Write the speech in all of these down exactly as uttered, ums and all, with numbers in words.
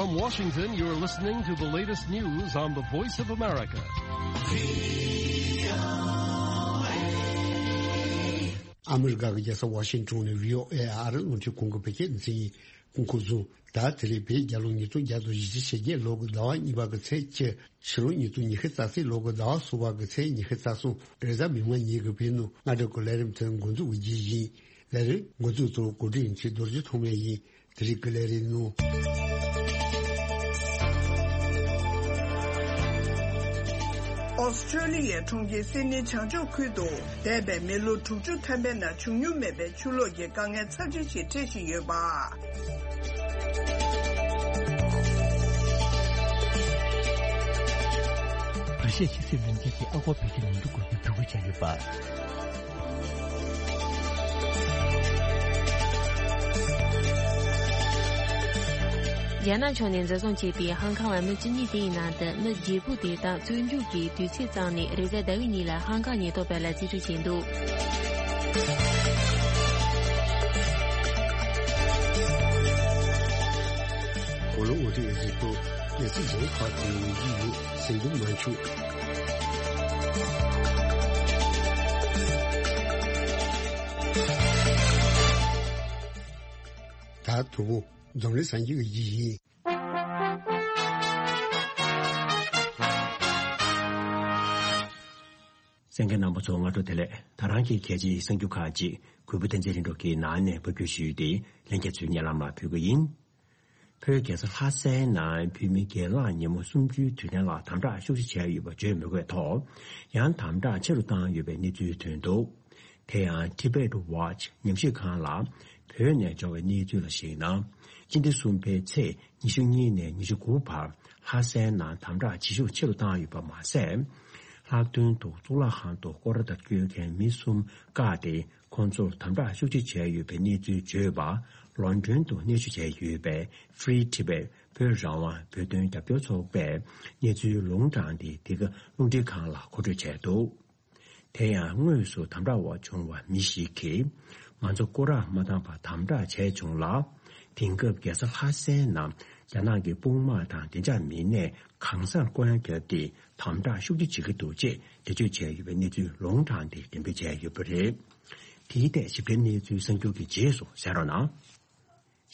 From Washington, you're listening to the latest news on the Voice of America. ཨ་མི་རི་ཀ་གི་རྒྱལ་ས་ཝ་ཤིང་ཊོན་ནས་བྷི་ཨོ་ཨེ་ཨ་རི་རླུང་འཕྲིན་ཁང་གི་བོད་སྐད་སྡེ་ཚན་ཡིན། སྐུ་འཁོར་བཟུང་། ད་དེ་རིང་བོད་རྒྱལ་ལོ་ཉིས་སྟོང་བརྒྱ་དང་བཞི་བཅུ་ཞེ་བརྒྱད་ལོ་གི་ཟླ་བ་གཉིས་པ་གི་ཚེས་བཅུ། ཕྱི་ལོ་ཉིས་སྟོང་ཉི་ཤུ་རྩ་གཅིག་ལོ་གི་ཟླ་བ་གསུམ་པ་གི་ཚེས་ཉི་ཤུ་རྩ་གསུམ། རེས་གཟའ་མིག་དམར་ཉིན་གྱི་བོད་ནང་སྔ་དྲོ་གི་ལས་རིམ་དེ་འགོ་འཛུགས་ཀྱི་རྗེས་ཡིན། ལས་རིམ་འགོ་འཛུགས་ཐོག་གོ་སྒྲིག་ཡིན་ཆེད་རྡོ་རྗེ་ཐོགས་མེད་ཡིན། དེ་རིང་གི་ལས་རིམ་ནང་། ཨོ་སི་ཁྲུ་ལི་ཡའི་གྲོང་ཁྱེར་སིད་ནི་བྱང་ཕྱོགས་ཁུལ་དུ་འདས་པའི་མི་ལོ་དྲུག་ཅུ་ཐམ་པའི་ནང་བྱུང་མྱོང་མེད་པའི་ཆུ་ལོག་གི་དཀའ་ངལ་ཚབས་ཆེན་ཞིག་འཕྲད་བཞིན་ཡོད་པ། ཨ་ཤེ་ཆི་སི་ལུང་ཆེན་གྱི་ཨ་སྒོར་བེད་སྤྱོད་མི་འགྲོ་དགོས་པའི་འབོད་སྐུལ་བྱས་ཡོད་པ། རྒྱ་ནག་ཕྱོགས་ནས་འཛིན་བཟུང་བྱས་པའི་ཧང་ཀང་བ་མི་བཅུ་གཉིས་དེའི་ནང་དུ་མི་བརྒྱད་པོ་དེ་དག་བཙོན་འཇུག་གི་དུས་ཚོད་བཙུགས་ནས་རེས་གཟའ་ཟླ་བའི་ཉིན་ལ་ཧང་ཀང་ཉེན་རྟོག་པ་ལ་རྩིས་སྤྲོད་བྱས་འདུག། གོ་ལོ་འོ་དེ་གཟིགས་པོ་གལ་སྲིད་གཞན་ཁག་དེ་ཡོང་གི་ཡོད་ཟེར་འདུག་མ་བྱུང་། ད་དུ་བོ་འཛམ་གླིང་སངས་རྒྱས་ཀྱི་ཡིད་ཡིན། གསན་མཁན་རྣམ་པ་ཚོ་སྔ་དྲོ་བདེ་ལེགས། ད་རང་གི་གལ་ཆེའི་གསར་འགྱུར་ཁག་ཅིག་གུས་པ་བསྟན་འཛིན་རིན་གྲོ་གིས་ནང་ནས་ཕབ་སྒྱུར་ཞུས་ཏེ་ལྷན་རྒྱས་ཚོའི་སྙན་ལམ་ལ་ཕུལ་གི་ཡིན། བོད་རྒྱལ་ས་ལྷ་སའི་ནང་བོད་མི་སྒེར་ལངས་ཉིན་མོ་གསུམ་བཅུའི་དུས་དྲན་ལ་དམ་དྲག་ཤུགས་ཆེ་བྱས་ཡོད་པ་བརྗོད་མི་དགོས་ཐོག་ཡང་དམ་དྲག་ཆེ་རུ་བཏང་ཡོད་པའི་གནས་ཚུལ་ཐོན་འདུག། དེ་ཡང་Tibet Watch ཉམས་ཞིབ་ཁང་ལ་བོད་ནས་འབྱོར་བའི་གནས་ཚུལ་ལ་གཞིགས་ན། སྤྱི་ཟླ་གསུམ་པའི་ཚེས་ཉི་ཤུ་གཉིས་ནས་ཉི་ཤུ་དགུ་བར་ལྷ་སའི་ནང་དམ་དྲག་བྱེད་ཤུགས་ཆེ་རུ་བཏང་ཡོད་པ་མ་ཟད། ལྷག་དོན་དུ་གཙུག་ལག་ཁང་དུ་སྐོར་ར་དང་བསྐྱོད་མཁན་མི་གསུམ་བཀག་སྟེ། ཁོང་ཚོར་དམ་དྲག་ཤུགས་ཆེ་བྱས་ཡོད་པའི་གནས་ཚུལ་བརྗོད་པ། ལོན་ཌོན་དུ་གནས་བཞུགས་བྱས་ཡོད་པའི་Free Tibet བོད་རང་དབང་བོད་དོན་རྒྱབ་སྐྱོར་ཚོགས་པས་གནས་ཚུལ་ལུང་དྲངས་ཏེ། འདི་ག་རླུང་འཕྲིན་ཁང་ལ་མཁོ་སྤྲོད་བྱས་འདུག། དེ་ཡང་དངོས་སུ་དམ་དྲག་འོག་བྱུང་བ་མི་ཞིག་གིས། ང་ཚོ་སྐོར་ར་མ་བཏང་བར་དམ་དྲག་བྱས་བྱུང་ལ། དེང་སྐབས་རྒྱལ་ས་ལྷ་སའི་ནང་རྒྱ་ནག་གི་དཔུང་དམག་དང་བདེ་འཇགས་མི་སྣས་གང་སར་བསྐོར་ར་བརྒྱབ་སྟེ། དམ་དྲག་ཤུགས་ཆེ་བྱེད་ཀྱི་འདུག་ཅེས་འགྲེལ་བརྗོད་བྱས་ཡོད་པའི་གནས་ཚུལ་ལུང་དྲངས་ཏེ་འགྲེམས་སྤེལ་བྱས་ཡོད་པ་རེད། དེའི་ཐད་ཞིབ་ཕྲའི་གནས་ཚུལ་གསར་འགྱུར་གྱི་རྗེས་སུ་གསན་རོགས་གནང་།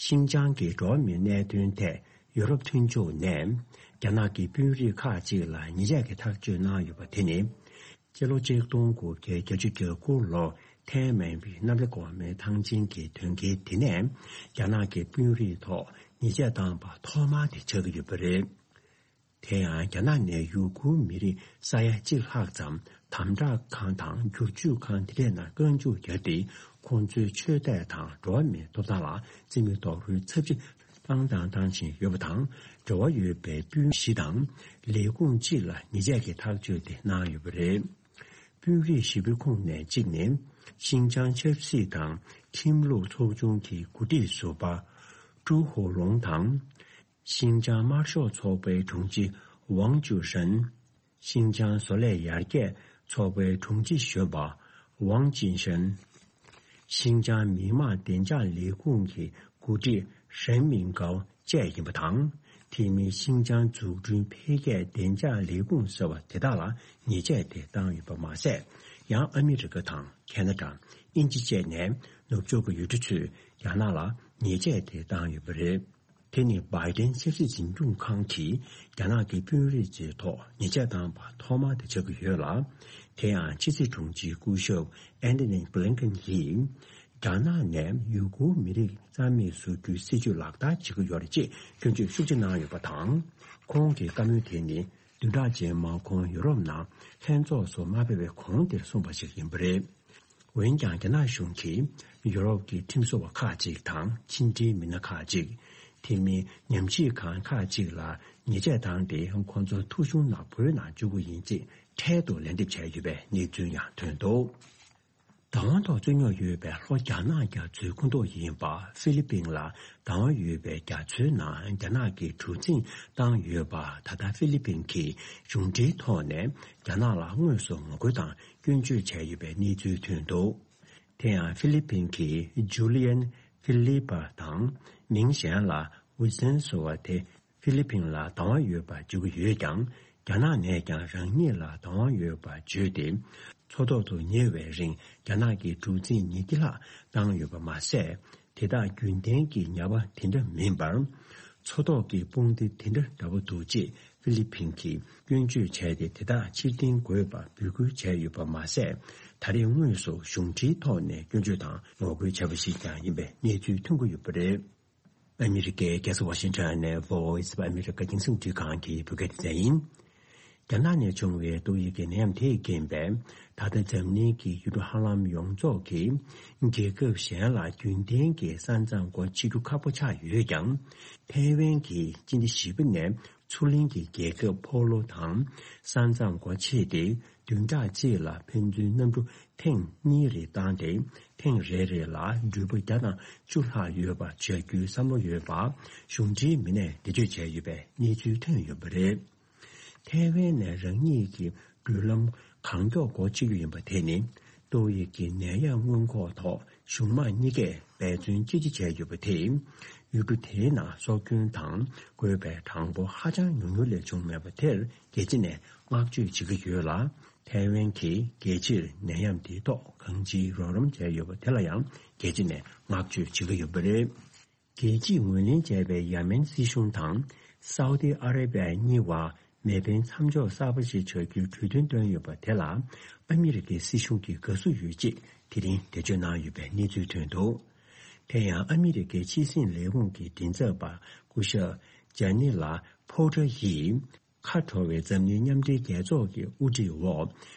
ཤིན་ཅང་གི་འགྲོ་བ་མིའི་གནད་དོན་ཐད་ཡུ་རོབ་མཐུན་ཕྱོགས་ནས་རྒྱ་ནག་གི་དཔོན་རིགས་ཁག་ཅིག་ལ་ཉེས་ཆད་ཀྱི་ཐག་གཅོད་གནང་ཡོད་པ་དེ་ནི། སྤྱི་ལོ་ཆིག་སྟོང་དགུ་བརྒྱ་བརྒྱད་ཅུ་གྱ་དགུ་ལོར་ཐའེ་མན་པའི་གནམ་བདེ་སྒོ་མོའི་ཐང་ཆེན་གྱི་དོན་རྐྱེན་དེ་ནས་རྒྱ་ནག་གི་དཔོན་རིགས་ཐོག་ཉེས་ཆད་བཏང་པ་ཐོག་མ་དེ་ཆགས་ཀྱི་ཡོད་པ་རེད། དེ་ཡང་རྒྱ་ནག་ནས་ཡུ་གུར་མི་རིགས་ས་ཡ་གཅིག་ལྷག་ཙམ་དམ་དྲག་ཁང་དང་བསྒྱུར་བཅོས་ཁང་དེ་འདྲའི་ནང་བཀག་འཇུག་བརྒྱབ་སྟེ། ཁོང་ཚོའི་ཆོས་དད་དང་འགྲོ་བ་མིའི་ཐོབ་ཐང་ལ་བརྩི་མེད་རྡོག་རོལ་ཚབས་ཆེ་བཏང་དང་བཏང་བཞིན་ཡོད་པ་དང་། འབྲེལ་བ་ཡོད་པའི་དཔོན་བཞི་དང་ལས་ཁུངས་གཅིག་ལ་ཉེས་ཆད་ཀྱི་ཐག་གཅོད་དེ་གནང་ཡོད་པ་རེད། དཔོན་རིགས་བཞི་པོའི་ཁོངས་ནས་གཅིག་ནི། ཤིན་ཅང་ཆབ་སྲིད་དང་ཁྲིམས་ལུགས་ཚོགས་ཆུང་གི་འགོ་ཁྲིད་ཟུར་པ་ཀྲུའུ་ཧོ་ལུང་དང་། ཤིན་ཅང་དམར་ཤོག་ཚོགས་པའི་དྲུང་ཆེ་ཝང་ཅུ་ཧྲན། ཤིན་ཅང་བཟོ་ལས་ཡར་རྒྱས་ཚོགས་པའི་དྲུང་ཆེ་གཞོན་པ་ཝང་ཅིན་ཧྲན། ཤིན་ཅང་མི་དམངས་བདེ་འཇགས་ལས་ཁུངས་ཀྱི་འགོ་ཁྲིད་ཧྲན་མིང་ཀའོ་བཅས་ཡིན་པ་དང་། དེ་མིན་ཤིན་ཅང་འཛུགས་སྐྲུན་འཕེལ་རྒྱས་བདེ་འཇགས་ལས་ཁུངས་ཟེར་བ་དེ་དག་ལ་ཉེས་ཆད་དེ་བཏང་ཡོད་པ་མ་ཟད། ཡང་ཨ་མི་རི་ཀ་དང་ཁེ་ན་ཌ། དབྱིན་ཇི་བཅས་ནས་ནུབ་ཕྱོགས་ཀྱི་ཡུལ་གྲུ་ཚོས་རྒྱ་ནག་ལ་ཉེས་ཆད་དེ་བཏང་ཡོད་པ་རེད། དེ་ནི་བྷའི་ཌེན་ཆབ་སྲིད་འཛིན་སྐྱོང་ཁང་གིས་རྒྱ་ནག་གི་དཔོན་རིགས་ཚོའི་ཐོག་ཉེས་ཆད་བཏང་པ་ཐོག་མ་དེ་ཆགས་ཀྱི་ཡོད་ལ། དེ་ཡང་ཕྱི་སྲིད་དྲུང་ཆེ་སྐུ་ཞབས་ཨན་ཐོ་ནི་བྷི་ལིན་ཀེན་གྱིས། རྒྱ་ནག་ནས་ཡུ་གུར་མི་རིགས་རྩ་མེད་བཟོ་རྒྱུའི་སྲིད་བྱུས་ལག་བསྟར་བྱེད་ཀྱི་ཡོད་རེད་ཅེས་སྐྱོན་བརྗོད་ཤུགས་ཆེ་གནང་ཡོད་པ་དང་། ཁོང་གི་བཀའ་མོལ་དེ་ནི་བདུན་ཕྲག་རྗེས་མར་ཁོང་ཡུ་རོབ་ནང་ལྷན་ཚོགས་སུ་མ་ཕེབས་པའི་གོང་དེར་གསུངས་པ་ཞིག་ཡིན་པ་རེད། འོན་ཀྱང་། རྒྱ་ནག་གཞུང་གིས་ཡུ་རོབ་ཀྱི་ཁྲིམས་བཟོ་བ་ཁག་ཅིག་དང་། ཕྱི་འབྲེལ་མི་སྣ་ཁག་ཅིག་དེ་མིན་ཉམས་ཞིབ་ཁང་ཁག་ཅིག་ལ་ཉེས་ཆད་བཏང་སྟེ། ཁོང་ཚོ་ཐོ་གཞུང་ནང་བོད་ནང་འཇུག་གི་ཡིན་ཅེས་འཕྲལ་དུ་ལན་འདེབས་བྱས་ཡོད་པའི་གནས་ཚུལ་ཡང་ཐོན་འདུག། བདག་དབང་ཐོག་རྩོད་རྙོག་ཡོད་པའི་ལྷོ་རྒྱ་ནག་རྒྱ་མཚོའི་ཁོངས་གཏོགས་ཡིན་པ་ཧྥི་ལི་པིན་ལ་བདག་དབང་ཡོད་པའི་རྒྱ་མཚོའི་ནང་རྒྱ་ནག་གིས་གྲུ་གཟིངས་བཏང་ཡོད་པ། ད་ལྟ་ཧྥི་ལི་པིན་གྱིས་གཞུང་འབྲེལ་ཐོག་ནས་རྒྱ་ནག་ལ་དངོས་སུ་ངོ་རྒོལ་དང་སྐྱོན་བརྗོད་བྱས་ཡོད་པའི་གནས་ཚུལ་ཐོན་འདུག། དེ་ཡང་ཧྥི་ལི་པིན་གྱི་ཇུ་ལི་ཡན་ཧྥི་ལི་པ་དང་། མིང་གཞན་ལ་ཝི་སན་ཟེར་བ་དེ། ཧྥི་ལི་ཕིན་ལ་བདག་དབང་ཡོད་པ་བརྗོད་ཀྱི་ཡོད་ཀྱང་། རྒྱ་ནག་ནས་ཀྱང་རང་ཉིད་ལ་བདག་དབང་ཡོད་པ་བརྗོད་དེ། མཚོ་ཐོག་ཏུ་ཉེ་བའི་རིང་རྒྱ་ནག་གིས་གྲུ་གཟིངས་ཉིས་བརྒྱ་ལྷག་བཏང་ཡོད་པ་མ་ཟད། དེ་དག་རྒྱུན་ལྡན་གྱི་ཉ་པ་དེ་འདྲ་མིན་པར། མཚོ་ཐོག་གི་དཔུང་སྡེ་དེ་འདྲ་འདྲ་པོ་འདུག་ཅེས་ཧྥི་ལི་ཕིན་གྱིས་སྐྱོན་བརྗོད་བྱས་ཏེ། དེ་དག་ཕྱིར་འཐེན་དགོས་པ་འབོད་སྐུལ་བྱས་ཡོད་པ་མ་ཟད། ད་རེས་དངོས་སུ་གཞུང་འབྲེལ་ཐོག་ནས་སྐྱོན་བརྗོད་དང་ངོ་རྒོལ་བྱས་པ་ཞིག་ཀྱང་ཡིན་པའི་གནས་ཚུལ་ཐོན་གྱི་ཡོད་པ་རེད། ཨ་མི་རི་ཀའི་རྒྱལ་ས་ཝ་ཤིང་ཊོན་ནས་Voice of America་རྒྱང་སྲིང་རླུང་འཕྲིན་ཁང་གི་བོད་སྐད་སྡེ་ཚན་ཡིན། རྒྱ་ནག་ནས་བྱུང་བའི་ཏོག་དབྱིབས་ཀྱི་ནད་ཡམས་དེས་རྐྱེན་པས། ད་ལྟ་འཛམ་གླིང་གི་ཡུལ་གྲུ་ཧ་ལམ་ཡོངས་རྫོགས་ཀྱིས་རྒྱལ་ཁབ་གཞན་ལ་རྒྱུན་ལྡན་གྱི་ས་མཚམས་སྒོ་ཕྱེ་རྒྱུ་ཁག་པོ་ཆགས་ཡོད་ཀྱང་། ཐའེ་ཝན་གྱིས་སྤྱི་ཟླ་བཞི་པ་ནས་མཚོ་གླིང་གི་རྒྱལ་ཁབ་ཕོ་ལོ་དང་ས་མཚམས་སྒོ་ཕྱེས་ཏེ། བདུན་ཕྲག་གཅིག་ལ་ཕན་ཚུན་གནམ་གྲུ་ཐེངས་གཉིས་རེ་བཏང་སྟེ། ཐེངས་རེ་རེ་ལ་འགྲུལ་པ་བརྒྱ་དང་བཅུ་ལྷག་ཡོད་པ་བྱ་རྒྱུའི་བསམ་བློ་ཡོད་པ་གཞུང་འབྲེལ་མི་སྣས་འགྲེལ་བརྗོད་བྱས་ཡོད་པའི་གནས་ཚུལ་ཐོན་ཡོད་པ་རེད། ཐའེ་ཝན་ནས་རང་ཉིད་ཀྱི་འགྲུལ་ལམ་གང་མགྱོགས་སྒོ་ཕྱེ་རྒྱུ་ཡིན་པ་དེ་ནི། ཏོག་དབྱིབས་ཀྱི་ནད་ཡམས་སྔོན་འགོག་ཐོག་གཞུང་མང་གཉིས་ཀས་འབད་བརྩོན་ཅི་ཆེ་བྱས་ཡོད་པ་དེས། ཡུལ་གྲུ་དེའི་ནང་སྲོག་སྐྱོན་དང་འགོས་པའི་གྲངས་འབོར་ཧ་ཅང་ཉུང་ཉུང་ལས་བྱུང་མེད་པ་དེར་རྒྱལ་སྤྱི་ནས་བསྔགས་བརྗོད་བྱེད་ཀྱི་ཡོད་ལ། ཐའེ་ཝན་གྱིས་རྒྱལ་སྤྱིར་ནད་ཡམས་དེའི་ཐོག་གང་ཅིའི་རོགས་རམ་བྱས་ཡོད་པ་དེ་ལ་ཡང་རྒྱལ་སྤྱི་ནས་བསྔགས་བརྗོད་བྱེད་ཀྱི་ཡོད་པ་རེད། རྒྱལ་སྤྱིས་ངོས་ལེན་བྱས་པའི་ཡ་མེན་སྲིད་གཞུང་དང་སའུ་ཏི་ཨ་རེ་བྷི་ཡ་གཉིས་བར་མེ་འཕེན་མཚམས་འཇོག་གསར་པ་ཞིག་བྱ་རྒྱུའི་གྲོས་མཐུན་བཏོན་ཡོད་པ་དེ་ལ་ཨ་མི་རི་ཀའི་སྲིད་གཞུང་གིས་དགའ་བསུ་ཡོད་ཅེས་དེ་རིང་འགྲེལ་བརྗོད་གནང་ཡོད་པའི་གནས་ཚུལ་ཐོན་འདུག་དེ་ཡང་ཨ་མི་རི་ཀའི་ཕྱི་སྲིད་ལས་ཁུངས་ཀྱི་མགྲིན་ཚབ་པ་སྐུ་ཞབས་ཇ་ནི་ལ་ཕོ་ཏྲ་ཡིས། ཁ་དྲོ་བའི་འཛམ་གླིང་མཉམ་འབྲེལ་རྒྱལ་ཚོགས་ཀྱི་དབུ་ཁྲིད་འོག་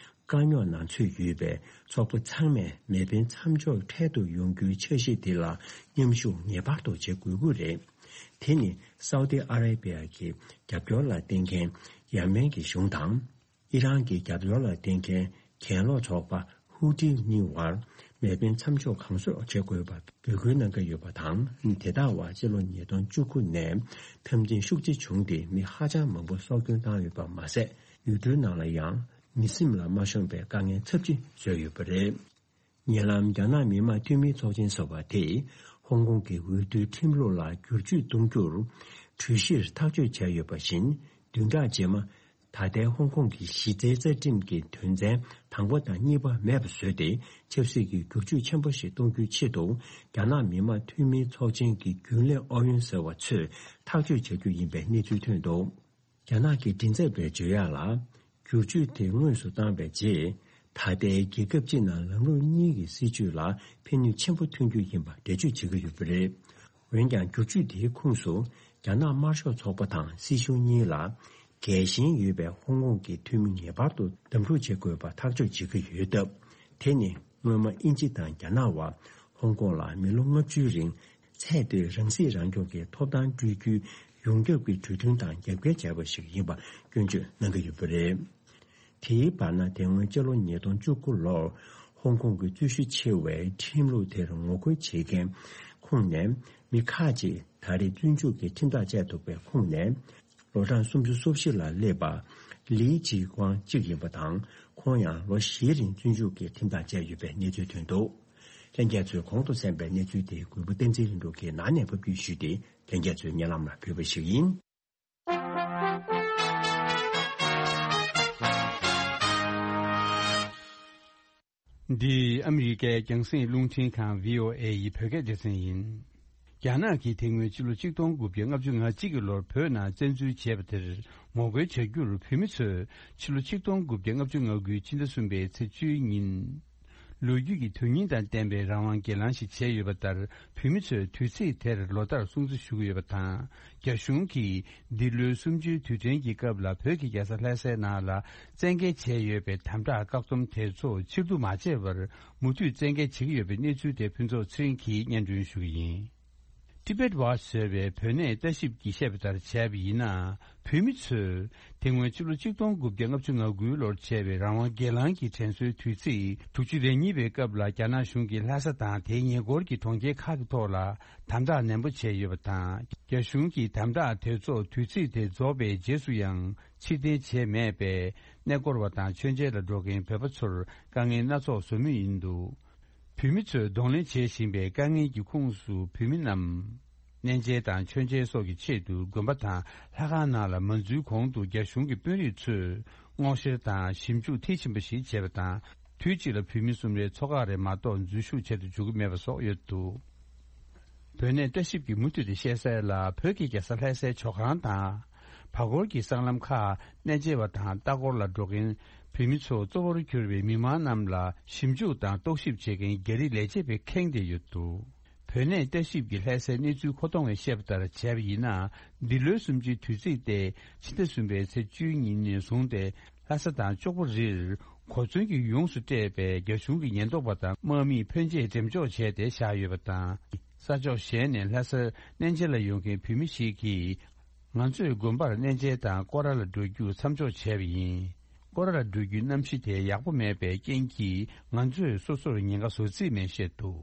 དཀའ་རྙོག་ནང་ཚུད་ཡོད་པའི་ཚོགས་པ་ཚང་མས་མེ་འཕེན་མཚམས་འཇོག་འཕྲལ་དུ་ཡོང་རྒྱུའི་འཆར་གཞི་དེ་ལ་མཉམ་ཞུགས་ངེས་པར་དུ་བྱེད་དགོས་ཀྱི་རེད། དེ་ནི་སའུ་ཏི་ཨ་རེ་བྷི་ཡ་གི་རྒྱབ་སྐྱོར་ལ་བརྟེན་མཁན་ཡ་མེན་གྱི་གཞུང་དང་། ཨི་རན་གྱི་རྒྱབ་སྐྱོར་ལ་བརྟེན་མཁན་གྱེན་ལོག་ཚོགས་པ་ཧུ་ཏི་གཉིས་བར་མེ་འཕེན་མཚམས་འཇོག་གང་སོགས་བྱེད་དགོས་པ་འབོད་སྐུལ་གནང་གི་ཡོད་པ་དང་། དེ་དག་བར་སྤྱི་ལོ་ཉིས་སྟོང་བཅུ་དགུ་ནས་འཐབ་འཛིང་ཤུགས་ཆེ་བྱུང་སྟེ་མི་ཧ་ཅང་མང་པོ་སྲོག་སྐྱོན་བཏང་ཡོད་པ་མ་ཟད། ཡུལ་གྲུའི་ནང་ལ་ཡང་མི་སེམས་ལ་མ་ཤོང་པའི་དཀའ་ངལ་ཚབས་ཆེ་བཟོས་ཡོད་པ་རེད། ཉེ་ལམ་རྒྱ་ནག་མི་དམངས་འཐུས་མིའི་ཚོགས་ཆེན་ཟེར་བ་དེས་ཧོང་ཀོང་གི་འོས་བསྡུའི་ཁྲིམས་ལུགས་ལ་བསྒྱུར་བཅོས་གཏོང་རྒྱུར་གྲོས་གཞིར་ཐག་གཅོད་བྱས་ཡོད་པ་བཞིན། བདུན་ཕྲག་རྗེས་མ། ད་ལྟའི་ཧོང་ཀོང་གི་གཞི་རྩའི་རྩ་ཁྲིམས་ཀྱི་དོན་ཚན་དང་པོ་དང་གཉིས་པ་མེད་པ་བཟོས་ཏེ། ཆབ་སྲིད་ཀྱི་བསྒྱུར་བཅོས་ཆེན་པོ་ཞིག་གཏོང་རྒྱུའི་ཆེད་དུ། རྒྱ་ནག་མི་དམངས་འཐུས་མིའི་ཚོགས་ཆེན་གྱི་རྒྱུན་ལས་ཨུ་ཡོན་ཟེར་བ་ཚོས་ཐག་གཅོད་བྱ་རྒྱུ་ཡིན་པའི་གནས་ཚུལ་ཐོན་འདུག་རྒྱ་ནག་གི་མགྲིན་ཚབ་པས་བརྗོད་ཡག་ལ། བསྒྱུར་བཅོས་དེ་དངོས་སུ་བཏང་བའི་རྗེས། ད་ལྟའི་རྒྱལ་ཁབ་སྤྱི་ནང་ལམ་ལུགས་གཉིས་ཀྱི་སྲིད་བྱུས་ལ་ཕན་ནུས་ཆེན་པོ་ཐོན་རྒྱུ་ཡིན་པ་འགྲེལ་བརྗོད་བྱེད་ཀྱི་ཡོད་པ་རེད། འོན་ཀྱང་། བསྒྱུར་བཅོས་དེའི་ཁོངས་སུ་རྒྱ་ནག་དམར་ཤོག་ཚོགས་པ་དང་སྲིད་གཞུང་གཉིས་ལ། རྒྱལ་ཞེན་ཡོད་པའི་ཧོང་ཀོང་གི་འཐུས་མི་ངེས་པར་དུ་གདམ་འཁྲུག་བྱེད་དགོས་པ་ཐག་གཅོད་བྱེད་ཀྱི་ཡོད་སྟབས། དེ་ནི་སྔོན་མ་དབྱིན་ཇི་དང་རྒྱ་ནག་བར་ཧོང་ཀོང་ལ་མི་ལོ་ལྔ་བཅུའི་རིང་ཚད་མཐོའི་རང་སྲིད་རང་སྐྱོང་གི་ཐོབ་ཐང་སྤྲོད་རྒྱུའི་ཡོངས་ཁྱབ་ཀྱི་གྲོས་མཐུན་དང་རྒྱབ་འགལ་བྱས་པ་ཞིག་ཡིན་པ་སྐྱོན་བརྗོད་གནང་གི་ཡོད་པ་རེད། དེའི་བར་ན། དེ་སྔོན་སྤྱི་ལོ་ཉིས་སྟོང་བཅུ་དགུ་ལོར་ཧོང་ཀོང་གི་རྩོད་གཞི་ཆེ་བའི་ཁྲིམས་ལུགས་དེར་ངོ་རྒོལ་བྱེད་མཁན་ཁོངས་ནས་མི་ཁག་ཅིག་ད་རེས་བཙོན་འཇུག་གི་ཁྲིམས་ཐག་བཅད་ཐུབ་པའི་ཁོངས་ནས། ལོ་གྲངས་སུམ་ཅུ་སོ་བཞི་ལ་སླེབས་པ་ལི་ཅི་ཀོང་གཅིག་ཡིན་པ་དང་། ཁོང་ཡང་ལོ་བཞིའི་རིང་བཙོན་འཇུག་གི་ཁྲིམས་ཐག་བཅད་ཡོད་པའི་གནས་ཚུལ་ཐོན་འདུག་ལྷན་རྒྱས་ཚོས་གོང་དུ་གསན་པའི་གནས་ཚུལ་དེ་གུས་པ་བསྟན་འཛིན་ལྷུན་གྲུབ་ཀྱིས་ནང་ནས་ཕབ་སྒྱུར་ཞུས་ཏེ། ལྷན་རྒྱས་ཚོའི་སྙན་ལམ་ལ་ཕུལ་བ་ཞིག་ཡིན། འདི་ཨ་མི་རི་ཀའི་རྒྱང་སྲིང་རླུང་འཕྲིན་ཁང་བྷི་ཨོ་ཨེ་ཡི་བོད་སྐད་སྡེ་ཚན་ཡིན། རྒྱ་ནག་གིས་དེ་སྔོན་ཕྱི་ལོ་ཆིག་སྟོང་དགུ་བརྒྱ་ལྔ་བཅུ་ང་གཅིག་གི་ལོར་བོད་ནང་བཙན་འཛུལ་བྱས་པ་དེར་ངོ་རྒོལ་བྱ་རྒྱུར་བོད་མི་ཚོས་ཕྱི་ལོ་ཆིག་སྟོང་དགུ་བརྒྱ་ལྔ་བཅུ་ང་དགུའི་ཕྱི་ཟླ་གསུམ་པའི་ཚེས་བཅུའི་ཉིན། ལོ་རྒྱུས་ཀྱི་དོན་སྙིང་དང་ལྡན་པའི་རང་དབང་སྒེར་ལངས་ཤིག་བྱས་ཡོད་པ་ལྟར། བོད་མི་ཚོས་དུས་ཚིགས་དེར་ལོ་ལྟར་སྲུང་བརྩི་ཞུ་གི་ཡོད་པ་དང་། རྒྱ་གཞུང་གིས་འདི་ལོའི་གསུམ་བཅུའི་དུས་དྲན་གྱི་སྐབས་ལ་བོད་ཀྱི་རྒྱལ་ས་ལྷ་སའི་ནང་ལ་བཙན་འགེལ་བྱས་ཡོད་པའི་དམ་དྲག་བཀག་སྡོམ་དེ་ཚོ་ཕྱིར་བསྡུ་མ་བྱས་པར་མུ་མཐུད་བཙན་འགེལ་བྱེད་ཀྱི་ཡོད་པའི་གནས་ཚུལ་དེ་ཕུན་ཚོགས་ཚེ་རིང་གིས་སྙན་སྒྲོན་ཞུ་གི་ཡིན། Tibet Watch ཟེར་བའི་བོད་གནས་ལྟ་ཞིབ་ཀྱིས་བཤད་པ་ལྟར་བྱས་པ་ཡིན་ན། བོད་མི་ཚོས་དེ་སྔོན་ཕྱི་ལོ་ཆིག་སྟོང་དགུ་བརྒྱ་ལྔ་བཅུ་ང་དགུའི་ལོར་བྱས་པའི་རང་དབང་སྒེར་ལངས་ཀྱི་དྲན་གསོའི་དུས་ཚིགས་དྲུག་ཅུ་རེ་གཉིས་པའི་སྐབས་ལ། རྒྱ་ནག་གཞུང་གིས་ལྷ་ས་དང་དེའི་ཉེ་འཁོར་གྱི་གྲོང་ཁྱེར་ཁག་གི་ཐོག་ལ་དམ་དྲག་ནན་པོ་བྱས་ཡོད་པ་དང་། རྒྱ་གཞུང་གིས་དམ་དྲག་དེ་ཚོ་དུས་ཚིགས་དེ་རྫོགས་པའི་རྗེས་སུ་ཡང་ཕྱིར་འཐེན་བྱས་མེད་པས། གནས་སྐོར་བ་དང་མཆོད་མཇལ་ལ་འགྲོ་མཁན་བོད་པ་ཚོར་དཀའ་ངལ་སྣ་ཚོགས་བཟོ་མུས་ཡིན་འདུག་བོད་མི་ཚོས་གདོང་ལེན་བྱེད་བཞིན་པའི་དཀའ་ངལ་གྱི་ཁོངས་སུ་བོད་མི་རྣམས། གནས་མཇལ་དང་མཆོད་མཇལ་སོགས་ཀྱི་ཆེད་དུ་དགོན་པ་དང་ལྷ་ཁང་ནང་ལ་མ་འཛུལ་གོང་དུ་རྒྱ་གཞུང་གི་དཔོན་རིགས་ཚོས་སྔོག་བཤེར་དང་ཞིབ་འཇུག་མཐིལ་ཕྱིན་པ་ཞིག་བྱས་པ་དང་། དུས་གཅིག་ལ་བོད་མི་གསུམ་རེ་ཚོ་ཁག་རེ་མ་གཏོགས་འཛུལ་ཞུགས་བྱེད་དུ་འཇུག་གི་མེད་པ་སོགས་ཡོད་འདུག་བོད་གནས་ལྟ་ཞིབ་ཀྱིས་མུ་མཐུད་དུ་བཤད་གསལ་ལ། བོད་ཀྱི་རྒྱལ་ས་ལྷ་སའི་ཇོ་ཁང་དང་། བར་སྐོར་གྱི་སྲང་ལམ་ཁག་གནས་མཇལ་བ་དང་ལྟ་སྐོར་ལ་འགྲོ་མཁན་བོད་མི་ཚོ་གཙོ་བོར་གྱུར་པའི་མི་མང་རྣམས་ལ་ཞིབ་འཇུག་དང་རྟོག་ཞིབ་བྱེད་མཁན་རྒྱ་རིགས་ལས་བྱེད་པས་ཁེངས་བསྡད་ཡོད་འདུག་བོད་གནས་ལྟ་ཞིབ་ཀྱི་ལྷ་སའི་གནས་ཚུལ་མཁོ་གཏོང་བས་བཤད་པ་ལྟར་བྱས་པ་ཡིན་ན། འདི་ལོའི་གསུམ་བཅུའི་དུས་ཚིགས་ཏེ་ཕྱི་ཟླ་གསུམ་པའི་ཚེས་བཅུའི་ཉིན་ནས་བཟུང་སྟེ། ལྷ་ས་དང་ལྕོག་པོ་རིར་གོ་མཚོན་གྱིས་ཡོངས་སུ་སྤྲས་པའི་རྒྱ་གཞུང་གི་ཉེན་རྟོག་པ་དང་དམག་མིས་ཕོན་ཆེ་འགྲེམས་འཇོག་བྱས་ཏེ་བཞག་ཡོད་པ་དང་། ས་ཕྱོགས་གཞན་ནས་ལྷ་སར་གནས་མཇལ་ལ་ཡོང་མཁན་བོད་མི་ཞིག་གིས། ང་ཚོས་དགོན་པར་གནས་མཇལ་དང་སྐོར་ར་ལ་འགྲོ་རྒྱུ་མཚམས་འཇོག་བྱས་པ་ཡིན། སྐོར་ར་ལ་འགྲོ་རྒྱུའི་གནམ་གཤིས་དེ་ཡག་པོ་མེད་པའི་རྐྱེན་གྱིས། ང་ཚོས་སོ་སོར་ཉེན་ཁ་བཟོ་རྩིས་མེད་བཤད་འདུག་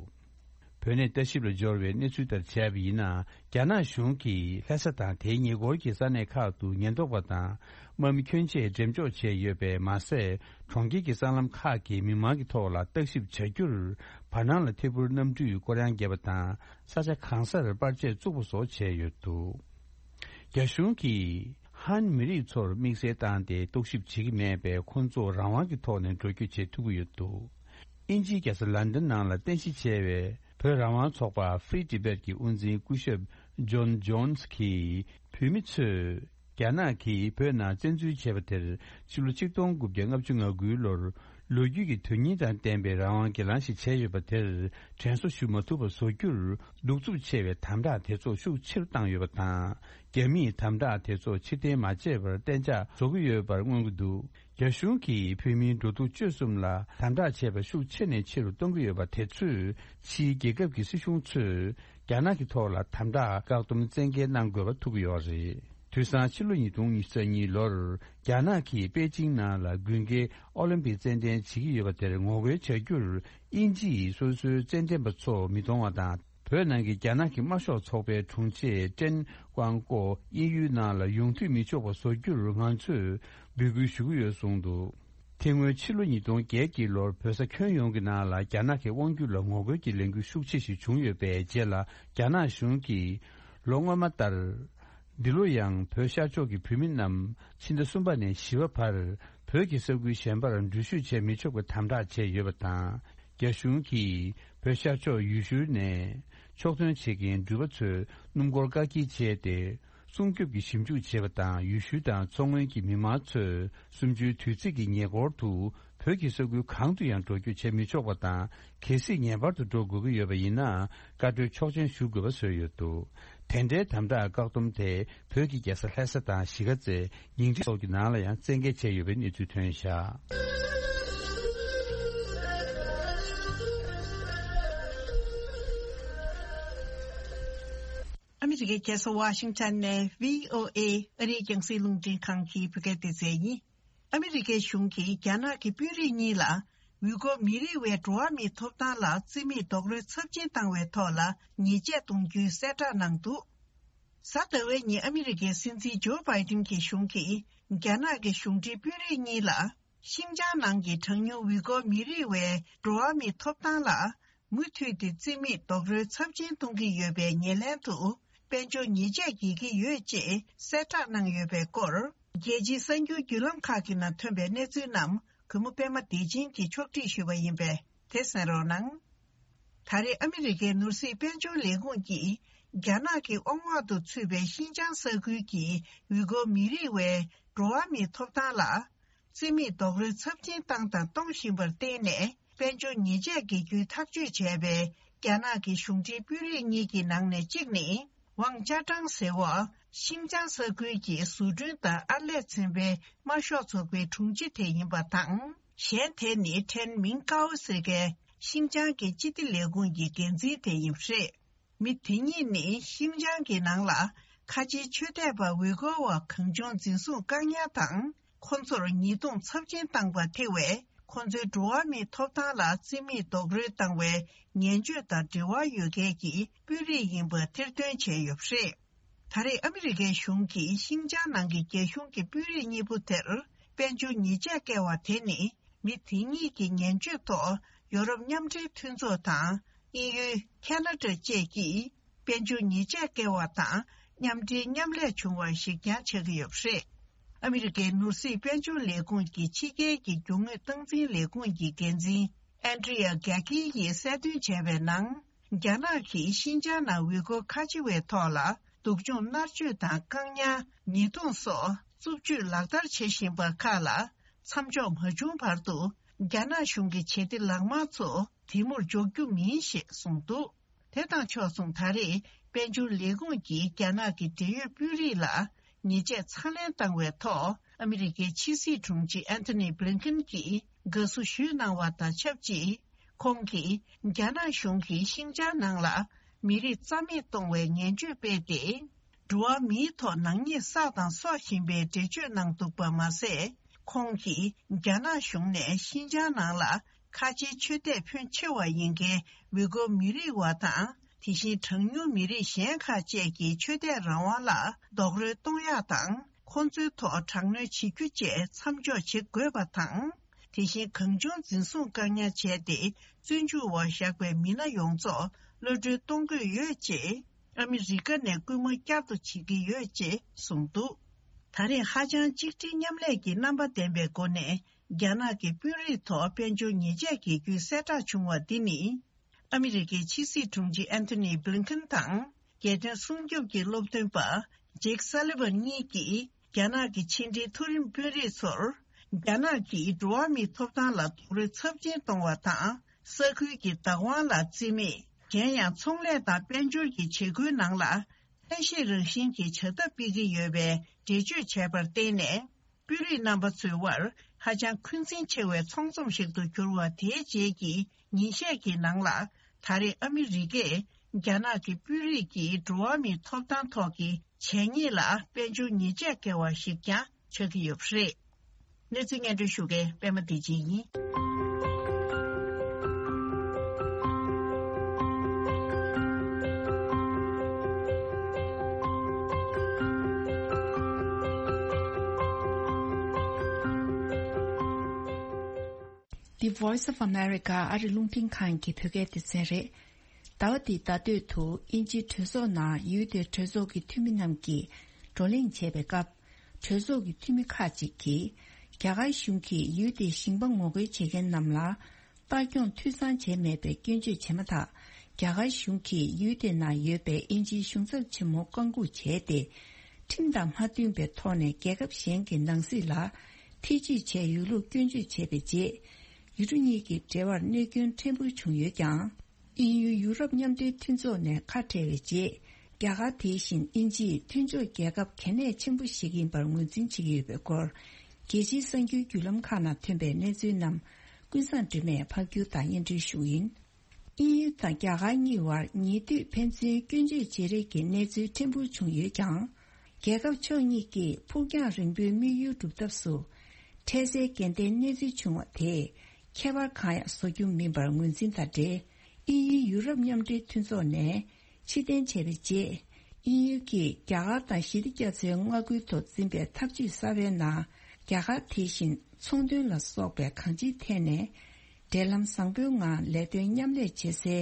བོད་གནས་ལྟ་ཞིབ་ལ་འབྱོར་བའི་གནས་ཚུལ་ལྟར་བྱས་པ་ཡིན་ན། རྒྱ་ནག་གཞུང་གིས་ལྷ་ས་དང་དེའི་ཉེ་འཁོར་གྱི་ས་གནས་ཁག་ཏུ་ཉེན་རྟོག་པ་དང་དམག་མི་ཁྱོན་ཆེ་འགྲེམས་འཇོག་བྱས་ཡོད་པས་མ་ཟད། གྲོང་ཁྱེར་གྱི་སྲང་ལམ་ཁག་གི་མི་མང་གི་ཐོག་ལ་བརྟག་ཞིབ་བྱ་རྒྱུར། བར་སྣང་ལ་ཐད་འཕུར་གནམ་གྲུས་སྐོར་གཡང་བརྒྱབ་པ་དང་། ས་ཆ་གང་སར་པར་ཆས་བཙུགས་པ་སོགས་བྱས་ཡོད་འདུག་རྒྱ་གཞུང་གིས་ཧན་མི་རིགས་ཚོར་དམིགས་བསལ་བཏང་སྟེ་རྟོག་ཞིབ་བྱེད་ཀྱི་མེད་པས། ཁོང་ཚོ་རང་དབང་གི་ཐོག་ནས་འགྲོ་སྐྱོད་བྱེད་ཐུབ་ཀྱི་ཡོད་འདུག་དབྱིན་ཇིའི་རྒྱལ་ས་ལན་ཌན་ནང་ལ་རྟེན་གཞི་བྱས་པའི་བོད་རང་དབང་ཚོགས་པ་Free Tibet ཀྱི་དབུ་འཛིན་སྐུ་ཞབས་ཇོན་ཇོན་སི་གིས། བོད་མི་ཚོས་རྒྱ་ནག་གིས་བོད་ནང་བཙན་འཛུལ་བྱས་པ་དེར། ཕྱི་ལོ་ཆིག་སྟོང་དགུ་བརྒྱ་ལྔ་བཅུ་ང་དགུའི་ལོར། ལོ་རྒྱུས་ཀྱི་དོན་སྙིང་དང་ལྡན་པའི་རང་དབང་སྒེར་ལངས་ཤིག་བྱས་ཡོད་པ་དེར། དྲན་གསོ་ཞུ་མ་ཐུབ་པ་བཟོ་རྒྱུར། གདུག་རྩུབ་ཆེ་བའི་དམ་དྲག་དེ་ཚོ་ཤུགས་ཆེ་རུ་བཏང་ཡོད་པ་དང་། རྒྱ་མིས་དམ་དྲག་དེ་ཚོ་ཕྱིར་འཐེན་མ་བྱས་པར་གཏན་འཇགས་བཟོ་གི་ཡོད་པར་མངོན་གྱི་འདུག་རྒྱ་གཞུང་གིས་བོད་མིའི་འགྲོ་འདུག་སྤྱོད་གསུམ་ལ་དམ་དྲག་བྱས་པ་ཤུགས་ཆེ་ནས་ཆེ་རུ་གཏོང་གི་ཡོད་པ་དེ་ཚོས། ཕྱིའི་རྒྱལ་ཁབ་ཀྱི་སྲིད་གཞུང་ཚོས་རྒྱ་ནག་གི་ཐོག་ལ་དམ་དྲག་བཀག་སྡོམ་བཙན་འགེལ་གནང་དགོས་པ་ཐུག་གི་ཡོད་རེད། དུས་སང་ཕྱི་ལོ་ཉིས་སྟོང་ཉི་ཤུ་རྩ་གཉིས་ལོར་རྒྱ་ནག་གིས་པེ་ཅིང་ནང་ལ་དགུན་ཁའི་ཨོ་ལིམ་པིག་རྩེད་འགྲན་བྱེད་ཀྱི་ཡོད་པ་དེར་ངོ་རྒོལ་བྱ་རྒྱུར། དབྱིན་ཇི་ཡིས་སོ་སོའི་རྩེད་འགྲན་པ་ཚོ་མི་གཏོང་བ་དང་། བོད་ནང་གི་རྒྱ་ནག་གི་དམར་ཤོག་ཚོགས་པའི་དྲུང་ཆེ་ཀྲེན་ཀོང་ཀོ་དབྱིན་ཡུལ་ནང་ལ་ཡོང་འཐུས་མི་ཆོག་པ་བཟོ་རྒྱུར་ང་ཚོས་འབོད་སྐུལ་ཞུ་གི་ཡོད་གསུངས་འདུག་དེ་སྔོན་ཕྱི་ལོ་ཉིས་སྟོང་བརྒྱད་ཀྱི་ལོར་བོད་ས་ཁྱོན་ཡོངས་ཀྱི་ནང་ལ་རྒྱ་ནག་གི་དབང་སྒྱུར་ལ་ངོ་རྒོལ་གྱི་ལས་འགུལ་ཤུགས་ཆེ་ཞིག་བྱུང་ཡོད་པའི་རྗེས་ལ། རྒྱ་ནག་གཞུང་གིས་ལོ་སྔོན་མ་ལྟར། འདི་ལོ་ཡང་བོད་ཤར་ཕྱོགས་ཀྱི་བོད་མི་རྣམས་ཕྱི་ཟླ་གསུམ་པ་ནས་བཞི་པ་བར་བོད་ཀྱི་ས་ཁུལ་གཞན་པར་འགྲུལ་བཞུད་བྱེད་མི་ཆོག་པའི་དམ་དྲག་བྱས་ཡོད་པ་དང་། རྒྱ་གཞུང་གིས་བོད་ཤར་ཕྱོགས་ཡུལ་ཤུལ་ནས་ཕྱོགས་ཐོན་བྱེད་མཁན་འགྲུལ་པ་ཚོའི་སྣུམ་འཁོར་བཀག་སྐྱིལ་བྱས་ཏེ། སྲུང་སྐྱོབ་ཀྱི་ཞིབ་འཇུག་བྱས་པ་དང་། ཡུལ་ཤུལ་དང་མཚོ་སྔོན་གྱི་མི་མང་ཚོས་གསུམ་བཅུའི་དུས་ཚིགས་ཀྱི་ཉེ་འཁོར་དུ་བོད་ཀྱི་ས་ཁུལ་གང་དུ་ཡང་འགྲོ་སྐྱོད་བྱེད་མི་ཆོག་པ་དང་། གལ་སྲིད་ངེས་པར་དུ་འགྲོ་དགོས་ཀྱི་ཡོད་པ་ཡིན་ན། བཀའ་འཁྲོལ་ཆོག་མཆན་ཞུ་དགོས་པ་བཟོས་ཡོད་འདུག་དེ་འདྲའི་དམ་དྲག་བཀག་སྡོམ་དེ་བོད་ཀྱི་རྒྱལ་ས་ལྷ་ས་དང་གཞིས་ཀ་རྩེ། ཉིང་ཁྲི་སོགས་ཀྱི་ནང་ལ་ཡང་བཙན་འགེལ་བྱས་ཡོད་པའི་གནས་ཚུལ་ཐོན་བཞག་ཨ་མི་རི་ཀའི་རྒྱལ་ས་ཝ་ཤིང་ཊོན་ནས་བྷི་ཨོ་ཨེ་ཨ་རིའི་རྒྱང་སྲིང་རླུང་འཕྲིན་ཁང་གི་བོད་སྐད་སྡེ་ཚན་ཡིན། ཨ་མི་རི་ཀའི་གཞུང་གིས་རྒྱ་ནག་གི་དཔོན་རིགས་གཉིས་ལ་ཝུས་གོར་མི་རིགས་བའི་འགྲོ་བ་མིའི་ཐོབ་ཐང་ལ་བརྩི་མེད་རྡོག་རོལ་ཚབས་ཆེན་བཏང་བའི་ཐོག་ལ་ཉེས་ཆད་གཏོང་རྒྱུའི་གསལ་བསྒྲགས་གནང་འདུག་གཟའ་ཟླ་བའི་ཉིན་ཨ་མི་རི་ཀའི་སྲིད་འཛིན་ཇོ་བྷའི་ཏིན་གྱི་གཞུང་གིས་རྒྱ་ནག་གི་གཞུང་འབྲེལ་དཔོན་རིགས་གཉིས་ལ། ཤིན་ཅང་ནང་གི་གྲངས་ཉུང་ཝུས་གོར་མི་རིགས་བའི་འགྲོ་བ་མིའི་ཐོབ་ཐང་ལ་མུ་མཐུད་དེ་བརྩི་མེད་རྡོག་རོལ་ཚབས་ཆེན་གཏོང་གི་ཡོད་པའི་ཉེར་ལེན་དུ་དཔལ་འབྱོར་ཉེས་ཆད་འགེལ་གྱི་ཡོད་ཅེས་གསལ་བསྒྲགས་གནང་ཡོད་པའི་སྐོར། རྒྱལ་སྤྱིའི་གསར་འགྱུར་བརྒྱུད་ལམ་ཁག་གི་ནང་ཐོན་པའི་གནས་ཚུལ་རྣམས་གུས་མོ་པད་མ་བདེ་ཆེན་གྱིས་ཕྱོགས་སྒྲིག་ཞུས་པ་ཡིན་པས་དེ་གསན་རོགས་གནང་། ད་རེས་ཨ་མི་རི་ཀའི་ནོར་སྲིད་དཔལ་འབྱོར་ལས་ཁུངས་ཀྱིས་རྒྱ་ནག་གི་དབང་འོག་ཏུ་ཚུད་པའི་ཤིན་ཅང་ས་ཁུལ་གྱི་ཝུས་གོར་མི་རིགས་བའི་འགྲོ་བ་མིའི་ཐོབ་ཐང་ལ། བརྩི་མེད་རྡོག་རོལ་ཚབས་ཆེན་བཏང་དང་གཏོང་བཞིན་པར་བརྟེན་ནས་དཔལ་འབྱོར་ཉེས་ཆད་འགེལ་རྒྱུའི་ཐག་གཅོད་བྱས་པའི་རྒྱ་ནག་གི་གཞུང་འབྲེལ་དཔོན་རིགས་གཉིས་ཀྱི་ནང་ནས་གཅིག་ནི་ཝང་ཅཱ་ཀྲང་ཟེར་བ། ཤིང་ཅང་ས་ཁུལ་གྱི་བཟོ་སྐྲུན་དང་ཨར་ལས་ཚན་པའི་དམར་ཤོག་ཚོགས་པའི་དྲུང་ཆེ་དེ་ཡིན་པ་དང་། གཞན་དེ་ནི་ཁྲེན་མིང་ཀའོ་ཟེར་མཁན་ཤིང་ཅང་གི་སྤྱི་བདེ་ལས་ཁུངས་ཀྱི་འགན་འཛིན་དེ་ཡིན་པ་རེད། མི་དེ་གཉིས་ནི་ཤིང་ཅང་གི་ནང་ལ་ཁ་ཆེའི་ཆོས་དད་པ་ཝི་གོ་བ་གང་བྱུང་འཛིན་བཟུང་བཀག་ཉར་དང་། ཁོ་ཚོར་ཉེས་རྡུང་ཚབས་ཆེན་བཏང་པ་ཐེ་བས། ཁོ་ཚོའི་འགྲོ་བ་མིའི་ཐོབ་ཐང་ལ་བརྩི་མེད་རྡོག་རོལ་བཏང་བའི་ངན་སྤྱོད་དང་འབྲེལ་བ་ཡོད་མཁན་གྱི་དཔོན་རིགས་ཡིན་པ་ཐེར་འདོན་བྱས་ཡོད་པ་རེད། ད་རེས་ཨ་མི་རི་ཀའི་གཞུང་གིས་ཤིང་ཅང་ནང་གི་རྒྱ་གཞུང་གི་དཔོན་རིགས་གཉིས་པོ་དེར་དཔལ་འབྱོར་ཉེས་ཆད་བཀལ་བ་དེ་ནི། མི་དེ་གཉིས་ཀྱི་ངན་སྤྱོད་ཐོག་ཡོ་རོབ་མཉམ་འབྲེལ་མཐུན་ཚོགས་དང་དབྱིན་ཡུལ། ཁ་ན་ཌ་བཅས་ཀྱིས་ དཔལ་འབྱོར་ཉེས་ཆད་བཀལ་བ་དང་མཉམ་འབྲེལ་མཉམ་ལས་བྱུང་བ་ཞིག་ཀྱང་ཆགས་ཀྱི་ཡོད་པ་རེད། ཨ་མི་རི་ཀའི་ནོར་སྲིད་དཔལ་འབྱོར་ལས་ཁུངས་ཀྱི་ཕྱི་རྒྱལ་གྱི་རྒྱུ་དངོས་སྟངས་འཛིན་ལས་ཁུངས་ཀྱི་འགན་འཛིན་ཨན་ཌྲི་ཡ་གྷ་ཀི་ཡིས་གསལ་སྟོན་བྱས་པའི་ནང་། རྒྱ་ནག་གིས་ཤིན་ཅང་ནང་ཝི་གོ་ཁ་ཆེ་བའི་ཐོག་ལ་སྡུག་སྦྱོང་མནར་གཅོད་དང་བཀག་ཉར། ཉེས་རྡུང་སོགས་རྩུབ་སྤྱོད་ལག་བསྟར་བྱེད་བཞིན་པ་ཁག་ལ་མཚམས་འཇོག་མ་བྱུང་བར་དུ། རྒྱ་ནག་གཞུང་གི་བྱེད་གཏེ་ལག་དམར་ཚོ་དེ་མུར་འཇོག་རྒྱུ་མིན་ཞེས་གསུངས་འདུག་དེ་དང་ཕྱོགས་མཚུངས། ད་རེས་དཔལ་འབྱོར་ལས་ཁུངས་ཀྱིས་རྒྱ་ནག་གི་འབྲེལ་ཡོད་དཔོན་རིགས་ལ་ཉེས་ཆད་ཚ་ལེན་བཏང་བའི་ཐོག་ཨ་མི་རི་ཀའི་ཕྱི་སྲིད་དྲུང་ཆེ་ཨན་ཐོ་ནི་བྷི་ལིན་ཁིན་གྱིས་དགའ་བསུ་ཞུས་གནང་བ་དང་ཆབས་ཅིག་ཁོང་གིས་རྒྱ་ནག་གཞུང་གིས་ཤིན་ཅང་ནང་ལ་མི་རིགས་རྩ་མེད་གཏོང་བའི་ངན་བྱུས་སྤེལ་ཏེ། འགྲོ་བ་མིའི་ཐོག་ནག་ཉེས་བསགས་དང་གསོག་བཞིན་པའི་འགྲེལ་བརྗོད་གནང་འདུག་པ་མ་ཟད། ཁོང་གིས་རྒྱ་ནག་གཞུང་ནས་ཤིན་ཅང་ནང་ལ་ཁ་ཆེའི་ཆོས་དད་ཕོན་ཆེ་བ་ཡིན་མཁན་ཝི་གོ་མི་རིགས་བ་དང་། དེ་བཞིན་གྲངས་ཉུང་མི་རིགས་གཞན་ཁག་བཅས་ཀྱི་ཆོས་དད་རང་དབང་ལ་རྡོག་རོལ་གཏོང་ཡག་དང་། ཁོང་ཚོའི་ཐོག་དྲག་གནོན་བྱེད་རྒྱུ་བཅས་མཚམས་འཇོག་བྱེད་དགོས་པ་དང་། དེ་བཞིན་གང་བྱུང་འཛིན་བཟུང་བཀག་ཉར་བྱས་ཏེ། བཙོན་འཇུག་འོག་བཞག་པའི་མི་སྣ་ཡོངས་རྫོགས་གློད་གྲོལ་གཏོང་དགོས་ཡོད་ཅེས། ཨ་མི་རི་ཀ་ནས་སྐུལ་མ་བསྐྱར་དུ་བྱེད་ཀྱི་ཡོད་ཅེས་གསུངས་འདུག་ད་རེས་ཧ་ཅང་གཅིག་སྒྲིལ་མཉམ་ལས་ཀྱི་རྣམ་པ་ལྡན་པའི་སྒོ་ནས་རྒྱ་ནག་གི་དཔོན་རིགས་ཐོག་དཔལ་འབྱོར་ཉེས་ཆད་འགེལ་རྒྱུའི་གསལ་བསྒྲགས་བྱུང་བ་འདི་ནི། ཨ་མི་རི་ཀའི་ཕྱི་སྲིད་དྲུང་ཆེ་ཨན་ཐོ་ནི་བྷི་ལིན་ཁིན་དང་། རྒྱལ་དོན་སྲུང་སྐྱོབ་ཀྱི་སློབ་སྟོན་པ་ཇེག་སཱ་ལི་ཝན་གཉིས་ཀྱིས་རྒྱ་ནག་གི་ཕྱི་འབྲེལ་མཐོ་རིམ་དཔོན་རིགས་ཚོར། རྒྱ་ནག་གིས་འགྲོ་བ་མིའི་ཐོབ་ཐང་ལ་རྡོག་རོལ་ཚབས་ཆེན་གཏོང་བ་དང་། ས་ཁུལ་གྱི་བདག་དབང་ལ་བརྩི་མེད། གཞན་ཡང་ཚོང་ལས་དང་དཔལ་འབྱོར་གྱི་བྱེད་སྒོའི་ནང་ལ་ཐབས་ཤེས་རང་བཞིན་གྱི་བྱ་ཐབས་སྤེལ་གྱི་ཡོད་པའི་འགྲེལ་བརྗོད་བྱས་པར་བརྟེན་ནས། དཔོན་རིགས་རྣམ་པ་ཚོའི་དབར་ཧ་ཅང་འཁོན་འཛིན་ཆེ་བའི་ཚོང་ཚོམས་ཤིག་ཏུ་གྱུར་བ་དེའི་རྗེས་ཀྱི་ཉིན་ཤས་ཀྱི་ནང་ལ། ད་རེས་ཨ་མི་རི་ཀས་རྒྱ་ནག་གི་དཔོན་རིགས་ཀྱིས་འགྲོ་བ་མིའི་ཐོབ་ཐང་ཐོག་གི་བྱས་ཉེས་ལ་དཔལ་འབྱོར་ཉེས་ཆད་བཀལ་བ་ཞིག་ཀྱང་ཆགས་ཀྱི་ཡོད་པ་རེད། གནས་ཚུལ་སྙན་སྒྲོན་ཞུ་མཁན་པད་མ་བདེ་ཆེན་ཡིན། The Voice of America ཨ་རི་རླུང་འཕྲིན་ཁང་གི་བོད་སྐད་སྡེ་ཚན་རེད། ཟླ་བ་འདིའི་ཟླ་སྟོད་དུ་དབྱིན་ཇིའི་གྲོས་ཚོགས་ནང་ཡུལ་དེའི་གྲོས་ཚོགས་ཀྱི་འཐུས་མི་རྣམས་ཀྱིས་བགྲོ་གླེང་བྱས་པའི་སྐབས། གྲོས་ཚོགས་ཀྱི་འཐུས་མི་ཁག་ཅིག་གིས། རྒྱ་གར་གཞུང་གིས་ཡུལ་དེའི་ཞིང་པ་ངོ་རྒོལ་བྱེད་མཁན་རྣམས་ལ། ལྟ་སྐྱོང་འཐུས་ཚང་བྱས་མེད་པའི་སྐྱོན་བརྗོད་བྱས་མ་ཐག་རྒྱ་གར་གཞུང་གིས་ཡུལ་དེ་ནང་ཡོད་པའི་དབྱིན་ཇིའི་གཞུང་ཚབ་ཆེན་མོ་བཀག་འགོག་བྱས་ཏེ། ཁྲིམས་དང་མ་མཐུན་པའི་ཐོག་ནས་རྒྱལ་ཁབ་གཞན་གྱི་ནང་སྲིད་ལ་ཐེ་ཇུས་བྱས་ཡོད་ལུགས་སྐྱོན་བརྗོད་བྱས་པའི་རྗེས། ཡུལ་གྲུ་གཉིས་ཀྱི་འབྲེལ་བར་གནོད་སྐྱོན་ཕྲན་བུ་བྱུང་ཡོད་ཀྱང་། དབྱིན་ཡུལ་ཡུ་རོབ་མཉམ་འབྲེལ་མཐུན་ཚོགས་ནས་ཁ་བྲལ་བའི་རྗེས། རྒྱ་གར་དེ་བཞིན་དབྱིན་ཇིས་མཐུན་ཕྱོགས་རྒྱལ་ཁབ་གལ་གནད་ཆེན་པོ་ཞིག་ཡིན་པར་ངོས་འཛིན་བྱེད་ཀྱི་ཡོད་པའི་སྐོར། རྒྱལ་སྤྱིའི་གསར་འགྱུར་བརྒྱུད་ལམ་ཁག་ནང་ཐོན་པའི་གནས་ཚུལ་རྣམས་ཀུན་བཟང་སྒྲོལ་མས་ཕབ་སྒྱུར་དང་སྙན་སྒྲོན་ཞུ་གི་ཡིན། དབྱིན་ཡུལ་དང་རྒྱ་གར་གཉིས་བར་ཉེ་དུས་ཕན་ཚུན་སྐྱོན་བརྗོད་བྱེད་རེས་ཀྱི་གནས་ཚུལ་ཕྲན་བུ་བྱུང་ཡོད་ཀྱང་། རྒྱལ་ཁབ་ཕྱོགས་གཉིས་ཀྱིས་ཕུགས་རྒྱང་རིང་པོའི་དམིགས་ཡུལ་སྒྲུབ་ཐབས་སུ། འཕྲལ་སེལ་འགལ་ཟླའི་གནས་ཚུལ་བྱུང་བ་དེས་ཁྱད་པར་གང་ཡང་བཟོ་རྒྱུ་མིན་པར་ངོས་འཛིན་དང་འབྲེལ། དབྱིན་ཡུལ་ཡུ་རོབ་མཉམ་འབྲེལ་མཐུན་ཚོགས་ནས་ཕྱིར་འཐེན་བྱས་པའི་རྗེས། དབྱིན་ཡུལ་གྱིས་རྒྱ་གར་དང་ཞི་བདེ་རྒྱ་མཚོའི་མངའ་ཁུལ་དུ་འཛིན་པའི་ཐབས་ཇུས་གསར་པའི་ནང་། རྒྱ་གར་དེ་བཞིན་ཚོང་དོན་ལ་སོགས་པའི་གང་ཅིའི་ཐད་ནས། འབྲེལ་ལམ་བཟང་པོའི་ངང་ལས་དོན་མཉམ་ལས་བྱེད་སའི་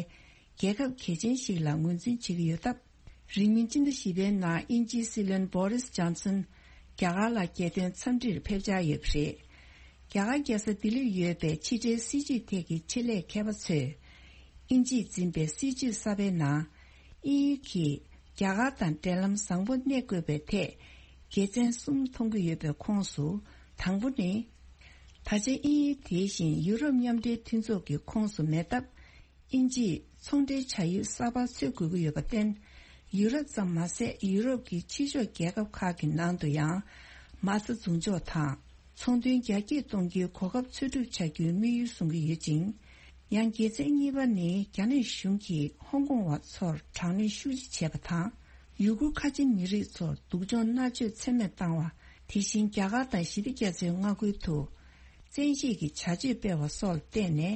རྒྱལ་ཁབ་གལ་ཆེན་ཞིག་ལ་ངོས་འཛིན་བྱེད་ཀྱི་ཡོད་སྟབས། རིང་མིན་སྤྱི་ཟླ་བཞི་པའི་ནང་དབྱིན་ཇིའི་སྲིད་བློན་བོ་རིས་ཇོན་སན་རྒྱ་གར་ལ་རྒྱལ་དོན་འཚམས་འདྲིར་ཕེབས་འཆར་ཡོད་པ་རེད། རྒྱ་གར་རྒྱལ་ས་ལྡི་ལིར་ཡོད་པའི་ཕྱི་འབྲེལ་སྲིད་བྱུས་ཐད་ཀྱི་ཆེད་ལས་མཁས་པ་ཚོས། དབྱིན་ཇིས་འཛིན་པའི་སྲིད་བྱུས་གསར་པའི་ནང་། དབྱིན་ཡུལ་གྱིས་རྒྱ་གར་དང་འབྲེལ་ལམ་བཟང་པོ་གནས་དགོས་པའི་ཐད། དགེ་མཚན་གསུམ་མཐོང་གི་ཡོད་པའི་ཁོངས་སུ། དང་པོ་ནི། ད་ཆ་དབྱིན་ཡུལ་དེ་བཞིན་ཡུ་རོབ་མཉམ་འབྲེལ་མཐུན་ཚོགས་ཀྱི་ཁོངས་སུ་མེད་སྟབས། དབྱིན་ཇིས་ཚོང་འབྲེལ་བྱ་ཡུལ་གསར་པ་འཚོལ་དགོས་ཀྱི་ཡོད་པར་བརྟེན། ཡུ་རོབ་ཙམ་མ་ཟད་ཡུ་རོབ་ཀྱི་ཕྱི་ཕྱོགས་རྒྱལ་ཁབ་ཁག་གི་ནང་དུ་ཡང་མ་རྩ་འཛུགས་འཇོག་དང་ཚོང་དོན་རྒྱ་སྐྱེད་གཏོང་རྒྱུའི་གོ་སྐབས་འཚོལ་སྒྲུབ་བྱ་རྒྱུའི་དམིགས་ཡུལ་བཟུང་གི་ཡོད་ཅིང་། ཡང་དགེ་མཚན་གཉིས་པ་ནི་རྒྱ་ནག་གཞུང་གིས་ཧོང་ཀོང་བ་ཚོར་དྲག་གནོན་ཤུགས་ཆེ་བྱས་པ་དང་། ཡུ་གུར་ཁ་ཆེ་མི་རིགས་ཚོར་སྡུག་སྦྱོང་མནར་གཅོད་ཚད་མེད་བཏང་བ། དེ་བཞིན་རྒྱ་གར་དང་ཞི་བདེ་རྒྱ་མཚོའི་མངའ་ཁུལ་དུ། བཙན་ཤེད་ཀྱི་བྱ་སྤྱོད་སྤེལ་བ་སོགས་ལ་བརྟེན་ནས།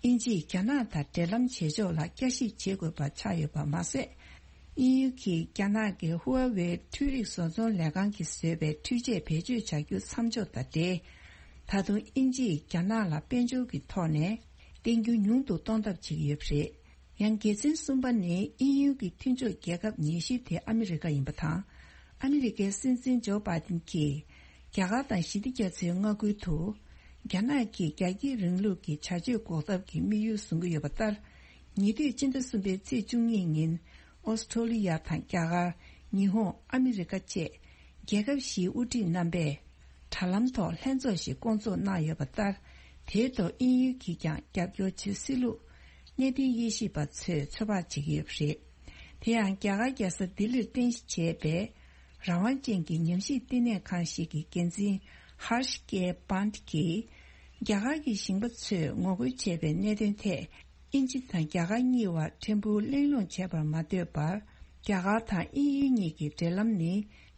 དབྱིན་ཇིས་རྒྱ་ནག་དང་འབྲེལ་ལམ་བྱེད་ཕྱོགས་ལ་བསྐྱར་ཞིབ་བྱེད་དགོས་པ་ཆགས་ཡོད་པ་མ་ཟད། དབྱིན་ཡུལ་གྱིས་རྒྱ་ནག་གི་ཧུའེ་ཝེ་འཕྲུལ་རིག་བཟོ་ཚོང་ལས་ཁང་གིས་བཟོས་པའི་འཕྲུལ་ཆས་བེད་སྤྱོད་བྱ་རྒྱུ་མཚམས་འཇོག་དང་འབྲེལ། ད་དུང་དབྱིན་ཇིས་རྒྱ་ནག་ལ་དཔལ་འབྱོར་གྱི་ཐོག་ནས་བརྟེན་རྒྱུ་ཉུང་དུ་གཏོང་ཐབས་བྱེད་ཀྱི་ཡོད་པ་རེད། ཡང་། དགེ་མཚན་གསུམ་པ་ནི་དབྱིན་ཡུལ་གྱི་མཐུན་ཕྱོགས་རྒྱལ་ཁབ་ཉེར་བཞི་དེ་ཨ་མི་རི་ཀ་ཡིན་པ་དང་། ཨ་མི་རི་ཀའི་སྲིད་འཛིན་ཇོ་བྷའི་ཏིན་གྱིས་རྒྱ་གར་དང་ཞི་བདེ་རྒྱ་མཚོའི་མངའ་ཁུལ་དུ། རྒྱ་ནག་གིས་རྒྱ་སྐྱེད་རིང་ལུགས་ཀྱི་བྱ་སྤྱོད་འགོག་ཐབས་ཀྱི་དམིགས་ཡུལ་བཟུང་གི་ཡོད་པ་ལྟར། ཉེ་དུས་སྤྱི་ཟླ་གསུམ་པའི་ཚེས་བཅུ་གཉིས་ཉིན། ཨོ་སི་ཁྲོ་ལི་ཡ་དང་རྒྱ་གར། ཉི་ཧོང་། ཨ་མི་རི་ཀ་བཅས་རྒྱལ་ཁབ་བཞིའི་དབུ་ཁྲིད་རྣམ་པས་དྲ་ལམ་ཐོག་ལྷན་ཚོགས་ཤིག་བསྐོང་ཚོགས་གནང་ཡོད་པ་ལྟར། དེའི་ཐོག་དབྱིན་ཡུལ་གྱིས་ཀྱང་རྒྱབ་སྐྱོར་བྱེད་སྲིད་ལུགས་གནས་བརྟན་དབྱེ་ཞིབ་པ་ཚོས་ཚོད་དཔག་བྱེད་ཀྱི་ཡོད་པ་རེད། དེ་ཡང་། རྒྱ་གར་རྒྱལ་ས་ལྡི་ལིར་རྟེན་གཞི་བྱས་པའི་རང་དབང་ཅན་གྱི་ཉམས་ཞིབ་བསྟི་གནས་ཁང་ཞིག་གི་འགན་འཛིན་ཧར་ཤ་ཀེ་པཱན་གྱིས། རྒྱ་གར་གྱི་ཞིང་པ་ཚོས་ངོ་རྒོལ་བྱས་པའི་གནད་དོན་ཐད། དབྱིན་ཇི་དང་རྒྱ་གར་གཉིས་བར་ཕྲན་བུ་གླེང་སློང་བྱས་པར་མ་ལྟོས་པར། རྒྱ་གར་དང་དབྱིན་ཡུལ་གཉིས་ཀྱི་འབྲེལ་ལམ་ནི་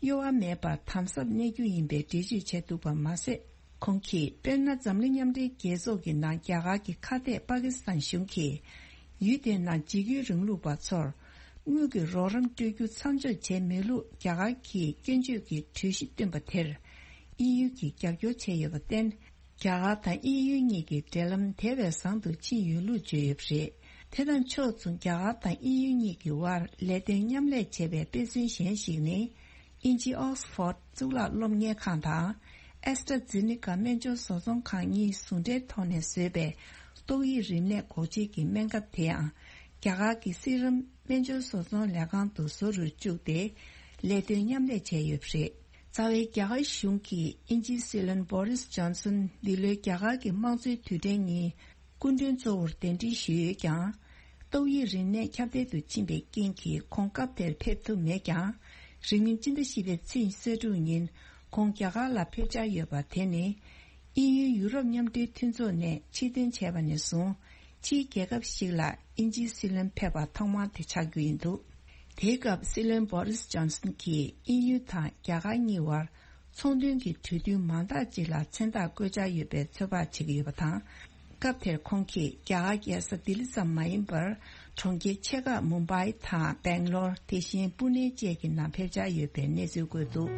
གཡོ་བ་མེད་པར་དམ་ཟབ་གནས་རྒྱུ་ཡིན་པའི་འགྲེལ་བརྗོད་བྱས་འདུག་པ་མ་ཟད། ཁོང་གིས། དཔེར་ན། འཛམ་གླིང་མཉམ་འབྲེལ་རྒྱལ་ཚོགས་ཀྱི་ནང་རྒྱ་གར་གྱི་ཁ་གཏད་པ་ཀི་སི་ཐན་གཞུང་གིས། ཡུལ་དེའི་ནང་འཇིགས་སྐུལ་རིང་ལུགས་པ་ཚོར། དངུལ་གྱི་རོགས་རམ་སྤྲོད་རྒྱུ་མཚམས་འཇོག་བྱས་མེད་ལུགས་རྒྱ་གར་གྱིས་སྐྱོན་བརྗོད་ཀྱི་གྲོས་གཞི་བཏོན་པ་དེར། དབྱིན་ཡུལ་གྱིས་རྒྱབ་སྐྱོར་བྱས་ཡོད་པར་བརྟེན། རྒྱ་གར་དང་དབྱིན་ཡུལ་གཉིས་ཀྱི་འབྲེལ་ལམ་དེ་བས་བཟང་དུ་ཕྱིན་ཡོད་ལུགས་བརྗོད་ཡོད་པ་རེད། དེ་དང་ཕྱོགས་མཚུངས། རྒྱ་གར་དང་དབྱིན་ཡུལ་གཉིས་ཀྱི་དབར་ལས་དོན་མཉམ་ལས་བྱེད་པའི་དཔེ་མཚོན་གཞན་ཞིག་ནི། དབྱིན་ཇིའི་ཨོག་སི་ཕོར་ཌི་གཙུག་ལག་སློབ་གཉེར་ཁང་དང་། ཨེ་སི་ཊ་ཛེ་ནི་ཀ་སྨན་བཅོས་བཟོ་ཚོང་ཁང་གཉིས་ཟུང་འབྲེལ་ཐོག་ནས་བཟོས་པའི་ཏོག་དབྱིབས་རིམས་ནད་འགོག་བཅོས་ཀྱི་སྨན་ཁབ་དེ་ཡང་། རྒྱ་གར་གྱི་སི་རམ་སྨན་བཅོས་བཟོ་ཚོང་ལས་ཁང་དུ་བཟོ་རུ་བཅུག་སྟེ། ལས་དོན་མཉམ་ལས་བྱས་ཡོད་པ་རེད། རྩ་བའི་རྒྱ་གར་གཞུང་གིས་དབྱིན་ཇིའི་སྲིད་བློན་བོ་རིས་ཇོན་སོན། འདི་ལོའི་རྒྱ་གར་གྱི་དམངས་གཙོའི་དུས་དྲན་ཉིན། སྐུ་མགྲོན་གཙོ་བོར་གདན་འདྲེན་ཞུས་ཡོད་ཀྱང་། ཏོག་དབྱིབས་རིམས་ནད་ཁྱབ་གདལ་དུ་ཕྱིན་པའི་རྐྱེན་གྱིས་ཁོང་སྐབས་དེར་ཕེབས་ཐུབ་མེད་ཀྱང་། རིང་མིན་སྤྱི་ཟླ་བཞི་པའི་ཚེས་ཉི་ཤུ་དྲུག་ཉིན་ཁོང་རྒྱ་གར་ལ་ཕེབས་འཆར་ཡོད་པ་དེ་ནི། དབྱིན་ཡུལ་ཡུ་རོབ་མཉམ་འབྲེལ་མཐུན་ཚོགས་ནས་ཕྱིར་འཐེན་བྱས་པ་ནས་བཟུང་། ཕྱིའི་རྒྱལ་ཁབ་ཞིག་ལ་དབྱིན་ཇིའི་སྲིད་བློན་ཕེབས་པ་ཐོག་མ་དེ་ཆགས་རྒྱུ་ཡིན་འདུག་དེའི་སྐབས་སྲིད་བློན་བོ་རིས་ཇོན་སོན་གྱིས་དབྱིན་ཡུལ་དང་རྒྱ་གར་གཉིས་བར། ཚོང་དོན་གྱི་གྲོས་མཐུན་མང་དག་ཅིག་ལ་མཚན་རྟགས་བཀོད་འཆར་ཡོད་པའི་ཚོད་དཔག་བྱེད་ཀྱི་ཡོད་པ་དང་། སྐབས་དེར་ཁོང་གིས་རྒྱ་གར་རྒྱལ་ས་ལྡི་ལི་ཙམ་མ་ཡིན་པར། གྲོང་ཁྱེར་ཆེ་ཁག་མུམ་བྷའི་དང་སྦེང་ལོར། དེ་བཞིན་པུ་ནེ་བཅས་ཀྱི་ནང་ཕེབས་འཆར་ཡོད་པའི་གནས་ཚུལ་བཀོད་འདུག་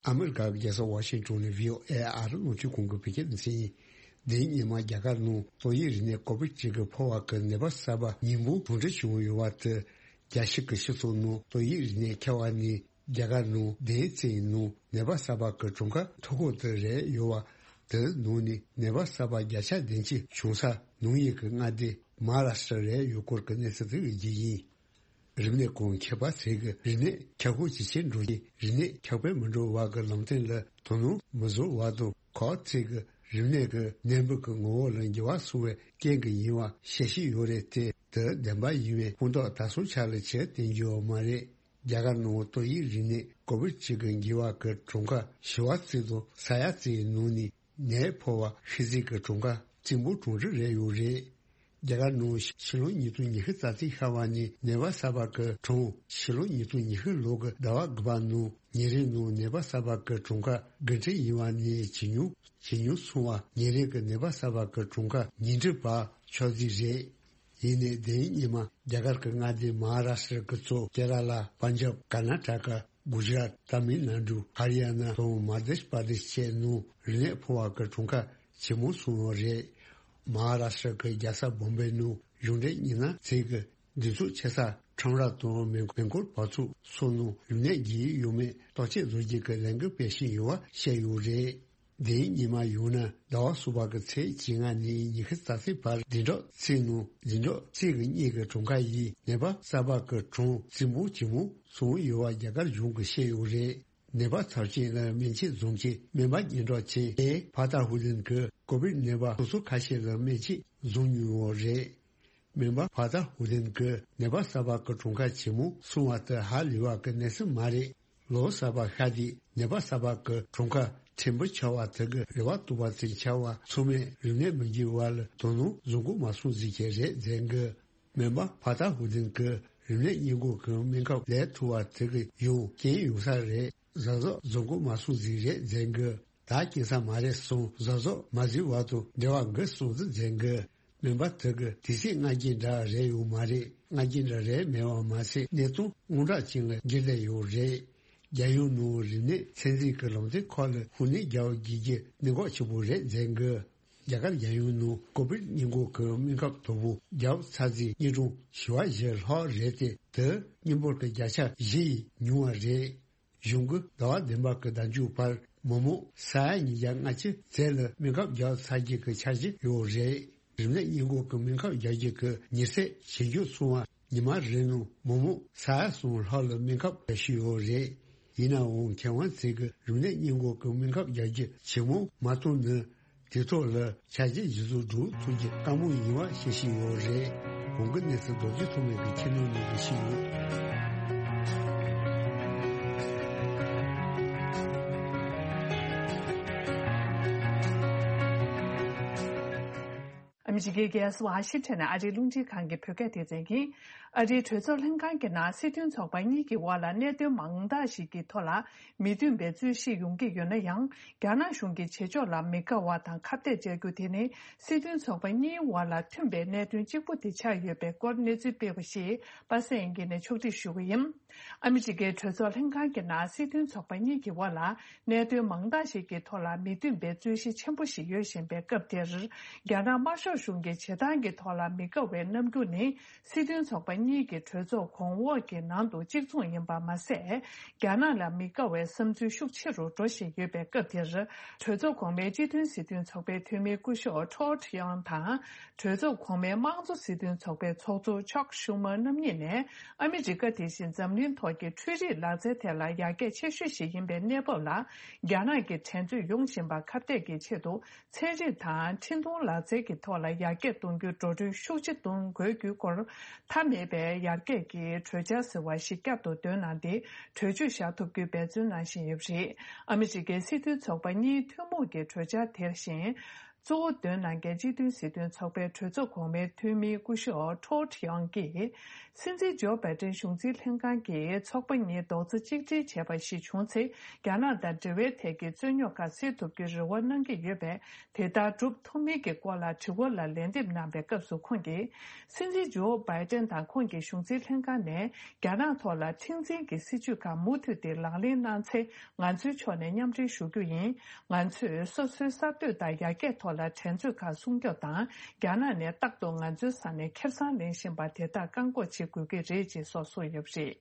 ཨ་མི་རི་ཀ་གི་རྒྱལ་ས་ཝ་ཤིང་ཊོན་ནས་བྷི་ཨོ་ཨེ་ཨ་རི་རླུང་འཕྲིན་ཁང་གི་བོད་སྐད་སྡེ་ཚན་ཡིན། འདིའི་ཉི་མ་རྒྱ་གར་ནང་ཏོག་དབྱིབས་རིམས་ནད་ཀོ་བིད་བཅུ་དགུ་ཕོ་བ་གི་ནད་པ་གསར་པ་ཉིས་འབུམ་དྲུག་འབྲི་བྱུང་ཡོད་པ་དེ། རྒྱལ་སྤྱི་གི་སྤྱི་ཚོགས་ནང་ཏོག་དབྱིབས་རིམས་ནད་ཁྱབ་པ་ནི་རྒྱ་གར་ནང་བདུན་ཙམ་ཡིན་ནོ། ནད་པ་གསར་པ་གི་གྲངས་ཀ་མཐོ་ཤོས་དེ་རེད་ཡོད་པ། དེའི་ནང་ནས་ནད་པ་གསར་པ་བརྒྱ་ཆ་བདུན་ཅུ་བྱུང་ས་ནང་ཡིན་གྱི་མངའ་སྡེ་མ་ཧཱ་རཱ་ཤི་ཏྲ་རེད་ཡོད་སྐོར་གྱི་གནས་ཚུལ་དེ་ཡིན་གྱི་ཡིན། རིམས་ནད་ཀྱི་ཁྱབ་པ་ཚད་ཀྱིས་རིམས་ནད་ཁྱབ་ཁོངས་ཇེ་ཆེར་འགྲོ་ཞིང་། རིམས་ནད་ཁྱབ་སྤེལ་མི་འགྲོ་བ་གི་ལམ་སྟོན་ལ་དོ་སྣང་མི་བཟོ་བར་དུ། ཁོ་ཚད་ཀྱིས་རིམས་ནད་ཀྱི་ནད་འབུ་གི་ངོ་བོ་ལ་འགྱུར་བ་སོང་བའི་རྐྱེན་གྱིས་ཡིན་པ་ཤེས་བཞིན་ཡོད་རེད་དེ། དེ་བདེན་པ་ཡིན་པའི་ཕན་ཐོགས་ད་སོ་ཆ་ལ་ཆེར་བསྟན་རྒྱུ་ཡོད་མ་རེད། རྒྱ་གར་ནང་ཏོག་དབྱིབས་རིམས་ནད་ཀོ་བིད་བཅུ་དགུ་འགོས་པ་གི་གྲངས་ཀ་བཞི་བ་ཙམ་དང་ས་ཡ་ཙམ་ཡི་ནང་ནས། ནད་ཕོག་པ་ཤི་ཚད་ཀྱི་གྲངས་ཀ་གཅིག་འབུམ་གྲངས་རིག་རེ་ཡོད་རེད། རྒྱ་གར་ནང་ཕྱི་ལོ་ཉིས་སྟོང་ཉི་ཤུ་རྩ་གཅིག་ཤར་བ་ནས་ནད་པ་གསར་པ་གི་གྲངས། ཕྱི་ལོ་ཉིས་སྟོང་ཉི་ཤུ་ལོ་གི་ཟླ་བ་དགུ་པ་ནང་ཉིན་རེའི་ནང་ནད་པ་གསར་པ་གི་གྲངས་ཀ་དགུ་ཁྲི་ཡིན་པ་ནས་ཇེ་ཉུང་ཇེ་ཉུང་སོང་བ། ཉིན་རེ་གི་ནད་པ་གསར་པ་གི་གྲངས་ཀ་ཉིས་ཁྲི་བར་ཕྱོགས་རྩིས་རེད། ཡིན་ནའི་དེའི་ཉི་མ་རྒྱ་གར་གྱི་མངའ་སྡེ་མ་ཧཱ་རཱ་ཤི་ཏྲ་གི་གཙོ་ཀེ་ར་ལ། པན་ཇབ། ཀར་ན་ཊ་ཀ། གུ་ཇ་རཱཏ། ཏཱ་མིལ་ནཱ་ཌུ། ཧ་རི་ཡ་ན་དང་མ་དྷྱ་པར་དེཤ་བཅས་ནང་རིམས་ནད་ཕོག་པ་གི་གྲངས་ཀ་ཇེ་མང་སོང་བ་རེད། མ་ཧཱ་རཱ་ཤི་ཏྲ་གི་རྒྱལ་ས་བོམ་བེ་ནང་གཞུང་འབྲེལ་མི་སྣ་ཚོས་ཀྱི་འདུ་ཚོགས་ཆེ་ས་ཁྲོམ་ར་དང་མེ་མེ་འཁོར་བར་ཚུགས་སོགས་ནང་རིམས་ནད་རྒྱས་ཡོད་མེད་བརྟག་དཔྱད་བཟོ་རྒྱུ་གི་ལས་འགུལ་སྤེལ་བཞིན་ཡོད་པ་བཤད་ཡོད་རེད། དེའི་ཉི་མ་ཡང་ན་ཟླ་བ་གསུམ་པ་གི་ཚེས་བཅོ་ལྔ་ནས་ཉི་ཤུ་རྩ་གཅིག་བར་བདུན་ཕྲག་གཅིག་ནང་བདུན་ཕྲག་གཅིག་གི་སྔོན་གྱི་གྲངས་ཀ་ཡིས་ནད་པ་གསར་པ་གི་གྲངས་གཅིག་འབུམ་གཅིག་མོ་སོང་ཡོད་པ་རྒྱ་གར་གཞུང་གིས་བཤད་ཡོད་རེད། ནད་པ་ཚབས་ཆེན་ལ་སྨན་བཅོས་བཟུང་རྗེས་སྨན་པ་སྙན་གྲགས་ཅན་ཨེ་ཕ་ཐ་ཧུ་ལིན་གྱིས་ཀོ་བིད་ནད་པ་སོ་སོ་ཁ་ཤས་ལ་སྨན་བཅོས་བཟུང་མྱོང་ཡོད་རེད། སྨན་པ་ཕ་ཐ་ཧུ་ལིན་གྱིས་ནད་པ་གསར་པ་གི་གྲངས་ཀ་ཇེ་མང་སོང་བ་དེ་ཧ་ལས་པ་གི་གནས་ཚུལ་མ་རེད། ལོ་གསར་པ་ཤར་དུས་ནད་པ་གསར་པ་གི་གྲངས་ཀ་ཕྲན་བུ་ཆག་པ་དེ་གི་རེ་བ་གཏོང་བ་ཙམ་ཆགས་པ་ཚང་མས་རིམས་ནད་མི་འགོས་པ་ལ་དོ་སྣང་བཟོ་འགོ་མ་སོང་ཟིག་གི་རེད་ཟེར་གི། སྨན་པ་ཕ་ཐ་ཧུ་ལིན་གྱིས་རིམས་ནད་སྔོན་འགོག་གི་སྨན་ཁབ་ལས་ཐུབ་པ་དེ་གི་ཡང་རྐྱེན་ཡོང་ས་རེད། གཟབ་གཟབ་བཟོ་འགོ་མ་སོང་ཟིག་རེད་ཟེར་གི། ད་རྐྱེན་ས་མ་རེད་སོང་གཟབ་གཟབ་མ་བཟོས་བར་དུ་འབྲེལ་བ་འགོ་སོང་ཟིག་ཟེར་གི། མིན་པ་དེ་གི་དེ་སྲིད་སྔ་རྒྱུན་འདྲ་རེད་ཡོད་མ་རེད། སྔ་རྒྱུན་འདྲ་རེད་མེད་པ་མ་ཟད། གནས་སྟངས་དངོས་འདྲ་ཅན་ལ་འགྱུར་བསྡད་ཡོད་རེད། རྒྱལ་ཡོངས་ནང་རིམས་ནད་ཚད་འཛིན་གྱི་ལམ་སྟོན་ཁག་ལ་ཧུར་ནས་རྒྱབ་སྐྱོར་གྱི་གནད་འགག་ཆེན་པོ་རེད་མཛད་འགོ། རྒྱ་གར་རྒྱལ་ཡོངས་ནང་ཀོ་བིད་སྔོན་འགོག་གི་སྨན་ཁབ་དོ་པོ་རྒྱག་ཚར་རྗེས་དངོས་གྲངས་བཞི་བ་བཞི་ལྷག་རེད་དེ། དེ་སྔོན་འགོག་གི་བརྒྱ་ཆ་བཞི་ཡིས་ཉུང་བ་རེད། གཞུང་གིས་ཟླ་བ་བདུན་པ་གི་ཟླ་མཇུག་བར་མི་མང་ས་ཡ་ཉིས་བརྒྱ་ལྔ་བཅུ་ཙམ་ལ་སྨན་ཁབ་རྒྱག་ཚར་རྒྱུ་གི་འཆར་གཞི་ཡོད་རེད། རིམས་ནད་སྔོན་འགོག་གི་སྨན་ཁབ་རྒྱག་རྒྱུ་གི་མྱུར་ཚད་ཞིབ་འཇུག་སོང་བ་ཉི་མ་རེ་ནང་མི་མང་ས་ཡ་གསུམ་ལྷག་ལ་སྨན་ཁབ་རྒྱག་བཞིན་ཡོད་རེད། ཡིན་ནའང་མཁས་དབང་ཚོས་ཀྱིས་རིམས་ནད་སྔོན་འགོག་གི་སྨན་ཁབ་རྒྱག་རྒྱུ་ཇེ་མང་མ་བཏང་ན། དེ་ཐོག་ལ་འཆར་གཞི་གཞི་བཟོ་སྒྲུབ་ཐུབ་རྒྱུ་དཀའ་མོ་ཡིན་པ་བཤད་བཞིན་ཡོད་རེད། གོང་གི་གནས་ཚུལ་རྡོ་རྗེ་ཐོགས་མེད་ཀྱིས་ཁྱེར་ནས་ཉན་གྱི་ཞུས་ཡོད། ཨ་མི་རི་ཀའི་རྒྱལ་ས་ཝ་ཤིང་ཊོན་ནས་ཨ་རིའི་རླུང་འཕྲིན་ཁང་གི་བོད་སྐད་སྡེ་ཚན་ཡིན། ཨ་རིའི་གྲོས་ཚོགས་ལྷན་ཁང་གི་ནང་སྲིད་དོན་ཚོགས་པ་གཉིས་ཀྱི་དབར་ལ་གནད་དོན་མང་དག་ཞིག་གི་ཐོག་ལ་མི་མཐུན་པའི་རྩོད་གཞི་ཡོང་གི་ཡོད་ན་ཡང་། རྒྱ་ནག་གཞུང་གི་བྱེད་ཕྱོགས་ལ་མི་དགའ་བ་དང་ཁ་གཏད་བཅག་རྒྱུ་དེ་ནི་སྲིད་དོན་ཚོགས་པ་གཉིས་དབར་ལ་མཐུན་པའི་གནད་དོན་གཅིག་པུ་དེ་ཆགས་ཡོད་པའི་སྐོར་གནས་ཚུལ་སྤེལ་བ་ཞིག་པ་སངས་དབྱངས་སྐྱིད་ནས་ཕྱོགས་སྒྲིག་ཞུ་གི་ཡིན། ཨ་མི་རི་ཀའི་གྲོས་ཚོགས་ལྷན་ཁང་གི་ནང་སྲིད་དོན་ཚོགས་པ་གཉིས་ཀྱི་དབར་ལ་གནད་དོན་མང་དག་ཞིག་གི་ཐོག་ལ་མི་མཐུན་པའི་རྩོད་གཞི་ཆེན་པོ་ཞིག་ཡོད་བཞིན་པའི་སྐབས་དེར། རྒྱ་ནག་དམར་ཤོག་གཞུང་གི་བྱེད་སྟངས་ཀྱི་ཐོག་ལ་མི་དགའ་བའི་རྣམ་འགྱུར་ནི། སྲིད་དོན་ཚོགས་པ་གཉིས་ཀྱི་གྲོས་ཚོགས་གོང་འོག་གི་ནང་དུ་གཅིག་མཚུངས་ཡིན་པ་མ་ཟད། རྒྱ་ནག་ལ་མི་དགའ་བའི་བསམ་ཚུལ་ཤུགས་ཆེ་རུ་འགྲོ་བཞིན་ཡོད་པའི་སྐབས་དེར། གྲོས་ཚོགས་གོང་མའི་སྤྱི་མཐུན་སྲིད་དོན་ཚོགས་པའི་འཐུས་མི་སྐུ་ཞབས་ཊོཌ་ཡང་དང་། གྲོས་ཚོགས་གོང་མའི་དམངས་གཙོ་སྲིད་དོན་ཚོགས་པའི་ཚོགས་གཙོ་ཅག་ཤུ་མར་རྣམ་གཉིས་ནས། ཨ་མི་རི་ཀ་དེ་བཞིན་འཛམ་གླིང་ཐོག་གི་འཕྲུལ་རིག་ལག་རྩལ་ཐད་ལ་ཡར་རྒྱས་ཆེ་ཤོས་ཤིག་ཡིན་པའི་གནས་བབ་ལ། རྒྱ་ནག་གི་འགྲན་རྩོད་ཡོང་བཞིན་པ་ཁ་གཏད་ཀྱི་ཆེད་དུ། ཚན་རིག་དང་འཕྲིན་གཏོང་ལག་རྩལ་གྱི་ཐོག་ལ་ཡར་རྒྱས་གཏོང་རྒྱུར་འགྲོ་གྲོན་ཤུགས་ཆེ་གཏོང་དགོས་རྒྱུའི་སྐོར། མཐའ་མེད་པའི་ཡར་རྒྱས་ཀྱི་གྲོས་འཆར་ཟེར་བ་ཞིག་བསྐྱར་དུ་བཏོན་གནང་སྟེ། གྲོས་ཆོད་བཞག་ཐུབ་རྒྱུའི་འབད་བརྩོན་གནང་བཞིན་ཡོད་པ་རེད། ཨ་མི་རི་ཀའི་སྲིད་དོན་ཚོགས་པ་གཉིས་ཐུན་མོང་གི་གྲོས་འཆར་དེ་བཞིན། གཙོ་བོ་འདོན་གནང་མཁན་སྤྱི་མཐུན་སྲིད་དོན་ཚོགས་པའི་གྲོས་ཚོགས་གོང་མའི་འཐུས་མི་སྐུ་ཞབས་ཊོཌ་ཡང་གིས། སྲིད་འཛིན་ཇོ་བྷའི་ཏན་གཞུང་འཛིན་ལྷན་ཁང་གིས་ཚོགས་པ་གཉིས་རྡོག་རྩ་གཅིག་སྒྲིལ་བྱས་པ་ཞིག་བྱུང་ཚེ། རྒྱ་ནག་དང་འབྲེལ་བའི་ཐད་ཀྱི་རྩོད་རྙོག་ཁག་སེལ་ཐུབ་རྒྱུའི་རེ་བ་གནང་གི་ཡོད་པས། དེ་ལྟར་སྒྲུབ་ཐུབ་མིན་གྱི་སྐོར་ལ་དྲི་བ་ལ་ལན་འདེབས་གནང་པའི་སྐབས་སུ་ཁོང་གིས། སྲིད་འཛིན་ཇོ་བྷའི་ཏན་དང་ཁོང་གི་གཞུང་འཛིན་ལྷན་ཁང་ནས། རྒྱ་ནག་ཐོག་ལ་མཁྲེགས་འཛིན་གྱི་སྲིད་བྱུས་ཁག་མུ་མཐུད་དེ་ལག་ལེན་གནང་ཚེ། ང་ཚོའི་ཕྱོགས་ནས་མཉམ་འབྲེལ་ཞུ་རྒྱུ་ཡིན། ང་ཚོས་སོ་སོའི་གསར་གཏོད་དང་ཡར་རྒྱས་ཐོག་ལ་འགྲན་རྩོད་ཁག་སྲུང་སྐྱོབ་དང་། རྒྱ་ནག་ནས་རྟག་ཏུ་ང་ཚོའི་ས་ནས་ཁེ་བཟང་ལེན་བཞིན་པ་དེ་དག་བཀག་འགོག་བྱེད་དགོས་ཀྱི་རེད་ཅེས་སོགས་གསུངས་ཡོད་པ་རེད།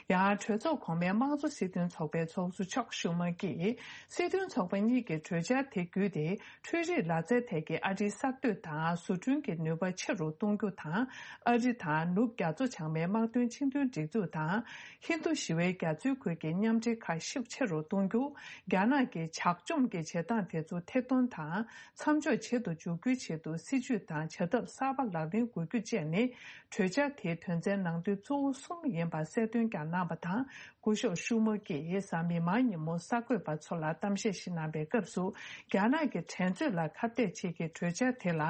ཡང་གྲོས་ཚོགས་གོང་མའི་དམངས་གཙོ་སྲིད་དོན་ཚོགས་པའི་ཚོགས་གཙོ་ཅག་ཤུ་མ་གིས། སྲིད་དོན་ཚོགས་པ་གཉིས་ཀྱི་གྲོས་འཆར་དེ་བརྒྱུད་དེ། འཕྲུལ་རིག་ལག་རྩལ་ཐད་ཀྱི་ཨ་རིའི་གསར་གཏོད་དང་བཟོ་སྐྲུན་གྱི་ནུས་པ་ཆེ་རུ་གཏོང་རྒྱུ་དང་། ཨ་རི་དང་ནུབ་རྒྱ་མཚོ་བྱང་མའི་དམག་དོན་ཆིངས་དོན་སྒྲིག་འཛུགས་དང་། ཧིན་རྡུ་ཞི་བའི་རྒྱ་མཚོའི་ཁུལ་གྱི་མཉམ་འབྲེལ་ཁག་ཤུགས་ཆེ་རུ་གཏོང་རྒྱུ། རྒྱ་ནག་གི་ཇག་བཅོམ་གྱི་བྱེད་སྟངས་དེ་ཚོ་ཐེར་འདོན་དང་། མཚམས་འཇོག་བྱེད་དུ་འཇུག་རྒྱུའི་ཆེད་དུ་སྲིད་ཇུས་དང་བྱ་ཐབས་གསར་པ་ལག་ལེན་དགོས་རྒྱུ་བཅས་ནི། གྲོས་འཆར་དེའི་དོན་ཚན་ནང་དོན་གཙོ་བོ་གསུམ་ཡིན་པ་གསལ་སྟོན་ཀྱང་གནང་བ་དང་། སྐུ་ཞབས་ཤུ་མ་གིས་གཟའ་མིག་དམར་ཉིན་མོ་གསར་འགོད་པ་ཚོ་ལ་གཏམ་བཤད་ཞིག་གནང་པའི་སྐབས་སུ། རྒྱ་ནག་གི་འགྲན་རྩོད་ལ་ཁ་གཏད་བྱེད་ཀྱི་གྲོས་འཆར་དེ་ལ།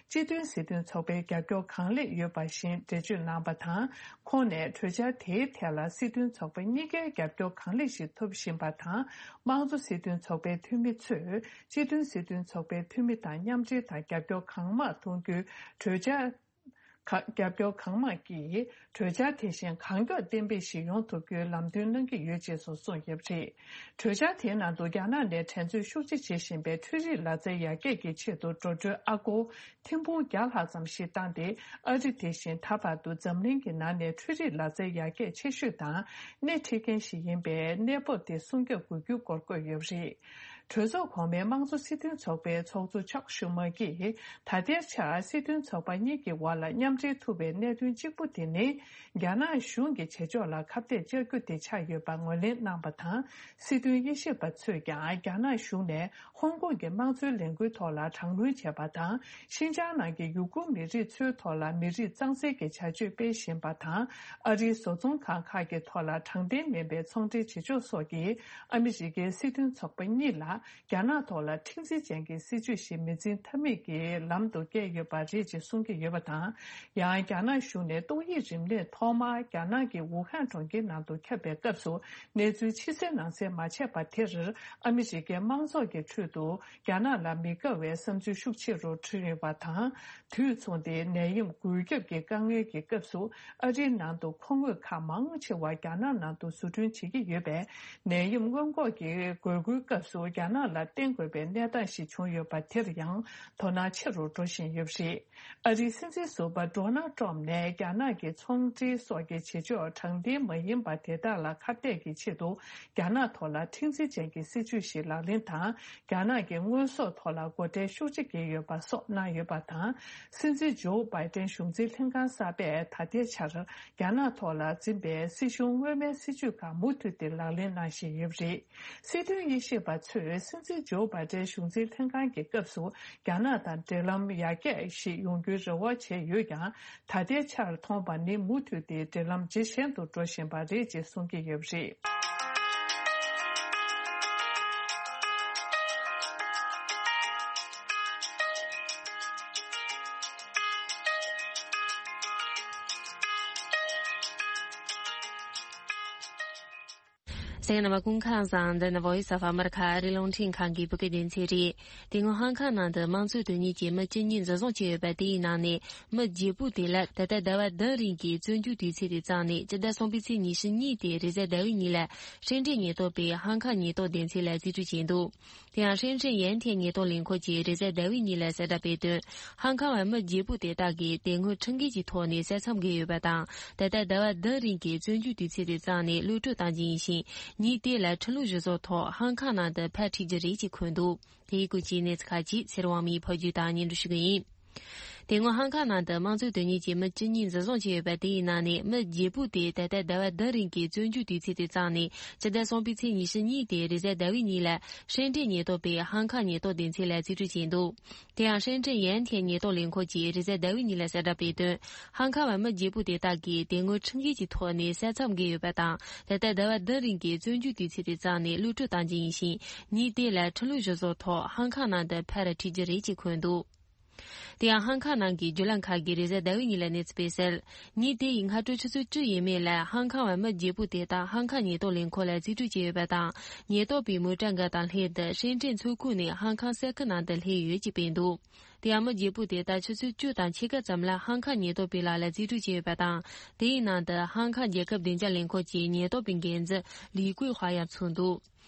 སྤྱི་མཐུན་སྲིད་དོན་ཚོགས་པའི་རྒྱབ་སྐྱོར་གང་ལེགས་ཡོད་པ་བཞིན་འགྲེལ་བརྗོད་གནང་བ་དང་། ཁོང་ནས་གྲོས་འཆར་དེའི་ཐད་ལ་སྲིད་དོན་ཚོགས་པ་གཉིས་ཀའི་རྒྱབ་སྐྱོར་གང་ལེགས་ཤིག་ཐོབ་བཞིན་པ་དང་། དམངས་གཙོ་སྲིད་དོན་ཚོགས་པའི་འཐུས་མི་ཚོས་སྤྱི་མཐུན་སྲིད་དོན་ཚོགས་པའི་འཐུས་མི་དང་མཉམ་འབྲེལ་དང་རྒྱབ་སྐྱོར་གང་མང་གཏོང་རྒྱུའི་གྲོས་འཆར། ཁག་རྒྱབ་སྐྱོར་གང་མང་གིས་གྲོས་འཆར་དེ་བཞིན་གང་མགྱོགས་གཏན་འབེབས་ཤིག་ཡོང་ཐུབ་རྒྱུའི་ལམ་སྟོན་གནང་གི་ཡོད་ཅེས་སོགས་གསུངས་ཡོད་པ་རེད། གྲོས་འཆར་དེའི་ནང་དུ་རྒྱ་ནག་ནས་འགྲན་རྩོད་ཤུགས་ཆེ་བྱེད་བཞིན་པའི་འཕྲུལ་རིག་ལག་རྩལ་ཡར་རྒྱས་ཀྱི་ཆེད་དུ་འགྲོ་གྲོན་ཨ་སྒོར་ཐེར་འབུམ་བརྒྱ་ལྷག་ཙམ་ཞིག་བཏང་སྟེ། ཨ་རི་དེ་བཞིན་ད་བར་དུ་འཛམ་གླིང་གི་ནང་ནས་འཕྲུལ་རིག་ལག་རྩལ་ཡར་རྒྱས་ཆེ་ཤོས་དང་སྣེ་ཁྲིད་མཁན་ཞིག་ཡིན་པའི་གནས་བབ་དེ་སྲུང་སྐྱོབ་དགོས་རྒྱུའི་སྐོར་བཀོད་ཡོད་པ་རེད། གྲོས་ཚོགས་གོང་མའི་དམངས་གཙོ་སྲིད་དོན་ཚོགས་པའི་ཚོགས་གཙོ་ཅག་ཤུ་མ་གིས་ད་ལྟའི་ཆར་སྲིད་དོན་ཚོགས་པ་གཉིས་ཀྱི་དབར་ལ་མཉམ་འབྲེལ་ཐུབ་པའི་གནད་དོན་གཅིག་པུ་དེ་ནི། རྒྱ་ནག་གཞུང་གི་བྱེད་ཕྱོགས་ལ་ཁ་གཏད་གཅོག་རྒྱུ་དེ་ཆགས་ཡོད་པ་ངོས་ལེན་གནང་བ་དང་། སྲིད་དོན་དབྱེ་ཞིབ་པ་ཚོས་ཀྱང་རྒྱ་ནག་གཞུང་ནས་ཧོང་ཀོང་གི་དམངས་གཙོའི་ལས་འགུལ་ཐོག་ལ་དྲག་གནོན་བྱས་པ་དང་། ཤིན་ཅང་ནང་གི་ཡུ་གུར་མི་རིགས་ཚོའི་ཐོག་ལ་མི་རིགས་གཙང་སེལ་གྱི་བྱ་སྤྱོད་སྤེལ་བཞིན་པ་དང་། ཨ་རིའི་བཟོ་ཚོང་ཁང་ཁག་གི་ཐོག་ལ་དྲང་བདེན་མིན་པའི་ཚོང་འབྲེལ་བྱེད་ཕྱོགས་སོགས་ཀྱིས་ཨ་མི་རི་ཀའི་སྲིད་དོན་ཚོགས་པ་གཉིས་ལ། རྒྱ་ནག་ཐོག་ལ་མཁྲེགས་འཛིན་ཅན་གྱི་སྲིད་བྱུས་ཤིག་མི་འཛིན་ཐབས་མེད་ཀྱི་ལམ་དུ་བསྐྱལ་ཡོད་པ་རེད་ཅེས་གསུང་གི་ཡོད་པ་དང་། ཡང་རྒྱ་ནག་གཞུང་ནས་ཏོག་དབྱིབས་རིམས་ནད་ཐོག་མར་རྒྱ་ནག་གི་ཝུ་ཧན་གྲོང་ཁྱེར་ནང་དུ་ཁྱབ་པའི་སྐབས་སུ། གནས་ཚུལ་ཕྱི་གསལ་ནང་གསལ་མ་བྱས་པ་དེར། ཨ་མི་རི་ཀའི་དམངས་ཚོགས་ཀྱི་ཁྲོད་དུ་རྒྱ་ནག་ལ་མི་དགའ་བའི་བསམ་ཚུལ་ཤུགས་ཆེ་རུ་འཕྲོས་ཡོད་པ་དང་། དུས་མཚུངས་ཏེ་ནད་ཡམས་འགོས་ཁྱབ་ཀྱི་དཀའ་ངལ་གྱི་སྐབས་སུ། ཨ་རིའི་ནང་དུ་མཁོ་དངོས་ཁག་མང་ཆེ་བ་རྒྱ་ནག་ནང་དུ་བཟོ་སྐྲུན་བྱེད་ཀྱི་ཡོད་པས། ནད་ཡམས་སྔོན་འགོག་གི་དགོས་མཁོའི་སྐབས་སུ་རྒྱ་ནག་ལ་བརྟེན་དགོས་པའི་གནས་སྟངས་ཤིག་བྱུང་ཡོད་པ་དེར་ཡང་དོ་སྣང་ཆེ་རུ་འགྲོ་བཞིན་ཡོད་པ་རེད། ཨ་རིའི་སྲིད་འཛིན་ཟུར་པ་ཌོ་ནལ་ཊམ་ནས་རྒྱ་ནག་གི་ཚོང་འབྲེལ་སོགས་ཀྱི་བྱེད་ཕྱོགས་དྲང་བདེན་མ་ཡིན་པ་དེ་དག་ལ་ཁ་གཏད་ཀྱི་ཆེད་དུ། རྒྱ་ནག་ཐོག་ལ་མཁྲེགས་འཛིན་ཅན་གྱི་སྲིད་བྱུས་ཤིག་ལག་ལེན་དང་། རྒྱ་ནག་གི་དངོས་ཟོག་ཐོག་ལ་སྒོ་ཁྲལ་ཤུགས་ཆེ་བཀལ་ཡོད་པ་སོགས་གནང་ཡོད་པ་དང་། སྲིད་འཛིན་ཇོ་བྷའི་ཏན་གཞུང་འཛིན་ལྷན་ཁང་གསར་པས་ད་ལྟའི་ཆར་རྒྱ་ནག་ཐོག་ལ་འཛིན་པའི་སྲིད་གཞུང་སྔོན་མའི་སྲིད་བྱུས་ཁག་མུ་མཐུད་དེ་ལག་ལེན་གནང་བཞིན་ཡོད་པ་རེད། སྲིད་དོན་དབྱེ་ཞིབ་པ་ཚོས་སྲིད་འཛིན་ཇོ་བྷའི་ཏན་གཞུང་འཛིན་ལྷན་ཁང་གི་སྐབས་སུ་རྒྱ་ནག་དང་འབྲེལ་ལམ་ཡར་རྒྱས་ཤིག་ཡོང་རྒྱུའི་རེ་བ་བྱས་ཡོད་ཀྱང་། ད་ལྟའི་ཆར་མཐོང་པ་ནི་མུ་མཐུད་དེ་འབྲེལ་ལམ་ཇེ་ཞན་དུ་འགྲོ་བཞིན་པ་རེད་ཅེས་གསུང་གི་ཡོད་པ་རེད། གསན་མཁན་རྣམ་པ་སྐུ་ཁམས་བཟང་། འདི་ནི་Voice of America ཨ་རིའི་རླུང་འཕྲིན་ཁང་གི་བོད་སྐད་སྡེ་ཚན་རེད། དེ་སྔོན་ཧང་ཁང་ནང་དུ་དམངས་གཙོའི་དོན་གཉེར་གྱི་མི་བཅུ་གཉིས་འཛིན་བཟུང་བྱས་ཡོད་པ་དེའི་ནང་ནས་མི་བརྒྱད་པོ་དེ་ལ་ད་ལྟ་ཟླ་བ་བདུན་རིང་གི་བཙོན་འཇུག་དུས་ཚོད་དེ་བརྩམས་ནས་སྤྱི་ཟླ་གསུམ་པའི་ཚེས་ཉི་ཤུ་གཉིས་ཏེ་རེས་གཟའ་ཟླ་བའི་ཉིན་ལ་ཧྲེན་ཀྲེན་ཉེན་རྟོག་པས་ཧང་ཁང་ཉེན་རྟོག་སྡེ་ཚན་ལ་རྩིས་སྤྲོད་བྱས་འདུག་དེ་ཡང་ཧྲེན་ཀྲེན་ཡན་ཐན་ཉེན་རྟོག་ལས་ཁུངས་ཀྱིས་རེས་གཟའ་ཟླ་བའི་ཉིན་ལ་གསལ་བསྒྲགས་སྤེལ་དོན། ཧང་ཁང་བ་མི་བརྒྱད་པོ་དེ་དག་གིས་དེ་སྔོན་ཁྲིམས་འགལ་གྱི་ཐོག་ནས་བསད་མཚམས་བརྒལ་ཡོད་པ་དང་། ད་ལྟ་ཟླ་བ་བདུན་རིང་གི་བཙོན་འཇུག་དུས་ཚོད་དེ་བརྩམས་ནས་གློད་གྲོལ་བཏང་རྒྱུ་ཡིན་ཞིང་། ཉིན་དེ་ལ་ཁྲིམས་ལུགས་གཞིར་བཟུང་ཐོག་ཧང་ཁང་ནང་དུ་ཕར་ཁྲིད་རྒྱུ་རེད་ཅེས་འཁོད་འདུག་དེའི་སྐོར་གྱི་གནས་ཚུལ་ཁག་ཅིག་ཚེ་རིང་དབང་མོས་ཕབ་སྒྱུར་དང་སྙན་སྒྲོན་ཞུ་གི་ཡིན། དེ་སྔོན་ཧང་ཁང་ནང་དུ་དམངས་གཙོའི་དོན་གཉེར་གྱི་མི་བཅུ་གཉིས་འཛིན་བཟུང་བྱས་ཡོད་པ་དེ་ཡི་ནང་ནས་མི་བརྒྱད་པོ་དེ་ད་ལྟ་ཟླ་བ་བདུན་རིང་གི་བཙོན་འཇུག་དུས་ཚོད་དེ་བརྩམས་ནས་སྤྱི་ཟླ་གསུམ་པའི་ཚེས་ཉི་ཤུ་གཉིས་ཏེ་རེས་གཟའ་ཟླ་བའི་ཉིན་ལ་ཧྲེན་ཀྲེན་ཉེན་རྟོག་པས་ཧང་ཁང་ཉེན་རྟོག་སྡེ་ཚན་ལ་རྩིས་སྤྲོད་བྱས་འདུག་དེ་ཡང་ཧྲེན་ཀྲེན་ཡན་ཐན་ཉེན་རྟོག་ལས་ཁུངས་ཀྱིས་རེས་གཟའ་ཟླ་བའི་ཉིན་ལ་གསལ་བསྒྲགས་སྤེལ་དོན། ཧང་ཁང་བ་མི་བརྒྱད་པོ་དེ་དག་གིས་དེ་སྔོན་ཁྲིམས་འགལ་གྱི་ཐོག་ནས་བསད་མཚམས་བརྒལ་ཡོད་པ་དང་། ད་ལྟ་ཟླ་བ་བདུན་རིང་གི་བཙོན་འཇུག་དུས་ཚོད་དེ་བརྩམས་ནས་གློད་གྲོལ་བཏང་རྒྱུ་ཡིན་ཞིང་། ཉིན་དེ་ལ་ཁྲིམས་ལུགས་གཞིར་བཟུང་ཐོག་ཧང་ཁང་ནང་དུ་ཕར་ཁྲིད་རྒྱུ་རེད་ཅེས་འཁོད་འདུག་དེ་ཡང་ཧང་ཁང་ནང་གི་བརྒྱུད་ལམ་ཁག་གིས་རེས་གཟའ་ཟླ་བའི་ཉིན་ལ་གནས་ཚུལ་སྤེལ་གསལ། ཉིན་དེ་ཡི་སྔ་དྲོ་ཆུ་ཚོད་བཅུ་ཡས་མས་ལ་ཧང་ཁང་བ་མི་བརྒྱད་པོ་དེ་དག་ཧང་ཁང་ཉེན་རྟོག་ལས་ཁུངས་ལ་རྩིས་སྤྲོད་བྱས་ཡོད་པ་དང་། ཉེན་རྟོག་པའི་མོ་ཊ་འགའ་དང་ལྷན་དུ་ཧྲེན་ཀྲེན་མཚོ་ཁུག་ནས་ཧང་ཁང་ས་ཁུལ་ནང་དུ་སླེབས་ཡོད་ཅེས་སྤེལ་འདུག་དེ་ཡང་མི་བརྒྱད་པོ་དེ་དག་ཆུ་ཚོད་བཅུ་དང་ཕྱེད་ཀ་ཙམ་ལ་ཧང་ཁང་ཉེན་རྟོག་པའི་ལག་ལ་རྩིས་སྤྲོད་བྱས་ཡོད་པ་དང་། དེའི་ནང་དུ་ཧང་ཁང་རྒྱལ་ཁབ་བདེ་འཇགས་ལས་ཁུངས་ཀྱི་ཉེན་རྟོག་པའི་འགན་འཛིན་ལི་ཀུའེ་ཧྭ་ཡང་ཚུད་འདུག་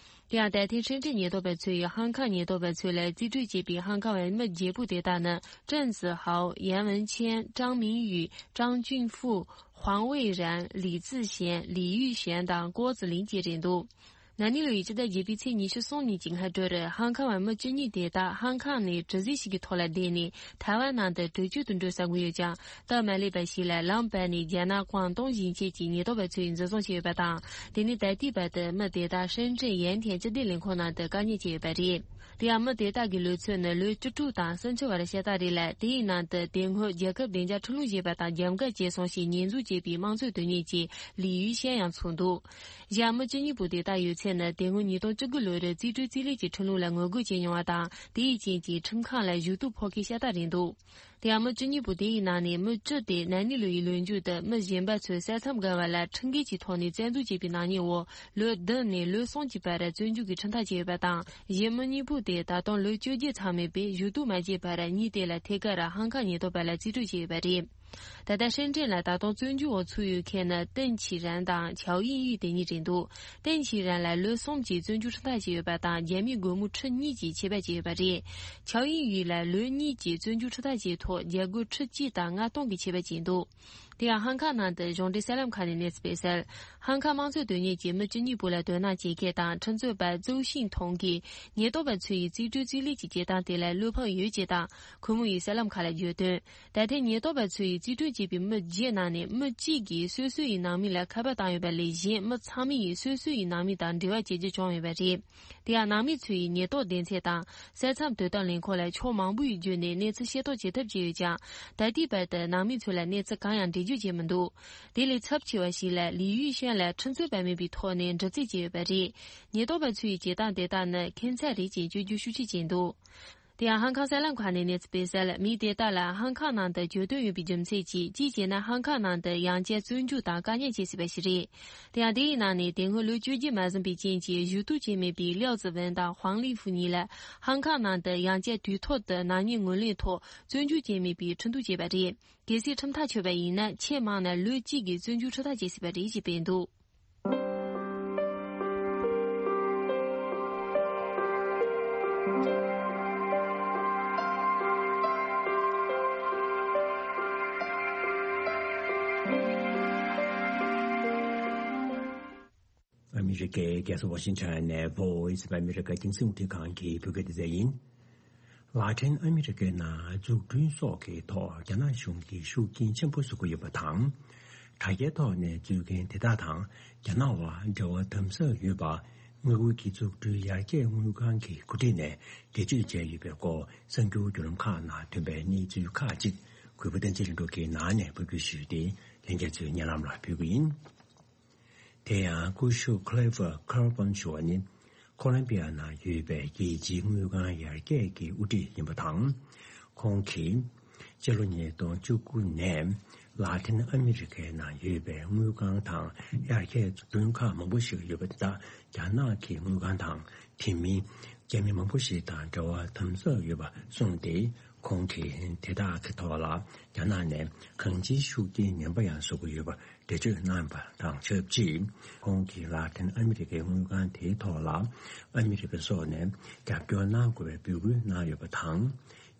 དེ་ཡང་ད་ཐེངས་ཧྲེན་ཀྲེན་ཉེན་རྟོག་པ་ཚོ་ཡིས་ཧང་ཁང་ཉེན་རྟོག་པ་ཚོ་ལ་རྩིས་སྤྲོད་བྱས་པའི་ཧང་ཁང་བའི་མི་བརྒྱད་པོ་དེ་དག་ནི་ཀྲེང་ཙི་ཧའོ། ཡན་ཝུན་ཆན། ཀྲང་མིང་ཡུས། ཀྲང་ཅུན་ཧྥུ། ཧུང་ཝེ་རན། ལི་ཙི་ཞན། ལི་ཡུས་ཞན་དང་ཀོ་ཙི་ལིན་བཅས་རེད་འདུག་ན་ནིང་ལོ་ཡི་སྤྱི་ཟླ་བརྒྱད་པའི་ཚེས་ཉི་ཤུ་གསུམ་ཉིན་གྱི་སྔ་དྲོར་ཧང་ཁང་བ་མི་བཅུ་གཉིས་དེ་དག་ཧང་ཁང་ནས་གྲུ་གཟིངས་ཤིག་གི་ཐོག་ལ་བསྡད་ནས་ཐའེ་ཝན་ནང་དུ་བྲོས་བྱོལ་དུ་འགྲོ་བསམ་གྱི་ཡོད་ཀྱང་། སྟབས་མ་ལེགས་པ་ཞིག་ལ་ལམ་བར་ནས་རྒྱ་ནག་ཀོང་ཏུང་ཞིང་ཆེན་གྱི་ཉེན་རྟོག་པ་ཚོས་འཛིན་བཟུང་བྱས་ཡོད་པ་དང་། དེ་ནས་ད་ལྟའི་བར་དུ་མི་དེ་དག་ཧྲེན་ཀྲེན་ཡན་ཐན་སྤྱི་བདེ་ལས་ཁུངས་ནང་དུ་བཀག་ཉར་བྱས་ཡོད་པ་རེད། དེ་ཡང་མི་དེ་དག་གི་ལོ་ཚོད་ནི་ལོ་བཅུ་དྲུག་དང་སུམ་ཅུ་བར་ཤ་སྟག་རེད་ལ། དེའི་ནང་དུ་དེ་སྔོན་རྒྱལ་ཁབ་བདེ་འཇགས་ཁྲིམས་ལུགས་ཞེས་པ་དང་རྒྱབ་འགལ་བྱས་སོང་ཞེས་ཉེས་འཛུགས་བྱས་པའི་དམངས་གཙོའི་དོན་གཉེར་གྱི་ལི་ཡུས་ཤན་ཡང་ཚུད་འདུག་གཞན་མི་བཅུ་གཉིས་པོ་དེ་དག་ཡོད་ཚད་ནི་དེ་སྔོན་ཉིས་སྟོང་བཅུ་དགུ་ལོར་རྩིས་སྤྲོད་རྩིས་ལེན་གྱི་ཁྲིམས་ལུགས་ལ་ངོ་རྒོལ་བྱས་མྱོང་བ་དང་། དེའི་རྐྱེན་གྱིས་ཁྲིམས་ཁང་ལ་ཞུ་གཏུག་ཕོག་མཁན་ཤ་སྟག་རེད་འདུག་དེ་ཡང་མི་བཅུ་གཉིས་པོ་དེ་ཡི་ནང་ནས་མི་བཅུ་དེ་ན་ནིང་ལོ་ཡི་ལོ་མཇུག་ཏུ་མི་གཞན་པ་ཚོས་ས་མཚམས་བརྒལ་བ་ལ་ཁྲིམས་འགལ་གྱི་ཐོག་ནས་བཙན་འཛུལ་བྱས་པའི་ནག་ཉེས་འོག་ལོ་བདུན་ནས་ལོ་གསུམ་གྱི་བར་བཙོན་འཇུག་གི་ཁྲིམས་ཐག་བཅད་ཡོད་པ་དང་། གཞན་མི་གཉིས་པོ་དེ་ད་དུང་ལོ་བཅོ་བརྒྱད་ཚང་མེད་པས་ཞུ་གཏུག་མ་བྱས་པར་ཉིན་དེ་ལ་ཐད་ཀར་ཧང་ཁང་ཉེན་རྟོག་པ་ལ་རྩིས་སྤྲོད་བྱས་ཡོད་པ་རེད། ད་ལྟ་ཧྲེན་ཀྲེན་ལ་ད་དུང་བཙོན་འཇུག་འོག་ཚུད་ཡོད་མཁན་ནི་ཏེན་ཆི་རན་དང་ཆའོ་ཡིན་ཡུས་དེ་གཉིས་རེད་འདུག་ཏེན་ཆི་རན་ལ་ལོ་གསུམ་གྱི་བཙོན་འཇུག་ཁྲིམས་ཐག་བཅད་ཡོད་པ་དང་། རྒྱ་མིའི་སྒོར་མོ་ཁྲི་གཉིས་ཀྱི་ཆད་པ་བཅད་ཡོད་པ་རེད། ཆའོ་ཡིན་ཡུས་ལ་ལོ་གཉིས་ཀྱི་བཙོན་འཇུག་ཁྲིམས་ཐག་བཅད་ཐོག་རྒྱ་སྒོར་ཁྲི་གཅིག་དང་ལྔ་སྟོང་གི་ཆད་པ་བཅད་འདུག་དེ་ཡང་ཧང་ཁང་ནང་དུ་གཞུང་འབྲེལ་གསར་ལམ་ཁག་ནས་གནས་ཚུལ་སྤེལ་གསལ། ཧང་ཁང་དམངས་གཙོའི་དོན་གཉེར་གྱི་མི་བཅུ་གཉིས་པོ་ལ་དོ་སྣང་བྱེད་མཁན་དང་ཁྲིམས་རྩོད་པ་ཙོའུ་ཤིན་ཐུང་གིས་ཉེན་རྟོག་པ་ཚོ་ཡི་རྩིས་སྤྲོད་རྩིས་ལེན་གྱི་བྱེད་སྟངས་དེ་ལ་བློ་ཕམ་ཡོད་ཅེས་དང་། ཁོ་མོ་ཡིས་གསར་ལམ་ཁག་ལ་བརྗོད་དོན། ད་ཐེངས་ཉེན་རྟོག་པ་ཚོ་ཡིས་རྩིས་སྤྲོད་བྱས་པའི་མི་བརྒྱད་ནང་ནས་མི་གཅིག་གིས་སོ་སོ་ཡི་ནང་མི་ལ་ཁ་པར་བཏང་ཡོད་པ་ལས་གཞན་མི་ཚང་མ་ཡིས་སོ་སོ་ཡི་ནང་མི་དང་འབྲེལ་བ་བྱེད་རྒྱུ་བྱུང་ཡོད་པ་རེད། དེ་ཡང་ནང་མི་ཚོ་ཡིས་ཉེན་རྟོག་སྡེ་ཚན་དང་ས་མཚམས་དོ་དམ་ལས་ཁུངས་ལ་ཕྱོགས་མང་པོ་ཡི་བརྒྱུད་ནས་གནས་ཚུལ་ཤེས་རྟོགས་བྱེད་ཐབས་བྱས་ཡོད་ཀྱང་། ད་ལྟའི་བར་དུ་ནང་མི་ཚོ་ལ་གནས་ཚུལ་གང་ཡང་འདྲི་ རྒྱུ་བྱས་མི་འདུག་དེ་ལས་ཚབས་ཆེ་བ་ཞིག་ལ་ལི་ཡུས་ཤན་ལ་ཁྲིམས་རྩོད་པ་མེད་པའི་ཐོག་ནས་འདྲི་རྩད་བྱས་ཡོད་པ་རེད། ཉེན་རྟོག་པ་ཚོས་བྱེད་སྟངས་དེ་དག་ནི་ཁྱད་མཚར་རེད་ཅེས་བརྗོད་རྒྱུ་ཤུགས་ཆེ་བྱས་འདུག་དེ་ཡང་ཧང་ཀང་གསར་ལམ་ཁག་ནས་གནས་ཚུལ་སྤེལ་གསལ། མི་དེ་དག་ལ་ཧང་ཀང་ནང་དུ་གྱོད་དོན་ཡོད་པའི་རྒྱུ་མཚན་གྱིས། གཅིག་བྱས་ན་ཧང་ཀང་ནང་དུ་ཡང་བསྐྱར་བཙོན་འཇུག་དང་བཀག་ཉར་བྱེད་སྲིད་པ་ཞིག་རེད། དེ་ཡང་དེའི་ནང་ནས་དེ་སྔོན་ལོ་བཅོ་བརྒྱད་མ་ཟིན་པའི་རྐྱེན་གྱིས་ཞུ་གཏུག་བྱས་མེད་པའི་ལིའོ་ཙི་ཝུན་དང་ཧུང་ལི་ཧྥུ་གཉིས་ལ་ཧང་ཀང་ནང་དུ་ཡང་བསྐྱར་དུས་ཐོག་ཏུ་ནག་ཉེས་ངོས་ལེན་ཐོག་བཙོན་འཇུག་བྱས་མེད་པའི་ཁྲིམས་གཏུག་བྱས་པ་རེད། གལ་སྲིད་ཁྲིམས་ཐག་ཆོད་པ་ཡིན་ན། ཆེས་མང་ན་ལོ་གཅིག་གི་བཙོན་འཇུག་ཁྲིམས་ཐག་བཅད་སྲིད་པ་རེད་ཅེས་སྤེལ་འདུག་ཨ་མི་རི་ཀའི་རྒྱལ་ས་ཝ་ཤིང་ཊོན་ནས་Voice of America རྒྱང་སྲིང་རླུང་འཕྲིན་ཁང་གི་བོད་སྐད་སྡེ་ཚན་ཡིན། ལ་ཏིན་ཨ་མི་རི་ཀའི་ནང་འཛུགས་སྐྲུན་སོགས་ཀྱི་ཐོག་རྒྱ་ནག་གཞུང་གིས་ཤུགས་རྐྱེན་ཆེན་པོ་བཟོ་གི་ཡོད་པ་དང་། དྲ་རྒྱའི་ཐོག་ནས་འཛུལ་མཁན་དེ་དག་དང་རྒྱ་ནག་དབར་འབྲེལ་བ་དམ་ཟབ་ཡོད་པ། དངུལ་ཁང་གི་འཛུགས་སྐྲུན་ཡར་རྒྱས་དངུལ་ཁང་གི་འགོ་ཁྲིད་ནས་འགྲེལ་བརྗོད་བྱས་ཡོད་པའི་སྐོར་གསར་འགྱུར་བརྒྱུད་ལམ་ཁག་ནང་ཐོན་པའི་གནས་ཚུལ་ཁག་ཅིག་གུས་པ་བསྟན་འཛིན་ལྷུན་གྲུབ་ཀྱིས་ནང་ནས་ཕབ་སྒྱུར་ཞུས་ཏེ་ལྷན་རྒྱས་ཚོའི་སྙན་ལམ་ལ་ཕུལ་གྱི་ཡིན། དེ་ཡང་སྐུ་ཞབས་Clifford Carbone ཞུ་བ་ནི། ཁོ་ལོམ་བི་ཡ་ནང་ཡོད་པའི་རྒྱལ་སྤྱིའི་དངུལ་ཁང་ཡར་རྒྱས་ཀྱི་དབུ་ཁྲིད་ཡིན་པ་དང་། ཁོང་གིས་སྤྱི་ལོ་ཉིས་སྟོང་བཅུ་དགུ་ནས་ལ་ཏིན་ཨ་མི་རི་ཀའི་ནང་ཡོད་པའི་དངུལ་ཁང་དང་ཡར་རྒྱས་འཛུགས་སྐྲུན་ཁག་མང་པོ་ཞིག་ཡོད་པ་དེ་དག་རྒྱ་ནག་གི་དངུལ་ཁང་དང་དེ་མིན་རྒྱ་མི་མང་པོ་ཞིག་དང་འབྲེལ་བ་དམ་ཟབ་ཡོད་པ་གསུངས་ཏེ། ཁོང་གིས་དེ་དག་གི་ཐོག་ལ་རྒྱ་ནག་ནས་གང་ཅིའི་ཤུགས་རྐྱེན་ངན་པ་ཡང་བཟོ་གི་ཡོད་པ། འགྲེལ་བརྗོད་གནང་བ་དང་ཆབས་ཅིག་ཁོང་གིས་ལ་ཏིན་ཨ་མི་རི་ཀའི་དངུལ་ཁང་དེའི་ཐོག་ལ་ཨ་མི་རི་ཀ་སོགས་ནས་རྒྱབ་སྐྱོར་གནང་དགོས་པའི་འབོད་སྐུལ་གནང་ཡོད་པ་དང་།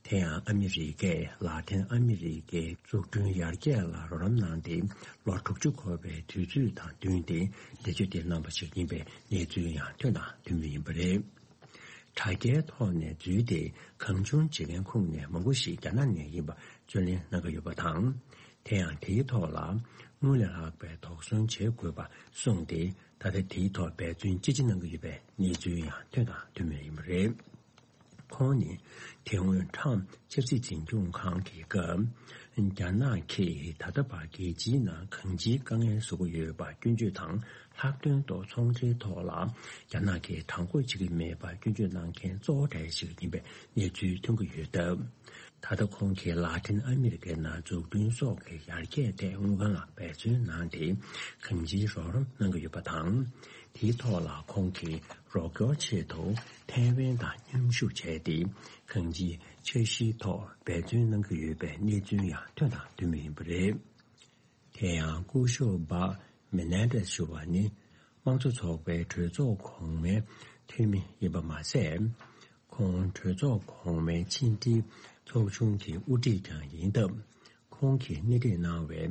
དེ་ཡང་ཨ་མི་རི་ཀས་ལ་ཏིན་ཨ་མི་རི་ཀའི་འཛུགས་སྐྲུན་ཡར་རྒྱས་ལ་རོགས་རམ་གནང་སྟེ། ལོ་དྲུག་ཅུ་འཁོར་བའི་དུས་ཚོད་དང་བསྟུན་ཏེ་འགྲེལ་བརྗོད་དེ་གནང་བ་ཞིག་ཡིན་པའི་གནས་ཚུལ་ཡང་ཐོན་དང་ཐོན་མུས་ཡིན་པ་རེད། དྲ་རྒྱའི་ཐོག་ནས་འཛུལ་ཏེ་གང་བྱུང་བྱེད་མཁན་ཁོངས་ནས་མང་པོ་ཞིག་རྒྱ་ནག་ནས་ཡིན་པ་རྩོད་ལེན་གནང་གི་ཡོད་པ་དང་། དེ་ཡང་དེའི་ཐོག་ལ་དངུལ་ལས་ལྷག་པའི་དོགས་ཟོན་བྱེད་དགོས་པ་གསུངས་ཏེ། ད་ལྟ་དེའི་ཐོག་འབད་བརྩོན་ཅི་ཆེ་གནང་གི་ཡོད་པའི་གནས་ཚུལ་ཡང་ཐོན་དང་ཐོན་མུས་ཡིན་པ་རེད། ཁོང་ནི་དེ་སྔོན་ཁྲམ་ཆབ་སྲིད་འཛིན་སྐྱོང་ཁང་གི་སྐབས། རྒྱ་ནག་གིས་ད་ལྟ་བར་རྒྱལ་སྤྱིའི་ནང་གང་ཅིའི་དཀའ་ངལ་བཟོ་གི་ཡོད་པ་སྐྱོན་བརྗོད་དང་། ལྷག་དོན་དུ་ཚོང་འབྲེལ་ཐོག་ལ་རྒྱ་ནག་གིས་དྲང་པོ་བྱེད་ཀྱི་མེད་པ་སྐྱོན་བརྗོད་གནང་མཁན་གཙོ་བོ་གྲས་ཤིག་ཡིན་པའི་གནས་ཚུལ་ཐོན་གྱི་ཡོད་སྟབས། ད་ལྟ་ཁོང་གིས་ལ་ཏིན་ཨ་མི་རི་ཀའི་ནང་འཛུགས་སྐྲུན་སོགས་ཀྱི་ཡར་རྒྱས་ཐད་དངུལ་ཁང་ལ་འབད་བརྩོན་གནང་སྟེ་གང་ཅིའི་རོགས་རམ་གནང་གི་ཡོད་པ་དང་། དེའི་ཐོག་ལ་ཁོང་གིས་རོགས་སྐྱོར་ཆེད་དུ་ཐའེ་ཝན་དང་མཉམ་ཞུགས་བྱས་ཏེ་གང་ཅིའི་འཆར་གཞིའི་ཐོག་འབད་བརྩོན་གནང་གི་ཡོད་པའི་གནས་ཚུལ་ཡང་ཐོན་དང་ཐོན་མུས་ཡིན་པ་རེད། དེ་ཡང་སྐུ་ཞབས་བྷག་མེ་ནན་ཏེས་ཞུ་བ་ནི། དམངས་གཙོ་ཚོགས་པའི་གྲོས་ཚོགས་གོང་མའི་འཐུས་མི་ཡིན་པ་མ་ཟད། ཁོང་གྲོས་ཚོགས་གོང་མའི་ཕྱི་འབྲེལ་ཚོགས་ཆུང་གི་དབུ་ཁྲིད་ཀྱང་ཡིན་སྟབས། ཁོང་གིས་སྣེ་ཁྲིད་གནང་བའི་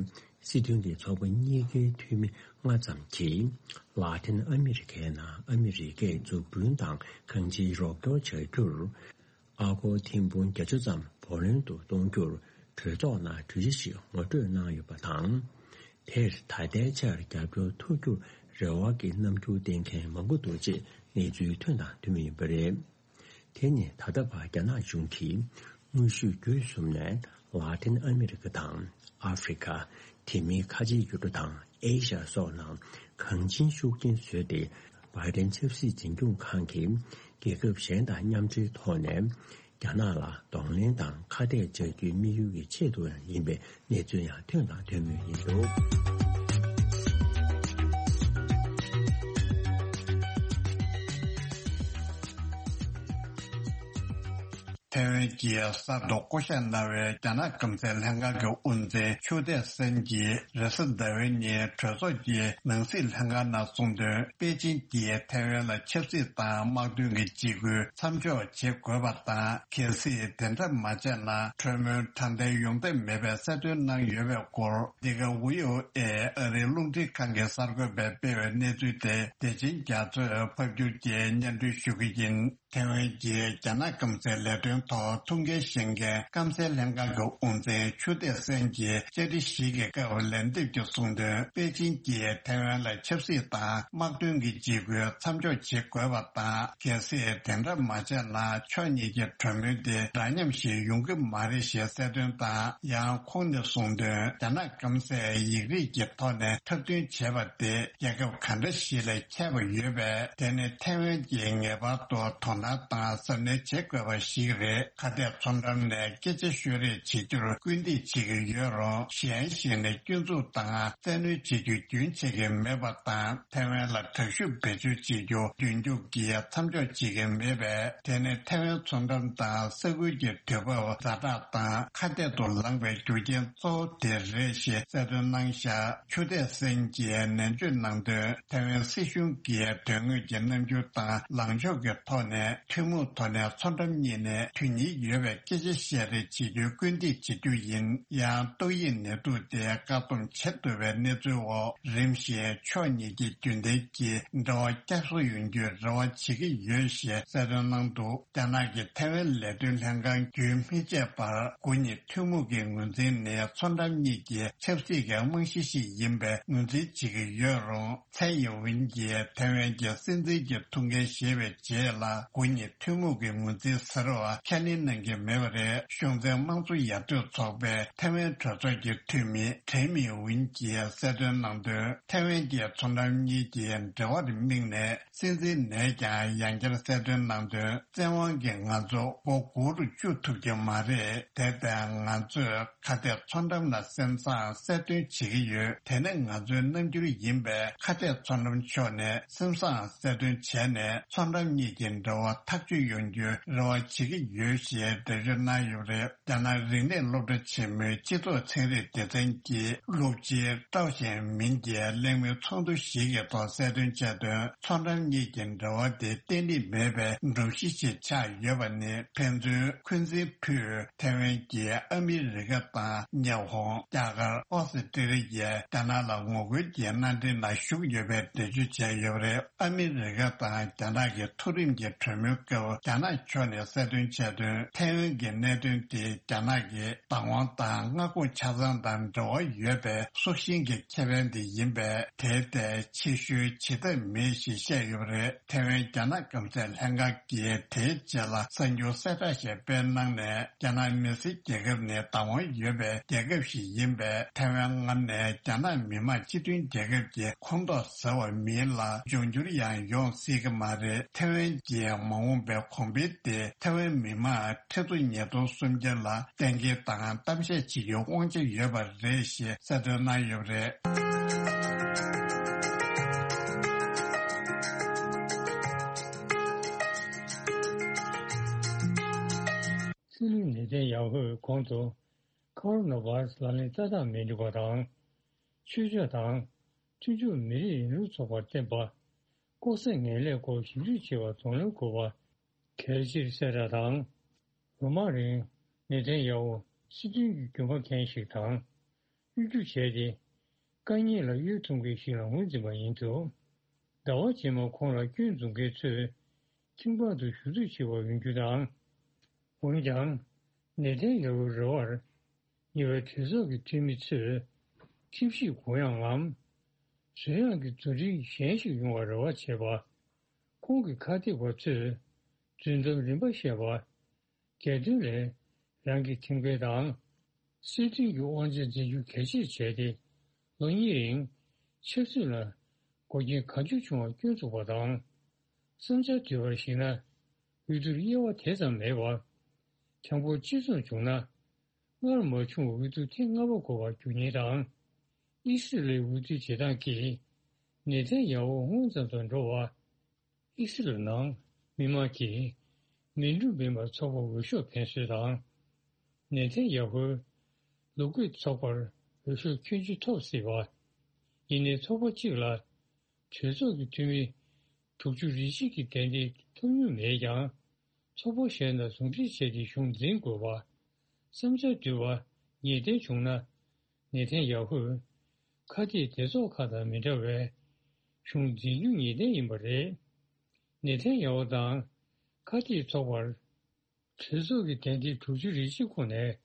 སྲིད་དོན་གྱི་ཚོགས་པ་གཉིས་ཀའི་འཐུས་མི་ལྔ་ཙམ་གྱིས། ལ་ཏིན་ཨ་མི་རི་ཀའི་ནང་ཨ་མི་རི་ཀས་འཛུགས་སྐྲུན་དང་གང་ཅིའི་རོགས་སྐྱོར་བྱ་རྒྱུར། ཨ་སྒོར་ཐེར་འབུམ་བརྒྱད་ཅུ་ཙམ་བུ་ལོན་དུ་གཏོང་རྒྱུར་གྲོས་ཚོགས་ནང་གྲོས་གཞི་ཞིག་ངོ་སྤྲོད་གནང་ཡོད་པ་དང་། དེར་ད་ལྟའི་ཆར་རྒྱབ་སྐྱོར་ཐུབ་རྒྱུར་རེ་བ་གི་རྣམ་འགྱུར་བསྟན་མཁན་མང་པོ་འདུག་ཅེས་གནས་ཚུལ་ཐོན་དང་ཐོན་མུས་ཡིན་པ་རེད། དེ་ནི་ད་ལྟ་བར་རྒྱ་ནག་གཞུང་གིས་དངོས་ཤུགས་བརྒྱུད་གསུམ་ནས་ལ་ཏིན་ཨ་མི་རི་ཀ་དང་ཨ་ཧྥེ་རི་ཁ། དེ་མིན་ཁ་ཆེའི་ཡུལ་གྲུ་དང་ཨེ་ཤ་ཡ་སོགས་ནང་གང་ཅིའི་ཤུགས་རྐྱེན་བཟོས་ཏེ། བྷའི་ཌེན་ཆབ་སྲིད་འཛིན་སྐྱོང་ཁང་གིས་རྒྱལ་ཁབ་གཞན་དང་མཉམ་འབྲེལ་ཐོག་ནས། རྒྱ་ནག་ལ་གདོང་ལེན་དང་ཁ་གཏད་གཅོག་རྒྱུའི་དམིགས་ཡུལ་གྱི་ཆེད་དུ་ཡང་ཡིན་པའི་གནས་ཚུལ་ཡང་ཐོན་དང་ཐོན་མུས་ཡིན་འདུག་ཐའེ་ཝན་གྱིས་གསར་དུ་བསྐོ་གཞག་གནང་བའི་རྒྱ་ནག་སྐམ་སའི་ལྷན་ཁང་གི་དབུ་འཛིན་ཆུའུ་ཏེ་སན་གྱིས་རེས་གཟའ་ཟླ་བའི་ཉིན་གྲོས་ཚོགས་ཀྱི་ནང་སྲིད་ལྷན་ཁང་ནང་གསུངས་དོན། པེ་ཅིན་གྱིས་ཐའེ་ཝན་ལ་ཆབ་སྲིད་དང་དམག་དོན་གྱི་འཇིགས་སྐུལ་མཚམས་འཇོག་བྱེད་དགོས་པ་དང་། གལ་སྲིད་དེ་འདྲ་མ་བྱས་ན་གྲོས་མོལ་དྲང་བདེན་ཡོང་ཐབས་མེད་པའི་གསལ་སྟོན་གནང་ཡོད་པའི་སྐོར། འདི་ག་ཝི་ཨོ་ཨེ་ཨ་རིའི་རླུང་འཕྲིན་ཁང་གི་གསར་འགོད་པས་སྤེལ་བའི་གནས་ཚུལ་དེ་བདེ་ཆེན་རྒྱ་མཚོས་ཕབ་སྒྱུར་གྱིས་སྙན་སྒྲོན་ཞུ་གི་ཡིན། ཐའེ་ཝན་གྱིས་རྒྱ་ནག་སྐམ་སའི་ལས་དོན་ ཐོག་ཐུགས་འགན་བཞེས་མཁན་སྐམ་སའི་ལྷན་ཁང་གི་དབུ་འཛིན་ཆུ་ཐེག་སེན་གྱིས་བཅར་འདྲི་ཞིག་གི་སྐབས་ལན་འདེབས་ཀྱིས་གསུངས་དོན། པེ་ཅིང་གིས་ཐའེ་ཝན་ལ་ཆབ་སྲིད་དང་དམག་དོན་གྱི་འཇིགས་སྐུལ་མཚམས་འཇོག་བྱེད་དགོས་པ་དང་། གལ་སྲིད་དེ་འདྲ་མ་བྱས་ན་ཕྱོགས་གཉིས་ཀྱི་གྲོས་མོལ་དེ་འདྲ་མཉམ་ཞིག་ཡོང་གི་མ་རེད་ཞེས་གསལ་སྟོན་དང་། ཡང་ཁོང་ནས་གསུངས་དོན། རྒྱ་ནག་སྐམ་སས་ཡིག་རིགས་ཀྱི་ཐོག་ནས་འཁྲབ་སྟོན་བྱས་པ་དེ་རྒྱལ་ཁབ་ག་འདྲ་ཞིག་ལ་ཁྱད་པར་ཡོད་པས། དེ་ནི་ཐའེ་ཝན་གྱིས་ངེས་པར་དུ་དོ་སྣང་དང་གཟབ་ནན་བྱེད་དགོས་པ་ཞིག་རེད། ཁ་གཏད་ཚོང་འགྲམ་ནས་སྐད་ཆ་ཤོད་རེས་བྱེད་རྒྱུར་སྐུལ་འདེད་བྱེད་ཀྱི་ཡོད་རུང་། གཞན་ཞིག་ནས་སྐྱོན་འཛུགས་དང་བཙན་གནོན་བྱེད་རྒྱུ་རྒྱུན་ཆད་ཀྱི་མེད་པ་དང་། ཐའེ་ཝན་ལ་དྲག་ཤུགས་བེད་སྤྱོད་བྱེད་རྒྱུ་རྒྱུན་སྐྱོང་གིས་མཚམས་འཇོག་བྱེད་ཀྱི་མེད་པས། དེ་ནི་ཐའེ་ཝན་ཚོང་འགྲམ་དང་ས་ཁུལ་གྱི་དུས་བབ་ཛ་དྲག་དང་ཁ་གཏད་དུ་ལངས་པའི་རྒྱུ་རྐྱེན་གཙོ་བོ་དེ་རེད་ཞེས་གསལ་སྟོན་གནང་བཞག་ཆུ་ཐེག་སེན་གྱིས་ནན་བརྗོད་གནང་དོན། ཐའེ་ཝན་སྲིད་གཞུང་གིས་དོན་དངོས་ཀྱི་རྣམ་འགྱུར་དང་ལངས་ཕྱོགས་ཀྱི་ཐོག་ནས་ཐུན་མོང་ཐོག་ནས་ཚོང་འགྲམ་གཉིས་ནས་དུས་ཡུན་ཡོད་པའི་སྐད་ཆ་བཤད་རེས་བྱེད་རྒྱུའི་སྐུལ་འདེད་བྱེད་རྒྱུ་ཡིན། ཡང་ཏོག་དབྱིབས་ནད་དུག་དེ་བཀག་སྡོམ་བྱེད་ཐུབ་པའི་གནས་ཚུལ་འོག་རིམ་བཞིན་ཕྱོགས་གཉིས་ཀྱི་རྒྱུན་ལྡན་གྱི་འབྲེལ་བ་བསྐྱར་གསོ་ཡོང་རྒྱུའི་རེ་བ་བྱེད་ཀྱི་ཡོད་ཞེས་གསལ་སྟོན་གནང་འདུག་རྒྱ་ནག་གི་ཐའེ་ཝན་ལས་དོན་ལྷན་ཁང་བརྒྱུད་སྨིན་བྱས་པར། དགུ་ཉིན་ཐུན་མོང་གི་ངོས་འཛིན་ནི་ཚོང་འགྲམ་གཉིས་ཀྱི་ཆབ་སྲིད་ཀྱི་རྨང་གཞི་ཞིག་ཡིན་པའི་ངོས་འཛིན་བྱེད་ཀྱི་ཡོད་རུང་། ཚའེ་ཡིན་ཝིན་གྱིས་ཐའེ་ཝན་གྱི་སྲིད་འཛིན་གྱི་ཐུགས་འགན་བཞེས་པའི་རྗེས་ལ། དགུ་ཉིན་ཐུན་མོང་གི་ངོས་འཛིན་ཟེར་བ་ཁས་ལེན་གནང་གི་མེད་པ་རེད། གཞུང་འཛིན་དམངས་གཙོ་ཡར་ཐོན་ཚོགས་པའི་ཐའེ་ཝན་གྲོས་ཚོགས་ཀྱི་འཐུས་མི་ཁྲེན་མིང་ཝིན་གྱིས་གསལ་སྟོན་གནང་དོན། ཐའེ་ཝན་གྱི་ཚོང་འགྲམ་གཉིས་ཀྱི་འབྲེལ་བར་དམིགས་ནས། སྲིད་འཛིན་ནས་ཀྱང་ཡང་བསྐྱར་གསལ་སྟོན་གནང་དོན། བཙན་དབང་གིས་ང་ཚོ་སྒོ་སྒུར་བཅུག་ཐུབ་ཀྱི་མ་རེད། དེ་ལྟར་ང་ཚོས་ཁ་གཏད་ཚོང་འགྲམ་ལ་སེམས་བཟང་གསལ་སྟོན་བྱེད་ཀྱི་ཡོད། དེ་ནི་ང་ཚོའི་རྣམ་འགྱུར་ཡིན་པས། ཁ་གཏད་ཚོང་འགྲམ་ཕྱོགས་ནས་སེམས་བཟང་གསལ་སྟོན་བྱས་ནས། ཚོང་འགྲམ་གཉིས་ཀྱི་འབྲེལ་བ་ཐག་གཅོད་ཡོང་རྒྱུའི་རེ་བ་བྱེད་ཀྱི་ཡོད་ཞེས་འགྲེལ་བརྗོད་གནང་ཡོད་པ་རེད། རྒྱ་ནག་རིག་གནས་སློབ་གྲྭ་ཆེན་མོའི་སྤྱི་ཚོགས་ཚན་རིག་སྡེ་ཚན་གྱི་སློབ་སྤྱི་ཀྲའོ་ཞན་མིན་གྱིས་གླེང་མོལ་ཚོགས་འདུ་ཞིག་གི་ཐོག་གསལ་སྟོན་བྱས་དོན། ཚོང་འགྲམ་གཉིས་ཀྱི་འབྲེལ་བ་དེ་བརྟན་ལྷིང་མེད་པའི་སྒྲོམ་གཞི་ཞིག་ཆགས་ཡོད་པ་ནི། ཕན་ཚུན་འཁོན་འཛིན་ཕུད། ཐའེ་ཝན་གྱིས་ཨ་མི་རི་ཀ་དང་ཉི་ཧོང་། རྒྱ་གར། ཨོ་སི་ཀྲི་ལི་ཡས་རྒྱ་ནག་ལ་ངོ་རྒོལ་གྱི་མནའ་འབྲེལ་ནང་ཞུགས་ཡོད་པའི་འགྲེལ་བརྗོད་བྱས་ཡོད་པ་རེད། ཨ་མི་རི་ཀ་དང་རྒྱ་ནག་གི་མཐོ་རིམ་གྱི་གྲོས་མོལ་སྐབས། རྒྱ་ནག་ཕྱོགས་ནས་གསལ་སྟོན་བྱས་དོན། ཐའེ་ཝན་གྱི་གནད་དོན་དེ་རྒྱ་ནག་གི་བདག་དབང་དང་མངའ་ཁོངས་ཆ་ཚང་དང་འབྲེལ་བ་ཡོད་པའི་སྲོག་ཤིང་གི་ཁེ་ཕན་དེ་ཡིན་པས། དེ་ལྟའི་ཕྱིར་བཤོལ་བྱེད་ཐབས་མེད་ཞེས་བཤད་ཡོད་པ་རེད། ཐའེ་ཝན་རྒྱ་ནག་སྐམ་སའི་ལྷན་ཁང་གིས་དེའི་རྗེས་ལ་གསར་འགྱུར་གསལ་བསྒྲགས་ཤིག་སྤེལ་གནང་ནས། རྒྱ་ནག་མི་སེར་རྒྱལ་ཁབ་ནི་བདག་དབང་ཡོད་པའི་རྒྱལ་ཁབ་ཞིག་ཡིན་པས། ཐའེ་ཝན་སྔར་ནས་རྒྱ་ནག་མི་དམངས་སྤྱི་མཐུན་རྒྱལ་ཁབ་ཀྱི་ཁོངས་གཏོགས་ཟེར་བ་མིན་ལ། འབྱུང་འགྱུར་ཡང་ཡོང་སྲིད་ཀྱི་མ་རེད། ཐའེ་ཝན་གྱི་མ་འོངས་པའི་གོང་འཕེལ་དེ་ཐའེ་ཝན་མི་དམངས་ཁྲི་ཚོ་ཉིས་སྟོང་སུམ་བརྒྱ་ལ་གཏན་འཁེལ་དང་གཏམ་བཤད་བྱེད་རྒྱུའི་དབང་ཆ་ཡོད་པ་རེད་ཞེས་གསལ་སྟོན་གནང་ཡོད་པ་རེད། སྲིད་བློན་ནེ་ཐན་ཡ་ཧུས་གོང་དུ་ཁ་རོ་ན་བྷ་ར་སི་ལག་ལེན་བསྟར་སྟངས་མི་འགྲིག་པ་དང་། ཆོས་ཕྱོགས་དང་མཐུན་ཕྱོགས་མི་རིགས་རིང་ལུགས་ཚོགས་པར་བརྟེན་པ། ལྐོག་ཟ་ངན་ལས་སྐོར་ཞིབ་འཇུག་བྱེད་པར་གདོང་ལེན་དགོས་པ། གལ་ཆེར་གསལ་བསྒྲགས་དང་། ལོ་མང་རིང་ནེ་ཐན་ཡ་ཧུ་སྲིད་དོན་གྱི་རྒྱུས་མངའ་མཁན་ཞིག་དང་གཡོ་སྒྱུ་བྱས་ཏེ། དཀའ་ངལ་ལ་གཡོལ་ཐུབ་མཁན་ཞིག་ལ་ངོས་འཛིན་པ་ཡིན་ཚུལ། ཟླ་བ་རྗེས་མར་ཁོང་ལ་སྐྱོན་འཛུགས་མཁན་ཚོས་ཁྱིམ་པ་དུ་ཞུ་གཏུག་བྱེད་པར་འོས་འགྱུར་དང་། འོན་ཀྱང་། ནེ་ཐན་ཡ་ཧུའི་རེ་བར་ཉེ་བའི་གྲོས་ཚོགས་ཀྱི་འཐུས་མི་ཚོས་ཁྲིམས་ཞིབ་གུ་ཡངས་ངམ། གུ་ཡངས་ཀྱི་བརྡ་འཕྲིན་གཞན་ཞིག་ཡོང་བར་རེ་བ་བྱེད་པ། ཁོང་གི་ཁ་གཏད་པ་ཚོས་རྫུན་གཏམ་རིམ་པ་བཤད་པ། སྒེར་དོན་ལས་རང་གི་ཁྲིམས་འགལ་དང་། སྲིད་དོན་གྱི་དབང་ཆ་འཛིན་རྒྱུ་གལ་ཆེར་བྱས་ཏེ། ལོ་གཉིས་རིང་ཆབ་སྲིད་ལ་འགོག་རྐྱེན་གང་བྱུང་བྱུང་བ་སྐྱོན་འཛུགས་པ་དང་། བསམ་འཆར་བསྡུས་པར་གཞིགས་ན། འོས་བསྡུར་དབྱེ་བ་དེ་ཙམ་མེད་པར། གྲངས་འབོར་གཅིག་མཚུངས་བྱུང་ན། སྔར་མ་བྱུང་བའི་འོས་བསྡུ་ཐེངས་ལྔ་པ་དགོས་པར་འགྱུར་ཉེན་དང་། ཨི་སི་རལ་འོས་བསྡུའི་བྱེད་སྟངས་ཀྱིས་ནེ་ཐན་ཡ་ཧུ་སྔོན་ཙམ་དུ་འགྲོ་བ། ཨི་སི་རལ་ནང་མི་དམངས་ཀྱིས་མི་འགྲོ་མིན་པར་ཚོགས་པར་འོས་ཤོག་འཕེན་སྲོལ་དང་། ནེ་ཐན་ཡ་ཧུས་ལོ་རྒོད་ཚོགས་པར་འོས་ཤོག་ཁྱོན་ཆེ་ཐོབ་སྲིད་པ། ཡིན་ནའི་ཚོགས་པ་གཅིག་ལ་གྲོས་ཚོགས་ཀྱི་འཐུས་མི་དྲུག་ཅུ་རེ་གཅིག་གི་གདན་འདྲེན་ཐོབ་མྱོང་མེད་ཀྱང་། ཚོགས་པ་གཞན་དང་ཟུང་འབྲེལ་བྱས་ཏེ་གཞུང་འཛིན་དགོས་པ། བསམ་འཆར་བསྡུས་པ་ངེས་གཏན་བྱུང་ན། ནེ་ཐན་ཡ་ཧུས་ཁ་གཏད་སྡེ་ཚོགས་ཁག་དང་མི་འདྲ་བའི་གཞུང་འཛིན་རྒྱུ་ངེས་གཏན་ཡིན་པ་རེད། ནེ་ཐན་ཡ་ཧུ་དང་ཁ་གཏད་ཚོགས་པར་ གྲོས་ཚོགས་ཀྱི་དན་ཏིག་དྲུག་ཅུ་རེ་གཅིག་ཁོངས་ནས་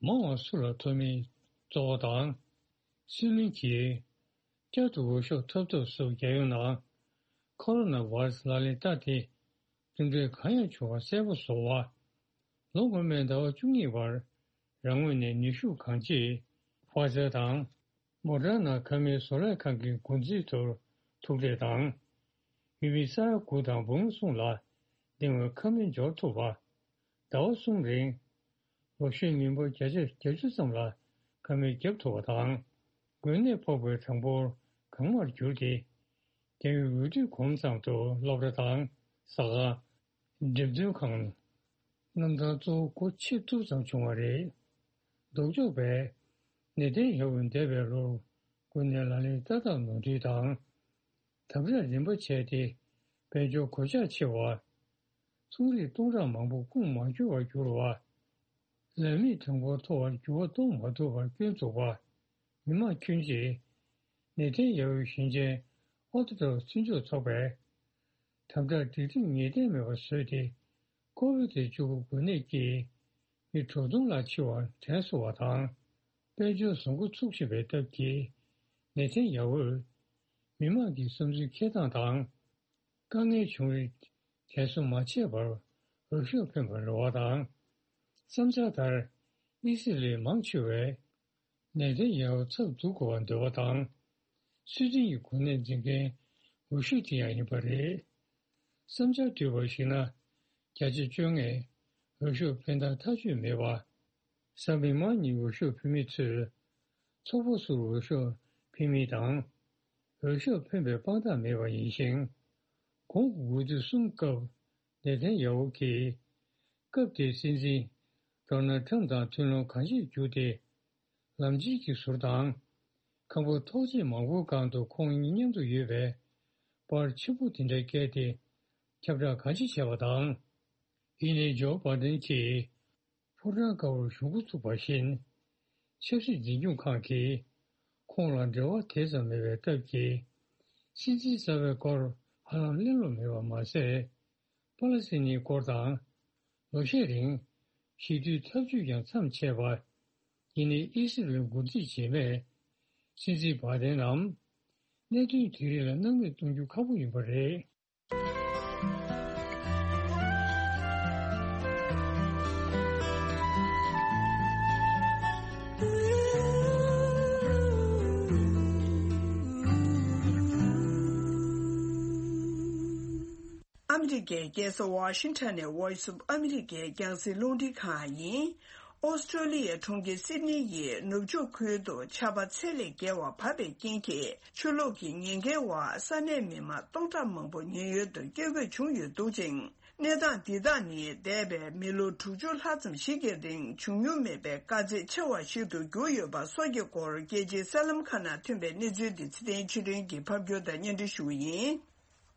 མང་བ་སུ་ལ་ཐོབ་མིན་རྩོད་པ་དང་། སྲིད་བློན་གྱིས་བསྐྱར་དུ་འོས་ཤོག་ཐོབ་ཐབས་སུ་རྒྱལ་ཡོངས་ནང་ཁོ་རོ་ན་བྷ་ར་སི་ལག་ལེན་བསྟར་ཏེ་འདུ་འགྲོས་གང་ཡང་བྱུང་བ་གསལ་པོ་བཟོ་བ། ལོ་སྔོན་མའི་ཟླ་བ་བཅུ་གཉིས་བར་རང་ངོས་ནས་ནུས་ཤུགས་གང་ཆེ་ཕ་ཛར་དང་མོ་ཌར་ན་ཁ་མིའི་བཟོ་ལས་ཁང་གི་འགོ་འཛིན་ཚོར་ཐུག་འཕྲད་དང་། ཡུལ་མི་ས་ཡ་དགུ་དང་འབུམ་གསུམ་ལ་འདི་སྔོན་ཁ་མིན་འབྱོར་ཐུབ་པ། ཟླ་བ་གསུམ་རིང་ལོ་ཤས་མི་འབོར་བརྒྱ་ཆ་བརྒྱད་ཅུ་ཙམ་ལ་ཁ་མིན་བརྒྱབ་ཐུབ་པ་དང་། འགོས་ནད་ཕོག་པའི་གྲངས་འབོར་གང་མར་གྱུར་ཏེ། རྒྱལ་ཡོངས་འོས་བསྡུའི་གོམ་ཚང་དུ་སློབ་གྲྭ་དང་ཟ་ཁང་། འགྲེམས་སྟོན་ཁང་། གནམ་ཐང་གཙོ་བོ་སྒོ་ཕྱེ་ཐུབ་ཙམ་བྱུང་བ་རེད། ལྡོག་ཕྱོགས་པས་ནེ་ཐན་ཡ་ཧུ་འདས་པའི་ལོར་འགོས་ནད་ལག་ལེན་བསྟར་ཐབས་ནོར་འཁྲུལ་དང་། དམ་དྲག་རིམ་པ་བྱས་ཏེ་དཔལ་འབྱོར་གོད་ཆག་ཆེ་བ། ཚོང་རིགས་སྟོང་ཕྲག་མང་པོ་ཁུངས་མ་འཁྱོལ་བར་གྱུར་བ། ལས་མེད་གྲངས་འབོར་མཐོ་བར་འགྱུར་བ་གཏོང་མ་ཐུབ་པར་སྐྱོན་འཛུགས་པ། མི་མང་ཁྱོན་ཆེ། ནེ་ཐན་ཡ་ཧུའི་ཞིང་ཆེན་ཨོ་ཐོ་ཊོ་མཐུན་ཕྱོགས་ཚོགས་པས་དམ་དྲག་སྒྲིག་ཁྲིམས་ངེས་གཏན་མེད་པར་བཟོས་ཏེ། ཀོ་བི་ཌི་བཅུ་དགུ་འགོས་ནད་ཀྱིས་མི་དྲུག་སྟོང་ལྷག་འཆི་བར་དྲན་གསོ་བ་དང་། དཔལ་འབྱོར་བཟང་པོ་ཚུགས་བཞིན་པའི་སྟབས་ཀྱིས། ནེ་ཐན་ཡ་ཧུས་མི་མང་གི་བསམ་ཚུལ་འཁྱེར་སྟངས་དང་། དཀའ་ངལ་བྱུང་རིགས་དྲན་གསོ་མ་བྱས་པར་འོས་ཤོག་འཕེན་པར་རེ་བ་དང་། བསམ་འཆར་ལྟར། དབྱི་སི་རལ་མང་ཆེ་བས་ནེ་ཐན་ཡ་ཧུ་ཚབ་འཛུགས་དགོས་པར་འདོད་པ་དང་། སུའེ་ཏེན་གྱི་འགོས་ནད་འཛིན་མཁན་འོས་ཤོག་དེ་ཡང་ཡིན་པ་རེད། བསམ་འཆར་བསྡུས་པར་གཞིགས་ན། བརྒྱ་ཆ་བཅོ་ལྔས་འོས་ཤོག་འཕེན་སྟངས་ཐག་ཆོད་མེད་པ། གཟའ་མིག་དམར་ཉིན་འོས་ཤོག་འཕེན་མི་ཚོས་ཚོགས་པ་སུར་འོས་ཤོག་འཕེན་མིན་དང་། འོས་ཤོག་འཕེན་པའི་དཔང་རྟགས་མེད་པ་ཡིན་ཞིང་། གོང་གི་འོས་བསྡུ་གསུམ་སྐབས་ནེ་ཐན་ཡ་ཧུ་གིས། སྐབས་དེའི་སྲིད་འཛིན་ཌོ་ནལ་ཁྲམ་དང་མཐུན་ལམ་གང་ཅིར་གྱུར་ཏེ། ལམ་སྤྱིལ་གྱི་ཟུར་དང་། ཁང་པ་ཐོག་བརྩེགས་མང་པོའི་སྒང་དུ་ཁོང་གཉིས་མཉམ་དུ་ཡོད་པའི་པར་ཆེན་པོ་དེ་འདྲ་བཀལ་ཏེ། ཁྱབ་བསྒྲགས་གང་ཅི་བྱས་པ་དང་། ཡིན་ནའི་ཇོ་བྷ་དན་གྱིས་ཕོ་བྲང་དཀར་པོར་གཞུང་འགོ་ཚུགས་པ་བཞིན། ཆབ་སྲིད་འཛིན་སྐྱོང་ཁང་གིས་ཁོང་ལ་འབྲེལ་བ་དེ་ཙམ་མེད་པའི་སྟབས་ཀྱིས། སྲིད་འཛིན་གསར་པའི་སྐོར་ཧ་ལམ་གླེང་སློང་མེད་པ་མ་ཟད། པ་ལ་སི་ཐན་སྐོར་དང་། ལོ་ཤས་རིང་ཞི་མཐུན་འཐབ་ཇུས་ཀྱང་མཚམས་ཆད་པ། ཡིན་ནའི་ཨི་སི་རལ་འགོ་ཁྲིད་རྗེས་མས་སྲིད་འཛིན་བྷ་དན་ལམ་གནད་དོན་དེ་རིགས་ལ་སྣང་མེད་གཏོང་རྒྱུ་ཁག་པོ་ཡིན་པ་རེད། ཨ་མི་རི་ཀའི་རྒྱལ་ས་ཝ་ཤིང་ཊོན་ནས་Voice of America་རྒྱང་སྲིང་རླུང་འཕྲིན་ཁང་ཡིན། ཨོ་སི་ཀྲོ་ལི་ཡའི་གྲོང་ཁྱེར་སིད་ནི་ཡི་ནུབ་ཕྱོགས་ཁུལ་དུ་ཆར་པ་ཚད་ལས་བརྒལ་བ་བབས་པའི་རྐྱེན་གྱིས། ཆུ་ལོག་གི་ཉེན་ཁའི་འོག་ས་གནས་མི་མང་སྟོང་ཕྲག་མང་པོ་ཉེན་གཡོལ་དུ་སྐྱེལ་དགོས་བྱུང་ཡོད་འདུག་ཅིང་། གནས་སྟངས་འདི་དག་ནི་འདས་པའི་མི་ལོ་དྲུག་ཅུ་ལྷག་ཙམ་ཞིག་གི་རིང་བྱུང་མྱོང་མེད་པའི་དཀའ་ཚེགས་ཆེ་བ་ཞིག་ཏུ་གྱུར་ཡོད་པ་སོགས་ཀྱི་སྐོར་རྒྱལ་སྤྱིའི་གསར་ལམ་ཁག་ནང་ཐོན་པའི་གནས་ཚུལ་འདི་ཚེ་བརྟན་ཆོས་སྒྲོན་གྱིས་ཕབ་སྒྱུར་དང་སྙན་སྒྲོན་ཞུ་བ་ཡིན།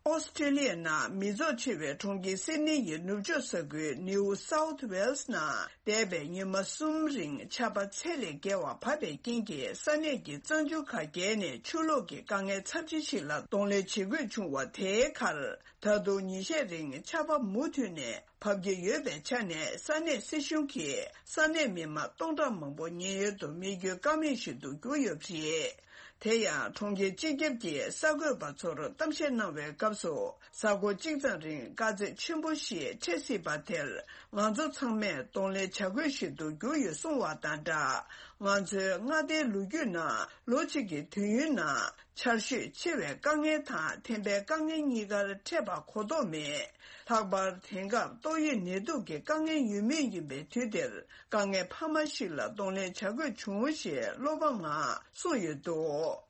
ཨོ་སི་ཀྲི་ལི་ཡའི་ནང་མི་ཚོགས་ཆེ་བའི་གྲོང་ཁྱེར་སིད་ནི་ཡི་ནུབ་ཕྱོགས་ས་ཁུལ་New South Wales་ནང་འདས་པའི་ཉི་མ་གསུམ་རིང་ཆར་པ་ཚད་ལས་བརྒལ་བ་བབས་པའི་རྐྱེན་གྱིས་ས་གནས་ཀྱི་གཙང་ཆུ་ཁ་བརྒལ་ནས་ཆུ་ལོག་གི་དཀའ་ངལ་ཚབས་ཆེ་ཞིག་ལ་གདོང་ལེན་བྱེད་དགོས་བྱུང་བ་དེའི་ཁར། ད་དུང་ཉིན་ཤས་རིང་ཆར་པ་མུ་མཐུད་ནས་བབས་ཀྱི་ཡོད་པའི་ཆ་ནས་ས་གནས་སྲིད་གཞུང་གིས་ས་གནས་མི་མང་སྟོང་ཕྲག་མང་པོ་ཉེན་གཡོལ་དུ་མི་སྐྱོད་ཀ་མེད་ཞིག་ཏུ་གྱུར་ཡོད་པ་རེད། དེ་ཡང་གྲོང་ཁྱེར་སྤྱི་ཁྱབ་ཀྱིས་གསར་འགོད་པ་ཚོར་གཏམ་བཤད་གནང་བའི་སྐབས་སུ། གཟའ་འཁོར་གཅིག་ཙམ་རིང་དཀའ་ཚེགས་ཆེན་པོ་ཞིག་འཕྲད་སྲིད་པ་དེར་ང་ཚོ་ཚང་མས་གདོང་ལེན་བྱ་དགོས་ཤིག་ཏུ་གྱུར་ཡོད་གསུངས་བ་དང་སྦྲགས། ང་ཚོའི་མངའ་སྡེའི་ལོ་རྒྱུས་ནང་ལོ་གཅིག་གི་དུས་ཡུན་ནང་ཆར་ཞོད་ཆེ་བའི་དཀའ་ངལ་དང་ཐན་པའི་དཀའ་ངལ་གཉིས་ཀར་འཕྲད་པ་གོ་ལྡོག་མེད། ལྷག་པར་དེང་སྐབས་ཏོག་དབྱིབས་ནད་དུག་གི་དཀའ་ངལ་ཡོད་མུས་ཡིན་པའི་དུས་འདིར་དཀའ་ངལ་འཕར་མ་ཞིག་ལ་གདོང་ལེན་བྱ་དགོས་བྱུང་ཞེས་བློ་ཕམ་ངང་གསུངས་ཡོད་འདུག།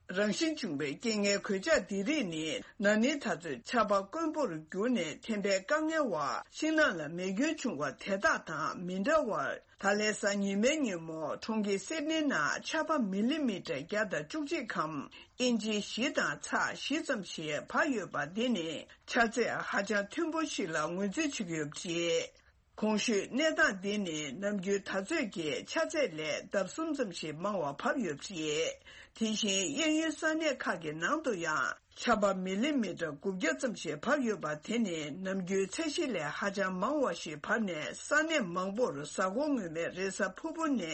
རང་བཞིན་བྱུང་བའི་རྐྱེན་ངན་གོད་ཆག་འདི་རིགས་ནི་ན་ནིང་ད་ཚོད་ཆར་པ་དཀོན་པོར་གྱུར་ནས་ཐན་པའི་དཀའ་ངལ་བ་ཤིང་ནགས་ལ་མེ་སྐྱོན་བྱུང་བ་དེ་དག་དང་མི་འདྲ་བར། ད་ལན་གཟའ་ཉི་མའི་ཉིན་མོ་གྲོང་ཁྱེར་སིད་ནི་ནང་ཆར་པ་མི་ལི་མི་ཊར་བརྒྱ་དང་བཅུ་གཅིག་གམ་ཨིན་ཅི་བཞི་དང་ཚེག་བཞི་ཙམ་ཞིག་བབས་ཡོད་པ་འདི་ནི་ཆར་ཚད་ཧ་ཅང་མཐོན་པོ་ཞིག་ལ་ངོས་འཛིན་བྱེད་ཀྱི་ཡོད་པ་རེད། གོང་ཞུས་གནས་སྟངས་འདི་ནི་ནམ་རྒྱུན་ད་ཚོད་ཀྱི་ཆར་ཚད་ལས་ལྡབ་གསུམ་ཙམ་ཞིག་མང་བ་བབས་ཡོད་པ་རེད། དེ་བཞིན་གཡས་གཡོན་ས་གནས་ཁག་གི་ནང་དུ་ཡང་ཆར་པ་མི་ལི་མི་ཊར་དགུ་བརྒྱ་ཙམ་ཞིག་བབས་ཡོད་པ་དེ་ནི་ནམ་རྒྱུན་ཚད་གཞི་ལས་ཧ་ཅང་མང་བ་ཞིག་བབས་ནས་ས་གནས་མང་པོར་གཟའ་འཁོར་སྔོན་མའི་རེས་གཟའ་ཕུར་བུ་ནས་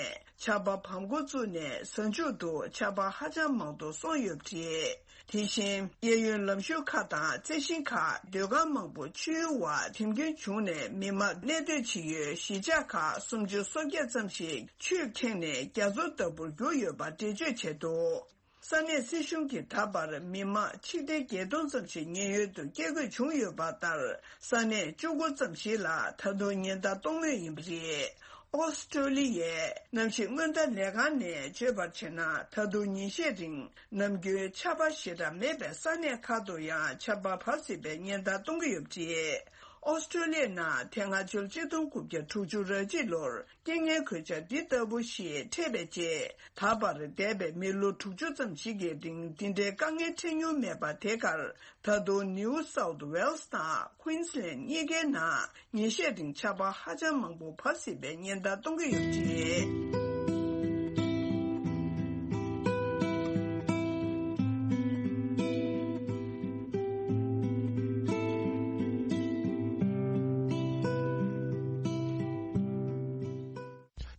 ཆར་པ་བབས་འགོ་བཙུགས་ནས་གཟའ་མཇུག་ཏུ་ཆར་པ་ཧ་ཅང་མང་དུ་སོང་ཡོད་པ་རེད། དེ་བཞིན་གཡས་གཡོན་ལམ་ཞུགས་ཁག་དང་རྩི་ཤིང་ཁག་སྡོད་ཁང་མང་པོ་ཆུའི་འོག་ཐིམ་སྐྱོན་བྱུང་ནས་མི་མང་གནས་སྡོད་བྱེད་ཡུལ་གཞིས་ཆགས་ཁག་སུམ་ཅུ་སོ་བརྒྱད་ཙམ་ཞིག་ཆུས་ཁེངས་ནས་རྒྱ་མཚོ་ལྟ་བུར་གྱུར་ཡོད་པ་འགྲེལ་བརྗོད་བྱས་འདུག་ས་གནས་སྲིད་གཞུང་གིས་ད་བར་མི་མང་ཆིག་སྟོང་བརྒྱད་སྟོང་ཙམ་ཞིག་ཉེན་གཡོལ་དུ་སྐྱེལ་དགོས་བྱུང་ཡོད་པ་ལྟར། ས་གནས་བཅུ་དགུ་ཙམ་ཞིག་ལ་ད་དུང་ཉེན་བརྡ་གཏོང་མུས་ཡིན་པ་རེད། ཨོ་སི་ཀྲོ་ལི་ཡའི་གནམ་གཤིས་སྔོན་བརྡ་ལས་ཁང་ནས་བརྗོད་པར་བྱས་ན། ད་དུང་ཉིན་ཤས་རིང་ནམ་རྒྱུན་ཆར་པ་ཞེ་དྲག་མེད་པའི་ས་གནས་ཁག་ཏུ་ཡང་ཆར་པ་བབས་སྲིད་པའི་ཉེན་བརྡ་གཏོང་གི་ཡོད་པ་རེད། ཨོ་སི་ཀྲོ་ལི་ཡའི་ནང་དེ་སྔ་ཕྱི་ལོ་ཆིག་སྟོང་དགུ་བརྒྱ་དྲུག་ཅུ་རེ་གཅིག་ལོར་རྐྱེན་ངན་གོད་ཆག་འདི་ལྟ་བུ་ཞིག་འཕྲད་པའི་རྗེས། ད་བར་འདས་པའི་མི་ལོ་དྲུག་ཅུ་ཙམ་ཞིག་གི་རིང་འདི་འདྲའི་དཀའ་ངལ་འཕྲད་མྱོང་མེད་པ་དེ་གར། ད་དུང་ནིའུ་སའུཐ་ཝེལ་སི་དང་ཁུན་སི་ལན་གཉིས་ཀའི་ནང་ཉིན་ཤས་རིང་ཆར་པ་ཧ་ཅང་མང་པོ་བབས་སྲིད་པའི་ཉེན་བརྡ་གཏོང་གི་ཡོད་པ་རེད།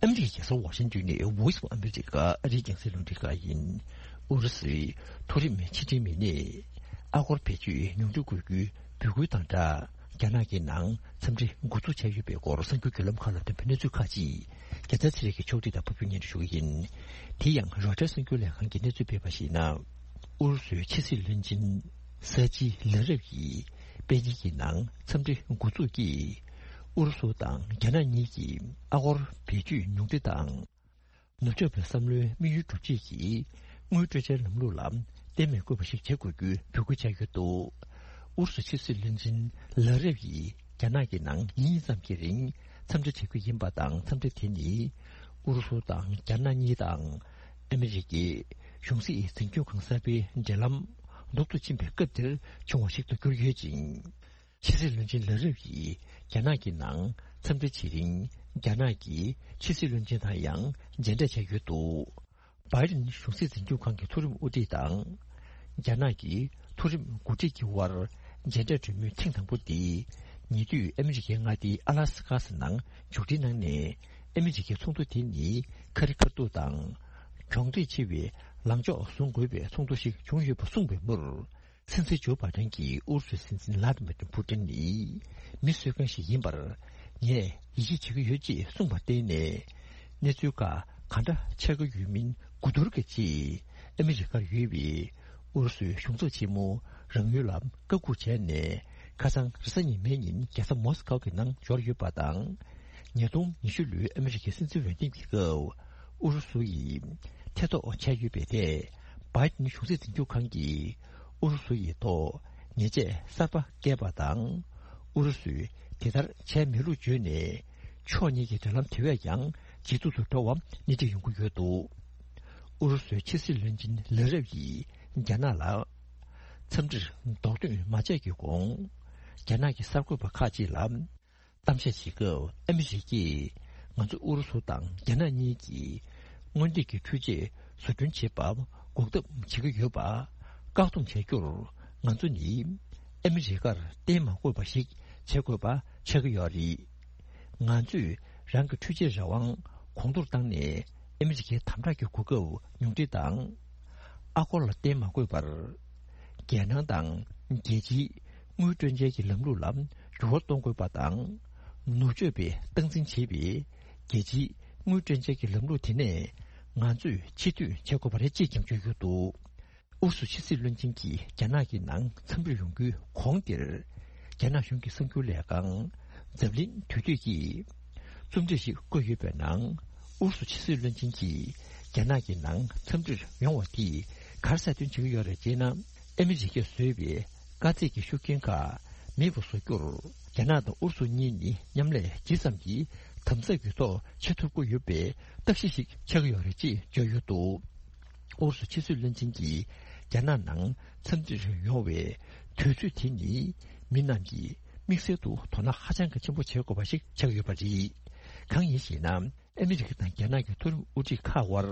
ཨ་མི་རི་ཀའི་རྒྱལ་ས་ཝ་ཤིང་ཏོན་ནས་Voice of America ཨ་རིའི་རྒྱང་སྲིང་རླུང་འཕྲིན་ཁང་ཡིན། ཨུ་རུ་སུའི་མཐོ་རིམ་ཕྱི་འབྲེལ་མི་སྣས་ཨ་སྒོར་བེད་སྤྱོད་ཉུང་འཕྲི་དགོས་རྒྱུའི་འབོད་སྐུལ་དང་སྦྲགས། རྒྱ་ནག་གི་ནང་འཚམས་འདྲི་འགོ་འཛུགས་བྱས་ཡོད་པའི་སྐོར་གསར་འགྱུར་བརྒྱུད་ལམ་ཁག་ལ་ཐོན་པའི་གནས་ཚུལ་ཁག་ཅིག་རྒྱལ་མཚན་ཚེ་རིང་གིས་ཕྱོགས་སྒྲིག་དང་ཕབ་སྒྱུར་སྙན་སྒྲོན་ཞུ་གི་ཡིན། དེ་ཡང་Reuters གསར་འགྱུར་ལས་ཁང་གིས་གནས་ཚུལ་སྤེལ་བར་གཞིགས་ན། ཨུ་རུ་སུའི་ཕྱི་སྲིད་བློན་ཆེན་ས་ཅི་ལ་རབ་ཡིས་པེ་ཅིན་གྱི་ནང་འཚམས་འདྲི་འགོ་འཛུགས་ཀྱིས། ཨུ་རུ་སུ་དང་རྒྱ་ནག་གཉིས་ཀྱིས་ཨ་སྒོར་བེད་སྤྱོད་ཉུང་འཕྲི་དང་། ནུབ་ཕྱོགས་པའི་བསམ་བློའི་དམིགས་ཡུལ་སྒྲུབ་བྱེད་ཀྱི་དངུལ་སྤྲོད་འཆར་ལམ་ལུགས་ལ་གཏན་མ་དགོས་པ་ཞིག་བྱེད་དགོས་རྒྱུའི་འབོད་སྐུལ་བྱས་ཡོད་འདུག་ཨུ་རུ་སུ་ཕྱི་སྲིད་བློན་ཆེན་ལ་རབ་ཡིས་རྒྱ་ནག་གི་ནང་ཉིན་གཉིས་ཙམ་གྱི་རིང་འཚམས་འདྲི་བྱེད་ཀྱི་ཡིན་པ་དང་། འཚམས་འདྲི་དེ་ནི་ཨུ་རུ་སུ་དང་རྒྱ་ནག་གཉིས་དང་ཨ་མི་རི་ཀའི་གཞུང་སྲིད་འཛིན་སྐྱོང་ཁང་གསར་པའི་འབྲེལ་ལམ་ལྡོག་ཏུ་ཕྱིན་པའི་སྐབས་དེར་བྱུང་བ་ཞིག་ཏུ་གྱུར་ཡོད་ཅིང་། ཕྱི་སྲིད་བློན་ཆེན་ལ་རབ་ཡིས་རྒྱ་ནག་གི་ནང་འཚམས་འདྲི་བྱེད་རིང་། རྒྱ་ནག་གི་ཕྱི་སྲིད་བློན་ཆེན་དང་ཡང་མཇལ་འཕྲད་བྱས་ཡོད་འདུག་བྷའི་ཌེན་གཞུང་སྲིད་འཛིན་སྐྱོང་ཁང་གི་མཐོ་རིམ་དབུ་ཁྲིད་དང་། རྒྱ་ནག་གི་མཐོ་རིམ་འགོ་ཁྲིད་ཀྱི་དབར་མཇལ་འཕྲད་གྲོས་མོལ་ཐེངས་དང་པོ་འདི། ཉེ་དུས་ཨ་མི་རི་ཀའི་མངའ་སྡེ་ཨ་ལ་སི་ཀ་ནང་མཇུག་སྒྲིལ་གནང་ནས། ཨ་མི་རི་ཀའི་ཚོགས་འདུ་དེ་ནི་ཁ་རི་ཁ་ཐུག་དང་། གྱོང་འདྲེས་ཆེ་བའི་ལངས་ཕྱོགས་བཟུང་དགོས་པའི་ཚོགས་འདུ་ཞིག་བྱུང་ཡོད་པ་གསུངས་པའི་མུར། སྲིད་འཛིན་ཇོ་བྷའི་ཌེན་གྱིས་ཨུ་རུ་སུའི་སྲིད་འཛིན་ལྷ་དི་མི་ཏྲི་ཕུ་ཏིན་ནི་མི་གསོད་མཁན་ཞིག་ཡིན་པར་ངས་ཡིད་ཆེས་བྱེད་ཀྱི་ཡོད་ཅེས་གསུངས་པར་བརྟེན་ནས། གནས་ཚུལ་ཁག་གང་འདྲ་ཆགས་ཀྱི་ཡོད་མིན་གོ་བསྡུར་གྱི་ཆེད། ཨ་མི་རི་ཀར་ཡོད་པའི་ཨུ་རུ་སུའི་གཞུང་ཚབ་ཆེན་མོ་རང་ཡུལ་ལ་བཀའ་འགུག་བྱས་ནས། ཁ་སང་རེས་གཟའ་ཉི་མའི་ཉིན་རྒྱལ་ས་མོ་སི་ཀོ་གི་ནང་འབྱོར་ཡོད་པ་དང་། ཉིས་སྟོང་ཉི་ཤུ་ལོའི་ཨ་མི་རི་ཀའི་སྲིད་འཛིན་འོས་འདེམས་ཀྱི་སྐབས། ཨུ་རུ་སུ་ཡིས་ཐེ་གཏོགས་བྱས་ཡོད་པའི་ཐད། བྷའི་ཌེན་གཞུང་སྲིད་འཛིན་སྐྱོང་ཁང་གིས་ཨུ་རུ་སུ་ཡི་ཐོག་ཉེས་ཆད་གསར་པ་བཀལ་བ་དང་། ཨུ་རུ་སུས་དེ་ལྟར་བྱས་མེད་ལུགས་བརྗོད་ནས། ཕྱོགས་གཉིས་ཀྱི་འབྲེལ་ལམ་དེ་བས་ཀྱང་ཇེ་སྡུག་ཏུ་འགྲོ་བ་སྣེ་ཁྲིད་ཡོང་གི་ཡོད་འདུག་ཨུ་རུ་སུའི་ཕྱི་སྲིད་བློན་ཆེན་ལ་རབ་ཡིས་རྒྱ་ནག་ལ་འཚམས་འདྲིར་རྡོག་ཐོན་མ་བྱས་ཀྱི་གོང་། རྒྱ་ནག་གི་གསར་འགོད་པ་ཁག་ཅིག་ལ། གཏམ་བཤད་བྱེད་སྐབས་ཨ་མི་རི་ཀས་ང་ཚོ་ཨུ་རུ་སུ་དང་རྒྱ་ནག་གཉིས་ཀྱིས་སྔོན་གཏན་གྱི་འཕྲུལ་ཆས་བཟོ་སྐྲུན་བྱེད་པར་འགོག་ཐབས་བྱེད་ཀྱི་ཡོད་པ། བཀག་སྡོམ་བྱ་རྒྱུར་ང་ཚོ་ནི་ཨ་མི་རི་ཀར་བརྟེན་མ་དགོས་པ་ཞིག་བྱེད་དགོས་པ་ཆགས་ཀྱི་ཡོད་རེད། ང་ཚོས་རང་གི་འཕྲུལ་ཆས་རང་དབང་གོང་མཐོར་བཏང་ནས་ཨ་མི་རི་ཀའི་དམ་དྲག་གི་གོ་སྐབས་ཉུང་འཕྲི་དང་། ཨ་སྒོར་ལ་བརྟེན་མ་དགོས་པར། རྒྱལ་ནང་དང་རྒྱལ་སྤྱིའི་དངུལ་སྤྲོད་འཇལ་གྱི་ལམ་ལུགས་ལ་འགྱུར་བ་གཏོང་དགོས་པ་དང་། ནུབ་ཕྱོགས་པས་སྟངས་འཛིན་བྱེད་པའི་རྒྱལ་སྤྱིའི་དངུལ་སྤྲོད་འཇལ་གྱི་ལམ་ལུགས་དེ་ནས་ང་ཚོས་ཕྱིར་འཐེན་བྱེད་དགོས་པ་རེད་ཅེས་ཀྱང་བརྗོད་ཡོད་འདུག་ཨུ་རུ་སུ་ཕྱི་སྲིད་བློན་ཆེན་གྱིས་རྒྱ་ནག་གི་ནང་འཚམས་འདྲིར་ཡོང་རྒྱུའི་གོང་དེར། རྒྱ་ནག་གཞུང་གི་གསར་འགྱུར་ལས་ཁང་འཛམ་གླིང་དུས་དེབ་ཀྱིས་རྩོམ་སྒྲིག་ཞིག་བཀོད་ཡོད་པའི་ནང་། ཨུ་རུ་སུ་ཕྱི་སྲིད་བློན་ཆེན་གྱིས་རྒྱ་ནག་གི་ནང་འཚམས་འདྲིར་ཡོང་བ་དེས་ག་རེ་གསལ་སྟོན་བྱེད་ཀྱི་ཡོད་རེད་ཅེ་ན། ཨ་མི་རི་ཀས་བཟོས་པའི་དཀའ་ཚེགས་ཀྱི་ཤུགས་རྐྱེན་ཁག་མེད་པ་བཟོ་རྒྱུར། རྒྱ་ནག་དང་ཨུ་རུ་སུ་གཉིས་ནི་མཉམ་ལས་ཇི་ཙམ་གྱིས་དམ་ཟབ་ཀྱི་ཐོག་བྱེད་ཐུབ་ཀྱི་ཡོད་པའི་རྟགས་གཞི་ཞིག་ཆགས་ཀྱི་ཡོད་རེད་ཅེས་བརྗོད་ཡོད་འདུག་ཨུ་རུ་སུ་ཕྱི་སྲིད་བློན་ཆེན་གྱིས་རྒྱ་ནག་ནང་འཚམས་འདྲིར་ཡོང་བའི་དུས་ཚོད་དེ་ནི་མི་རྣམས་ཀྱིས་དམིགས་བསལ་དུ་དོ་སྣང་ཧ་ཅང་གི་ཆེན་པོ་བྱེད་དགོས་པ་ཞིག་ཆགས་ཡོད་པ་རེད། གང་ཡིན་ཞེ་ན། ཨ་མི་རི་ཀ་དང་རྒྱ་ནག་གི་མཐོ་རིམ་དབུ་ཁྲིད་ཁག་དབར་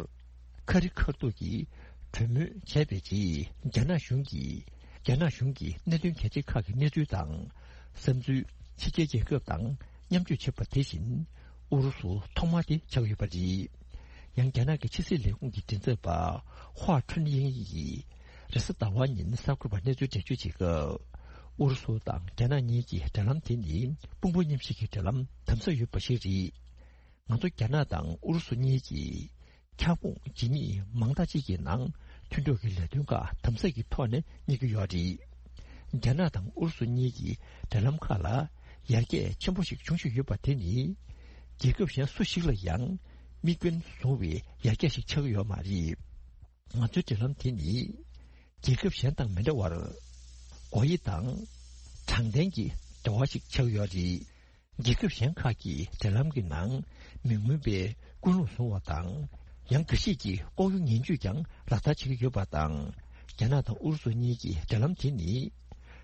ཁ་རི་ཁ་ཐུག་གི་ གྲོས་མོལ་བྱས་པའི་རྗེས། རྒྱ་ནག་གཞུང་གིས་རྒྱ་ནག་གཞུང་གི་གནད་དོན་གལ་ཆེ་ཁག་གི་གནས་ཚུལ་དང་བསམ་ཚུལ་ཕྱི་རྒྱལ་རྒྱལ་ཁབ་དང་མཉམ་སྤྱོད་བྱེད་པ་དེ་བཞིན། ཨུ་རུ་སུ་ཐོག་མ་དེ་ཆགས་ཡོད་པ་རེད། ཡང་རྒྱ་ནག་གི་ཕྱི་སྲིད་ལས་ཁུངས་ཀྱི་མགྲིན་ཚབ་པ་ཧྭ་ཁྲུན་དབྱིང་ཡིས་རེས་གཟའ་ཟླ་བ་ཉིན་གསར་འགོད་པར་གནས་ཚུལ་འགྲེལ་བརྗོད་བྱེད་སྐབས། ཨུ་རུ་སུ་དང་རྒྱ་ནག་གཉིས་ཀྱི་འབྲེལ་ལམ་དེ་ནི་དཔུང་པ་མཉམ་གཤིབ་ཀྱི་འབྲེལ་ལམ་དམ་ཟབ་ཡོད་པ་ཞིག་རེད། ང་ཚོ་རྒྱ་ནག་དང་ཨུ་རུ་སུ་གཉིས་ཀྱིས་ཁྱབ་ཁོངས་ཇི་སྙེད་མང་དག་ཅིག་གི་ནང་མཐུན་གྲོགས་ཀྱི་ལས་དོན་ཁག་དམ་ཟབ་ཀྱི་ཐོག་ནས་གཉེར་གྱི་ཡོད་རེད། རྒྱ་ནག་དང་ཨུ་རུ་སུ་གཉིས་ཀྱི་འབྲེལ་ལམ་ཁག་ལ་ཡར་རྒྱས་ཆེན་པོ་ཞིག་བྱུང་བཞིན་ཡོད་པ་དེ་ནི། རྒྱལ་ཁབ་གཞན་སུ་ཞིག་ལ་ཡང་དམིགས་འབེན་བཟུང་བའི་ཡར་རྒྱས་ཤིག་ཆགས་ཀྱི་ཡོད་མ་རེད། ང་ཚོའི་འབྲེལ་ལམ་དེ་ནི། རྒྱལ་ཁབ་གཞན་དང་མི་འདྲ་བར། སྒོ་དབྱེ་དང་། དྲང་བདེན་གྱི་འབྲེལ་བ་ཞིག་ཆགས་ཡོད་རེད། རྒྱལ་ཁབ་གཞན་ཁག་གི་འབྲེལ་ལམ་གྱི་ནང་མི་མངོན་པའི་ཀུན་སློང་བཟུང་བ་དང་། ཡང་འགའ་ཞིག་གིས་ལྐོག་གཡོ་ངན་ཇུས་ཀྱང་ལག་བསྟར་བྱེད་ཀྱི་ཡོད་པ་དང་། རྒྱ་ནག་དང་ཨུ་རུ་སུ་གཉིས་ཀྱི་འབྲེལ་ལམ་དེ་ནི།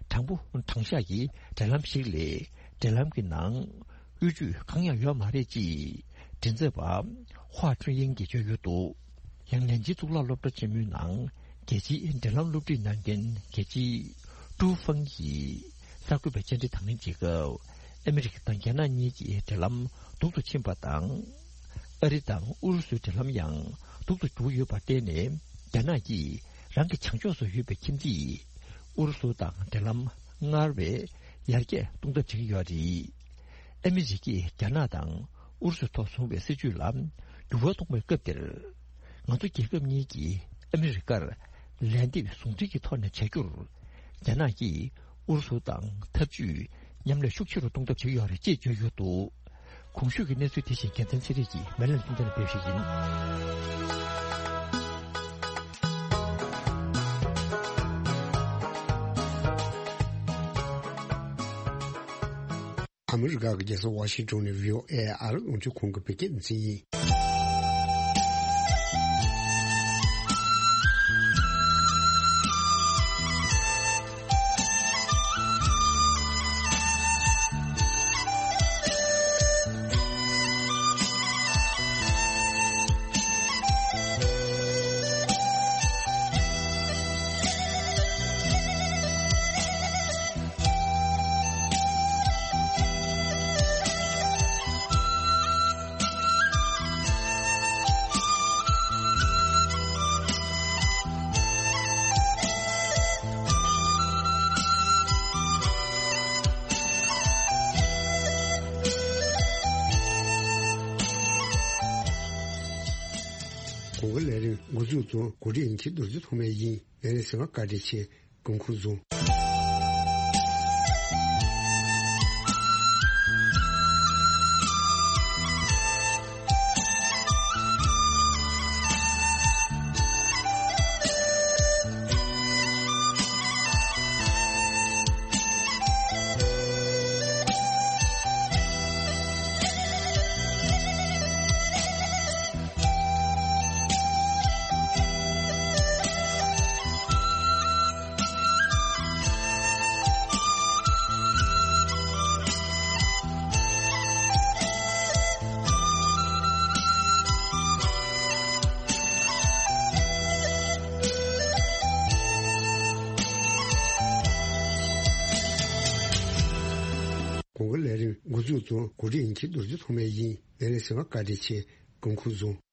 དྲང་པོ་དྲང་བཞག་གི་འབྲེལ་ལམ་ཞིག་ལས། འབྲེལ་ལམ་གྱི་ནང་། གཡོ་ཇུས་གང་ཡང་ཡོད་མ་རེད་ཅེས། མགྲིན་ཚབ་པ་ཧྭ་ཁྲུན་དབྱིང་གིས་བརྗོད་ཡོད་འདུག་ཡང་ལན་ཅིན་གཙུག་ལག་སློབ་གྲྭ་ཆེན་མོའི་ནང་རྒྱལ་སྤྱིའི་འབྲེལ་ལམ་སློབ་ཁྲིད་གནང་མཁན་རྒྱལ་སྤྱི་ཀྲུའུ་ཧྥང་གིས་གསར་འགོད་པའི་བཅར་འདྲི་དང་ལེན་བྱེད་སྐབས། ཨ་མི་རི་ཀ་དང་རྒྱ་ནག་གཉིས་ཀྱི་འབྲེལ་ལམ་སྡུག་ཏུ་ཕྱིན་པ་དང་། ཨ་རི་དང་ཨུ་རུ་སུའི་འབྲེལ་ལམ་ཡང་སྡུག་ཏུ་འགྱུར་ཡོད་པར་བརྟེན་ནས། རྒྱ་ནག་གིས་རང་གི་བྱང་ཕྱོགས་སུ་ཡོད་པའི་ཁྱིམ་མཚེས་ཨུ་རུ་སུ་དང་འབྲེལ་ལམ་སྔར་བས་ཡར་རྒྱས་གཏོང་ཐབས་བྱེད་ཀྱི་ཡོད་རེད། ཨ་མི་རི་ཀས་རྒྱ་ནག་དང་ཨུ་རུ་སུའི་ཐོག་བཟུང་བའི་སྲིད་ཇུས་ལ་འགྱུར་བ་གཏོང་བའི་སྐབས་འདིར། ང་ཚོ་རྒྱལ་ཁབ་གཉིས་ཀྱིས་ཨ་མི་རི་ཀར་ལན་འདེབས་ཟུང་འབྲེལ་གྱི་ཐོག་ནས་བྱ་རྒྱུར། རྒྱ་ནག་གིས་ཨུ་རུ་སུ་དང་འཐབ་ཇུས་མཉམ་ལས་ཤུགས་ཆེ་རུ་གཏོང་ཐབས་བྱེད་ཀྱི་ཡོད་རེད་ཅེས་བརྗོད་ཡོད་འདུག་གོང་ཞུས་ཀྱི་གནས་ཚུལ་དེ་བཞིན་རྒྱལ་མཚན་ཚེ་རིང་གིས་མེ་ལན་ལུང་བསྟན་ལ་ཕེབས་ཞིག་ཡིན། ཨ་མི་རི་ཀ་གི་རྒྱལ་ས་ཝ་ཤིང་ཊོན་ནས་བྷི་ཨོ་ཨེ་ཨ་རི་རླུང་འཕྲིན་ཁང་གི་བོད་སྐད་སྡེ་ཚན་ཡིན། གོང་གི་ལས་རིམ་འགོ་འཛུགས་དང་གོ་སྒྲིག་ཡིན་ཁྱེད་རྡོ་རྗེ་ཐོགས་མེད་ཡིན། ལས་རིམ་གསན་པར་བཀའ་དྲིན་ཆེ། སྐུ་ཁམས་བཟང་། གོང་གི་ལས་རིམ་འགོ་འཛུགས་དང་གོ་སྒྲིག་ཡིན་ཁྱེད་རྡོ་རྗེ་ཐོགས་མེད་ཡིན། ལས་རིམ་གསན་པར་བཀའ་དྲིན་ཆེ། སྐུ་ཁམས་བཟང་།